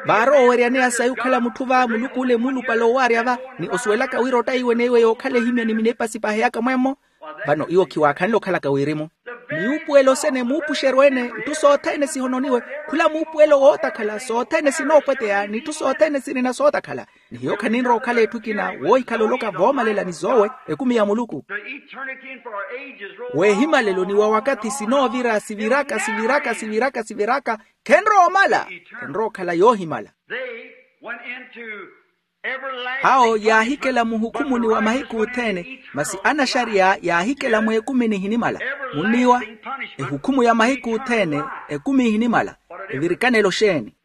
Vaarowa oweryaneya sayi okhala mutthu va muluku ole muulupale owaarya va ni osuwelaka wira ottayiwe neiwe yookhala ehimya ni minepa sipaheyaka mwemmo. Vano iwo khiwaakhanle okhalaka wirimu. Miwuupuwelo sene muupuxeryo ene nttu sothene sihononiwe. Khula muupuwelo wootakhala sothene sinoopweteya ni itthu sothene sirina sootakhala. Ni hiyo khaninrowa okhala etthu ekina woohikhala oloka voomalela ni zoowe ekumi ya muluku. Weehimalelo ni wa wakathi sinoovira siviraka siviraka siviraka siviraka. Khenrowa omala. Khenrowa okhala yoohimala. Awo yaahikela muhukhumuni wa mahiku othene masi anaxariya yaahikela mweekumi nihinimala. Munniiwa? Ehukhumu ya mahiku othene ekumi ihinimala. Evirikanelo xeeni?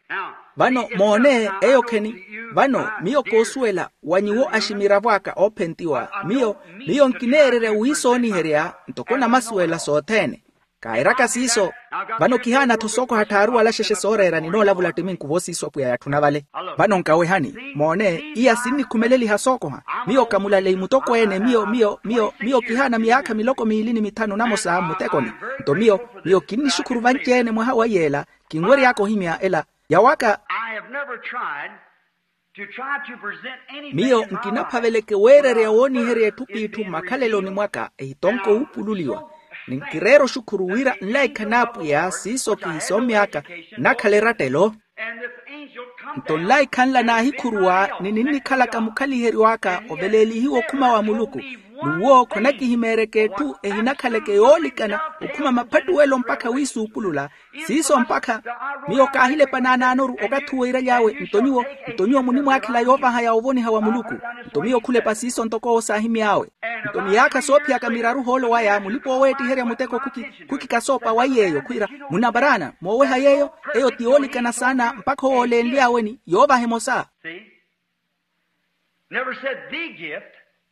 Vano moone eyo kheni. Vano miyo koosuwela wa nyuwo aximiravo aka oophentiwa miyo miyo nkineererya wiisooniherya ntoko namasuwela sothene. Kairaka siiso. Vano kihaana-tho sookoha tthaaru wala xexe sooreera ninoolavula ttiminku voosiiso apwiya yatthuna vale. Vano nkawehani moone iya sinnikhumeleliha sookoha. Miyo kamulaleyi mutokweene miyo miyo miyo miyo kihaana miyaakha miloko miili ni mithanu namosa mmutekoni. Nto miyo miyo kinnixukhuru vanci-ene mwaha wa yeela. Kinwery'aka ohimya ela yawaka. Miyo nkinaphaveleke weererya wooniherya etthu p'itthu mmakhaleloni mwaka ehitonko wuupululiwa. Ni nkireera oxukhuru wira nlaikha n'apwiya siiso kihisommy'aka nnakhala erattelo. Nto nlaikha nla naahikhuruwa ni ninnikhalaka mukhaliheryo aka oveleelihiwa okhuma wa muluku. N'uwo khonakihimeeryeke etthu ehinakhaleke yoolikana okhuma maphattuwelo mpakha wiisuupulula. Siiso mpakha miyo kaahilepa naanaanoru okathi uwo iraly'awe nto nyuwo nto nyuwo munimwaakhela yoovaha ya ovoniha wa muluku. Nto miyo khulepa siiso ntoko owo saahimy'awe. Nto miyaakha soophiyaka miraru ohoolo waya mulipa-oweettiherya muteko khukikasoopa wa yeeyo khwiira munaparaana mooweha yeeyo. Eyo ti yoolikana saana mpakha owo olenly'awe ni yoovaha emosa.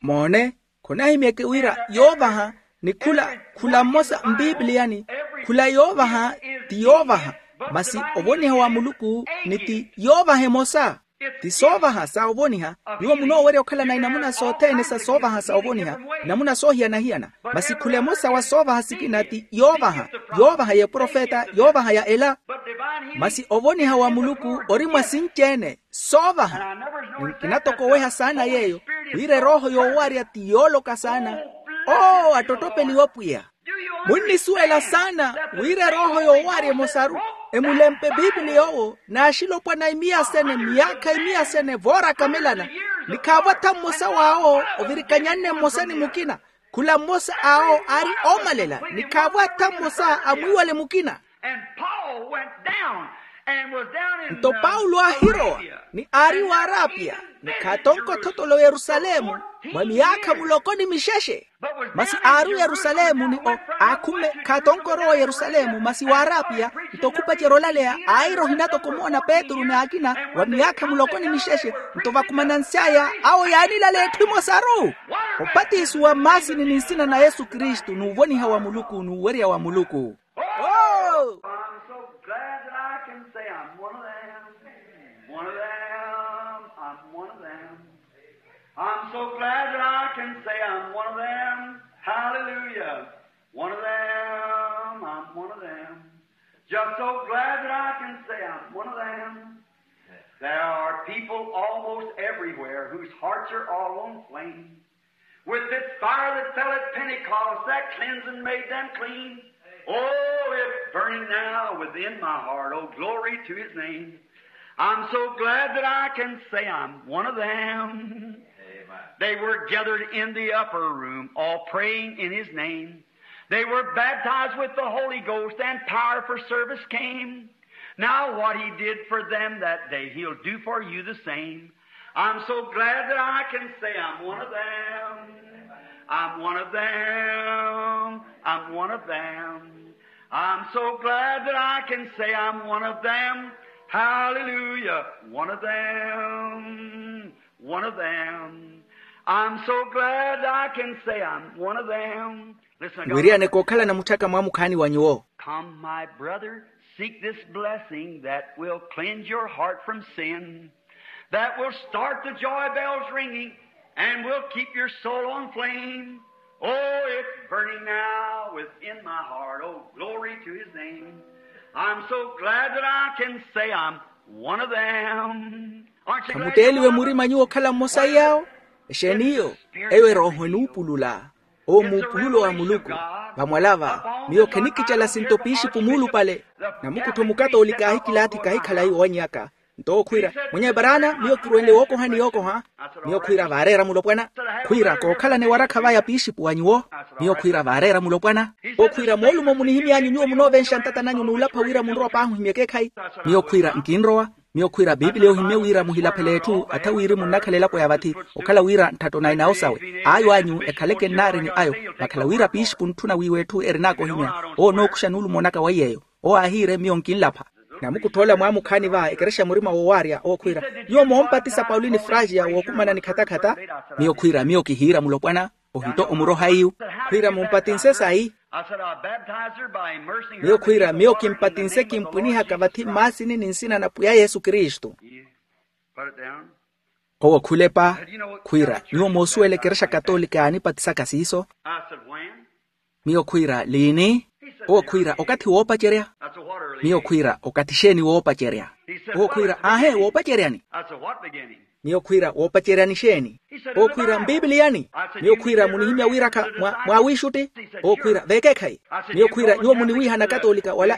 Moone khonahimyeke wira yoovaha ni khula khula mmosa mpipiliyani. Khula yoovaha ti yoovaha masi ovoniha wa muluku ni ti yoovaha emosa. Ti soovaha sa ovoniha. Nyuwo munoowerya okhalana inamuna sothene sa soovaha sa ovoniha inamuna soohiyana-hiyana. Masi khula emosa wa soovaha sikina ti yoovaha yoovaha ya eprofeta yoovaha ya ela. Masi ovoniha wa muluku ori mwa sinci-ene soovaha. Ni nkinatokoweha saana yeeyo wira erooho yoowarya ti yooloka saana. Oo attottopeliwa pwiya. Munnisuwela saana wira erooho yoowarya emosaru emulempe piipiliya owo n'axilopwana imiya sene miyaakha imiya sene voorakamelana. Ni khaavo atha mmosa w'awo ovirikanyanne mmosa ni mukina. Khula mmosa awo aari oomalela ni khaavo atha mmosa amwiiwale mukina. Nto paulo aahirowa ni aari waarapia ni khaatonko othotole oyerusalemu mwa miyaakha muloko ni mixexe. Masi aari oyerusalemu ni o aakhumme khaatonko orowa oyerusalemu masi waarapia. Nto khupacerya olaleya aayira ohinatokomoona petru ni akina wa miyaakha muloko ni mixexe. Nto vakumanansy'aya awo yaanilaleya etthu emosaru opatisiwa mmaasini ni nsina na yesu kristu n'uvoniha wa muluku n'uwerya wa muluku. Oh! I'm so glad that I can say I'm one of them. One of them. I'm one of them. I'm so glad that I can say I'm one of them. Hallelujah. One of them. I'm one of them. Just so glad that I can say I'm one of them. There are people almost everywhere whose hearts are all on flame. With this fire that fell at Pentecost, that cleansed and made them clean. Oh, it's burning now within my heart. Oh, glory to his name. I'm so glad that I can say I'm one of them. Amen. They were gathered in the upper room, all praying in his name. They were baptized with the Holy Ghost, and power for service came. Now what he did for them that day, he'll do for you the same. I'm so glad that I can say I'm one of them. I'm one of them. I'm one of them. I'm so glad that I can say I'm one of them. Hallelujah. One of them. One of them. I'm so glad I can say I'm one of them. Listen, I got wiriyaneke okhalana mutthaka mwaamukhaani wa nyuwo. Come, my brother, seek this blessing that will cleanse your heart from sin, that will start the joy bells ringing, and will keep your soul on flame. Oh, it's burning now within my heart. Oh, glory to his name. I'm so glad that I can say I'm one of them. Aren't you glad? Khamutteeliwe murima nyuwo okhala mmosa iyaawo? Exeeni iyo? Eyo erooho enuupulula. Owo muupululo wa muluku. Vamwalava miyo khenikicela sinto piixipu muulupale. Namukuttho mukatoolika aahikilaathi kahikhalayi owannyaka. Nto owo khwiira, mwenye baraana, miyo kirwenle wookoha ni yookoha. Miyo khwiira vaareera mulopwana. Khwiira kookhalana ewarakha vaya piixipu wa nyuwo. Miyo khwiira vaareera mulopwana. Owo khwiira moolumo munihimy'anyu nyuwo munoovenxa ntata nanyu n'ulapha wira munrowa paahi ohimya ekeekhayi. Miyo khwiira nkinrowa. Miyo khwiira biipiliya ohimye wira muhilaphele etthu atha wirimu nnakhala elapo ya vathi. Okhala wira ntthatto na enaawo sawe. Ayo anyu ekhaleke nnaari ni ayo. Vakhala wira piixipu ntthuna wiiwa etthu erin'aka ohimya. Owo onookuxa nuulumo naka wa iy'eyo. Owo aahiire miyo nkinlapha. Namukuttho ola mwaamukhaani va ekerexa murima woowaarya owo khwiira, nyuwo moompatisa paulini fragia wookumana ni khatakhatha? Miyo khwiira miyo kihiira mulopwana. Ohito omuroha iyu. Khwiira mumpatinse sayi? Miyo khwiira miyo kimpatinse kimpwinihaka vathi mmaasini ni nsina na pwiya yesu kristu. Owo khulepa. Khwiira nyuwo moosuwela ekerexa katoolika yaanipatisaka siiso? Miyo khwiira liini? Owo khwiira okathi woopacerya. Miyo khwiira okathi xeeni woopacerya? Owo khwiira aahe woopaceryani? Miyo khwiira woopaceryani xeeni? Owo khwiira mpiipiliyani. Miyo khwiira munihimya wiirakha mwa wiixutti? Owo khwiira veekeekhayi. Miyo khwiira nyuwo muniwiihana akatoolika wala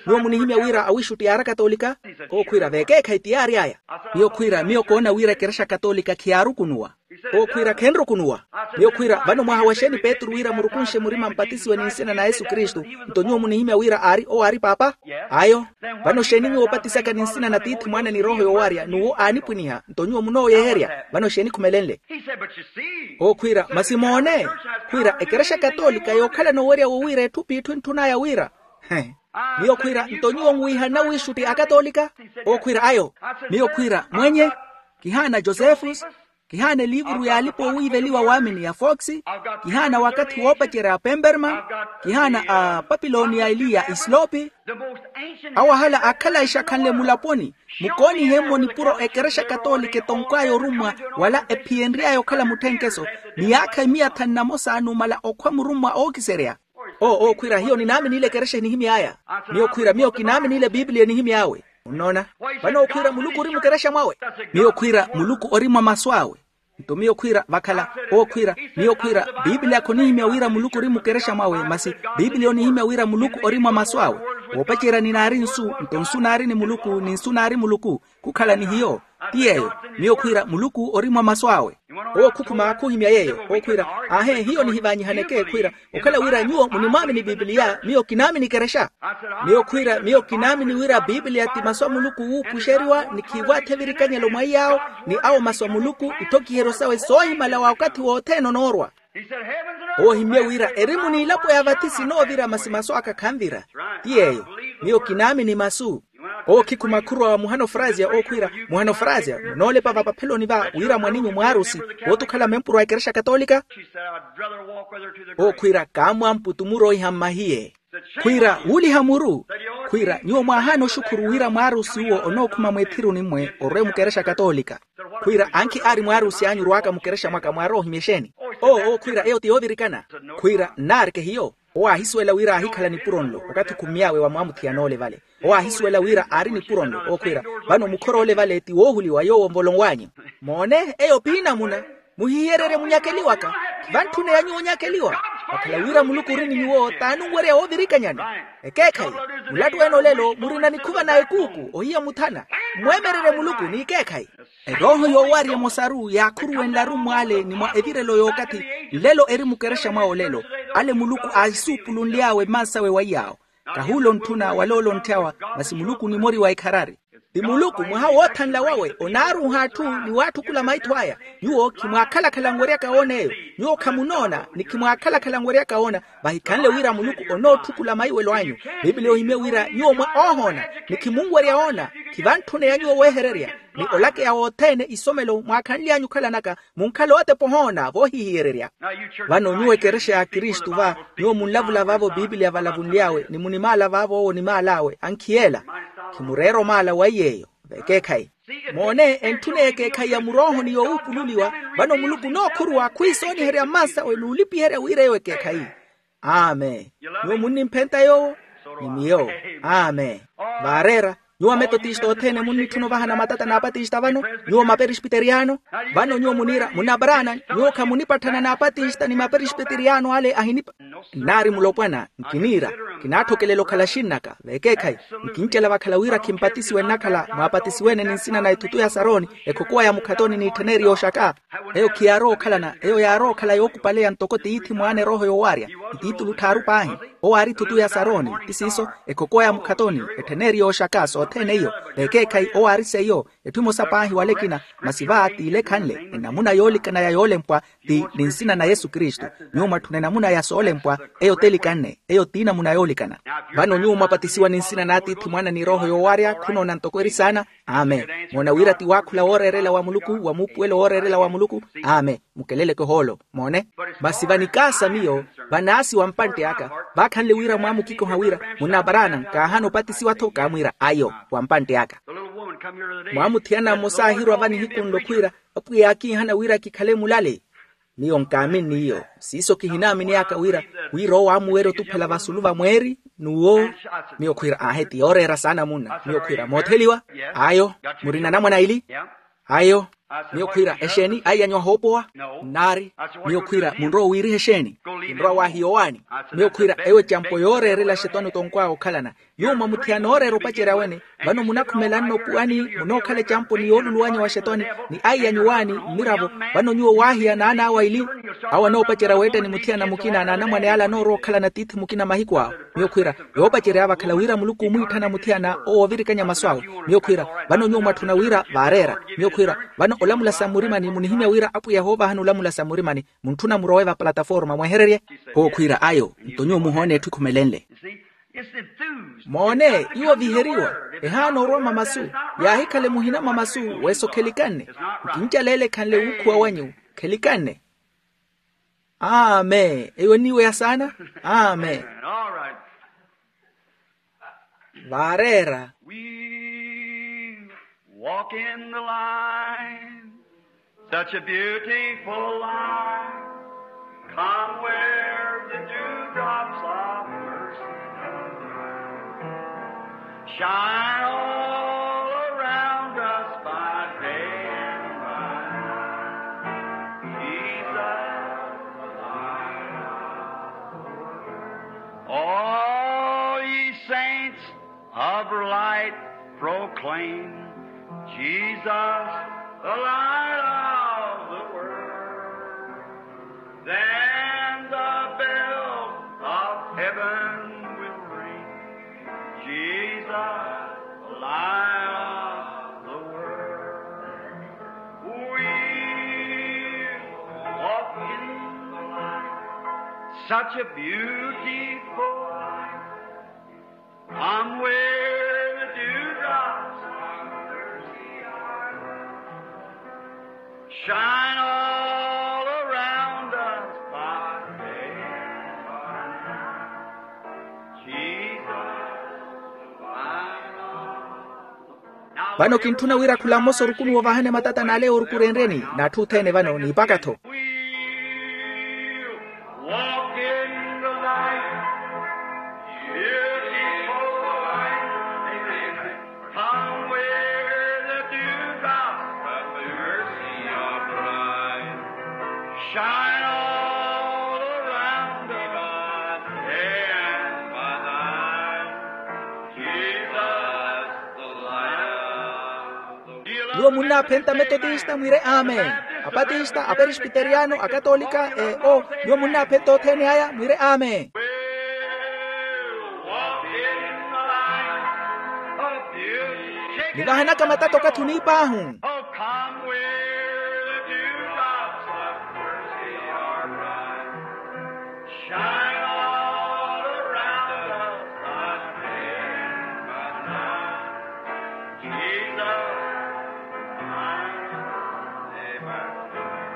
nyuwo munihimya wira awiixutti yaari akatoolika? Owo khwiira veekeekhayi ti yaary'aya. Miyo khwiira miyo koona wira ekerexa katoolika khiyaarukunuwa. Owo khwiira khenrukunuwa. Miyo khwiira vano mwaha wa xeeni petru wira murukunxe murima mpatisiwe ni nsina na yesu kristu? Nto nyuwo munihimya wira aari owo aari paapa? Ayo. Vano xeeni nyuwo opatisaka ni nsina na tiithi mwaana ni erooho yoowarya n'uwo aanipwiniha nto nyuwo munooyeherya? Vano xeeni khumelenle? Owo khwiira masi moone. Khwiira ekerexa katoolika yookhalana owerya wowiira etthu p'itthu entthun'aya wira. He. Miyo khwiira nto nyuwo nwiihana wiixutti akatoolika? Owo khwiira ayo. Miyo khwiira mwenye, kihaana josefus, kihaana eliivuru yaalipa owiiveliwa waamini ya fox, kihaana wakathi woopacerya a pemperman, kihaana a papiloni ya eliya isloopi. Awo ahala akhala exakhanle mulaponi. Mukoonihe-mo nipuro ekerexa katoolika etonkw'aya orummwa wala ephiyenry'aya okhala mutthenkeso, miyaakha emiya thanu na mosa numala okhwa murummwa ookiserya. Oo owo khwiira hiyo ninaaminiile ekerexa enihimy'aya. Miyo khwiira miyo kinaaminiile biipiliya enihimy'awe. Onnoona? Vano owo khwiira muluku ori mukerexa mwawe. Miyo khwiira muluku ori mwa masu awe. Nto miyo khwiira vakhala. Owo khwiira miyo khwiira biipiliya khonihimya wira muluku ori mukerexa mwawe masi biipiliya onihimya wira muluku ori mwa masu awe. Woopacerya ni naari nsu nto nsu naari ni muluku ni nsu naari muluku. Khukhala ni hiyo. Ti yeeyo. Miyo khwiira muluku ori mwa masu awe. Owo khukhuma khuhimya yeeyo owo khwiira, aahe hiyo nihivanyihaneke khwiira okhala wira nyuwo munimwaamini biipiliya miyo kinaamini ekerexa. Miyo khwiira miyo kinaamini wira biipiliya ti masu a muluku wuupuxeriwa ni khiiwaathe virikanyelo mwa iyaawo ni awo masu a muluku itthokiheryo sawe soohimala wa okathi wothene onoorwa. Owo ohimmye wira erimu n'ilapo ya vathi sinoovira masi masu aka khanvira. Ti yeeyo. Miyo kinaamini masu. Owo khikhuma khurowa muhano frasia owo khwiira, muhano frasia munoolepa vapapheloni va wira mwaninyu mwaarusi wooti okhala mempuro a ekerexa katoolika? Owo khwiira kaamwamputu muroiha mmahiye. Khwiira wuuliha muru. Khwiira nyuwo mwaahaana oxukhuru wira mwaarusi uwo onookhuma mw'ethiruni mwe orwe mukerexa katoolika. Khwiira ankhi aari mwaarusi anyu orwaka mukerexa mwaka mwaarowa ohimya exeeni? Oo owo khwiira eyo ti yoovirikana. Khwiira nnaareke hiyo. Owo aahisuwela wira aahikhala nipuro nlo okathi khummy'awe wa mwaamuthiyana ole vale. Owo aahisuwela wira aari nipuro nlo owo khwiira, vano mukhora ole vale ti woohuliwa yoowo nvolonw'anyu. Moone eyo piinamuna. Muhihiyererye munyakeliwaka. Khivantthune ya nyuwo onyakeliwa. Vakhala wira muluku ori ni nyuwo t'anunwerya woovirikanyani. Ekeekhayi, mulattu ene olelo murina nikhuva na ekuuku ohiya muthana. Mmwemererye muluku n'ikeekhayi. Erooho yoowarya emosaru yaakhuruwenlaru mw'ale ni mwa evirelo y'okathi. Nlelo eri mukerexa mwawe olelo. Ale muluku aasuupulunly'awe mmansawe wa iyaawo. Kahuula ontthuna wala ole ontthyawa. Masi muluku ni mori wa ikharari. Ti muluku mwaha woothanla wawe onaaruuha atthu ni waatthukula maitho aya. Nyuwo khimwaakhalakhala nweryaka woona eyo. Nyuwo khamunoona ni khimwaakhalakhala nweryaka woona. Vahikhanle wira muluku onootthukula maiwelo anyu. Piipiliya ohimye wira nyuwo mwa oohoona ni khimunwerya woona. Khivantthune ya nyuwo wehererya ni olakeya wothene isomelo mwaakhanly'anyu okhalanaka. Munkhala ootepa ohoona voohihiyererya. Vano nyuwo ekerexa ya kristu va, nyuwo munlavula vaavo piipiliya valavunly'awe ni munimaala vaavo owo onimaal'awe ankhiyeela. Khimureera omaala wa iy'eyo. Vekeekhayi. Moone, entthuna y'ekeekhayi ya murooho ni yoowuupululiwa. Vano muluku onookhurwa khwiisooniherya mmansawe n'ulipiherya wira eyo ekeekhayi. Amen. Nyuwo munnimphenta yoowo? Ni miyo. Amen. Vaareera. Nyuwo ametotista othene munnitthuna ovahana matata n'apatista vano? Nyuwo maperespiteriyano? Vano nyuwo muniira munabaraana? Nyuwo khamunipatthana n'apatista ni maperespiteriyano ale ahinipa. Nnaari mulopwana. Nkiniira. Kinaathokelela okhala xinnaka vekeekhayi. Nkincela vakhala wira khimpatisiwe nnakhala mwaapatisiwene ni nsina na ethutu ya saroni, ekhokowa ya mukhatoni n'ittheneeri yooxaka. Eyo khiyaarowa okhalana eyo yaarowa okhala yookupaleya ntoko tiithi mwaana erooho yoowarya. Ni tiitulu tthaaru paahi. Owo aari ethutu ya saroni. Ti siiso, ekhokowa ya mukhatoni, ettheneeri yooxaka sothene iyo. Vekeekhayi owo aari seiyo. Etthu emosa paahi wala ekina. Masi va t'ile ekhanle enamuna yoolikana ya yoolempwa. Ti ni nsina na yesu kristu. Nyuwo mwatthuna enamuna ya soolempwa. Eyo t'elikanne eyo t'inamuna yoolikana. Vano nyuwo mwapatisiwa ni nsina n'atiithi mwaana ni erooho yoowarya khunoona ntoko eri saana. Amen. Moona wira ti waakhula wooreerela wa muluku wa muupuwelo wooreerela wa muluku. Amen. Mukeleleke ohoolo. Moone. Masi vanikaasa miyo vanaasi wa mpantte aka. Vaakhanle wira mwaamukikoha wira munaparaana nkaahana opatisiwa-tho kaamwiira ayo. Wa mpantte aka. Mwaamuthiyana mmosa aahirwa vanihiku nlo khwiira, apwiya yaakiihana wira kikhale mulale. Miyo nkaaminni iyo. Siiso kihinaamini aka wira wira owo aamuwerya otuphela vasulu va mweeri. N'uwo. Miyo khwiira aahe ti yooreera saana munna miyo khwiira mootheliwa. Ayo. Murina anamwane aili? Ayo. Miyo khwiira exeeni aiyanyuwa hoopowa? Nnaari. Miyo khwiira munrowa owiiriha exeeni? Kinrowa waahiya owaani. Miyo khwiira eyo ecampo yooreerela axetwani otonkw'awe okhalana. Nyuwo mwamuthiyana ooreera opacerya wene. Vano munakhumelanno opuwani munookhala ecampo ni yooluluwanya wa axetwani ni aiyanyuwaani mmiravo. Vano nyuwo waahiya naan'awe aili. Awo anoopacerya weetta ni muthiyana mukina n'anamwane ale anoorowa okhalana tiithi mukina mahiku awo. Miyo khwiira yoopacery'awe vakhala wira muluku omwiitthana muthiyana owo oovirikanya masu awe. Miyo khwiira vano nyuwo mwatthuna wira vaareera. Miyo khwiira vano olamula sa mmurimani munihimya wira apwiya hoovahani olamula sa mmurimani muntthuna murowe va plataforma mwehererye. Owo khwiira ayo. Nto nyuwo muhoone etthu ekhumelenle. Moone iwo viheriwa. Ehaana orwama masu. Yaahikhale muhina mwa masu. Weso khelikanne. Nkincaleele ekhanle wuukhuwa wanyu. Khelikanne. Amen. Eyo eniiweya saana. Amen. Vaareera. Walk in the light, such a beautiful light. Come where the dewdrops of mercy shine all around us by day and by night. Jesus, the light of the world. All ye saints of light proclaim Jesus, the light of the world. Then the bells of heaven will ring. Jesus, the light of the world. We walk in the light. Such a beautiful light. Come where the dewdrops of mercy are. Shine all around us by day and by night. Jesus, the light of Vano kintthuna wira khula mmosa orukunuwa ovahane matata n'ale oorukurenryeni n'atthu othene vano n'ipaka-tho. Walk in the light. Beautiful light. Amen. Come where the dewdrops of mercy are bright. Nyuwo munnaaphenta metotista mwire amen. Apatista, aperespiteriyano, akatolika, e o nyuwo munnaaphenta othene aya mwire amen. Nivahanaka matata okathi oniip'ahu.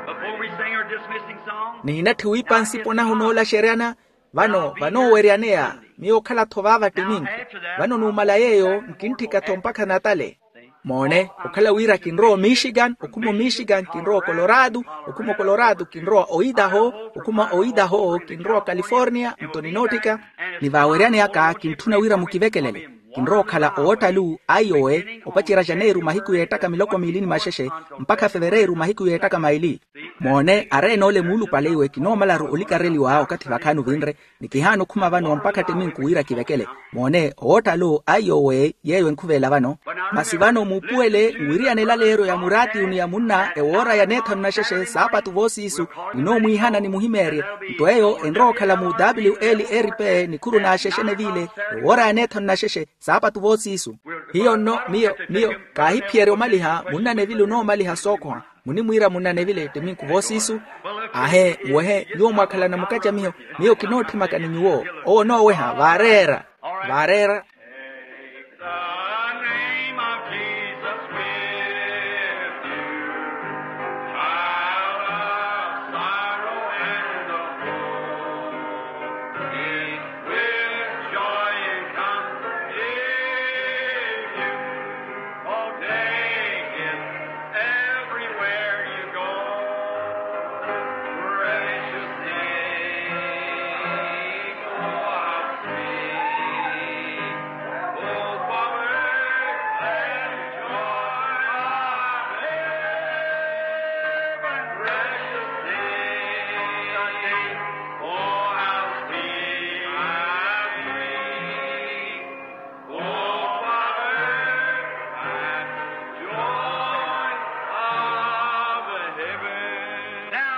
Before we sing our dismissing song, nihinatthi wiipa nsipo nahu noolaxeryana. Vano vanooweryaneya miyo okhala-tho vaava ttiminku. Vano numala yeeyo nkintthika-tho mpakha natale. Moone, okhala wira kinrowa omichigan okhuma omichigan kinrowa okolorado, okhuma okolorado kinrowa oidaho, okhuma oidaho kinrowa okaliforniya nto ninootthika. Ni vaaweryani aka kintthuna wira mukivekelele. Kinrowa okhala owoottalu aiyowe opacerya janeiru mahiku yeettaka miloko miili ni maxexe mpakha fevereiru mahiku yeettaka maili. Moone, areenoole muulupale iwe kinoomalaru olikareliwa okathi vakhaani ovinre. Ni kihaana okhuma vano mpakha ttiminku wira kivekele. Moone owoottalu aiyowe yeeyo enkhuveela vano. Masi vano muupuwele nwiriyane elaleeryo ya muraatiyu ni ya munna ewoora ya neethanu naxexe saapatu voosiisu. Ninoomwiihana ni muhimeerye. Nto eyo enrowa okhala mu wlrp nikhuru n'axexe neviile ewoora ya neethanu naxexe saapatu voosiisu. Hiyo nno miyo miyo kaahiphiyerya omaliha munna nevile onoomaliha sookhoha. Munimwiira munna nevile ttiminku voosiisu. Ahe nwehe nyuwo mwakhalana mukacamiho. Miyo kinootthimaka ni nyuwo owo onooweha vaareera. Vaareera.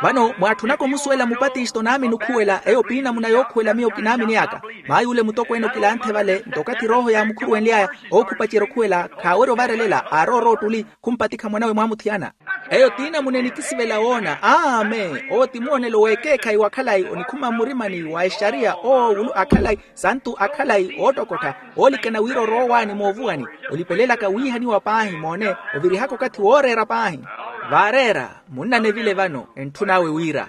Vano mwaatthunaka omusuwela mupatisto naamini okhuwela eyo piinamuna yookhuwela miyo kinaaminiyaka. Maay'ule mutokweene okilanthe vale nto okathi erooho yaamukhuruwenly'aya ookhupacerya okhuwela khaawerya ovarelela aarowa oroottuli. Khumpatikha mwanawe mwaamuthiyana. Eyo ti namuna enikisivela woona amen owo ti muwonelo w'ekeekhayi wa khalayi onikhuma mmurimani wa exariya oowulu a khalayi santu a khalayi oottokottha. Oolikana wira orowa owaani moovuwani olipelelaka wiihaniwa paahi moone. Ovirihaka okathi wooreera paahi. Vaareera munna nevile vano entthun'awe wira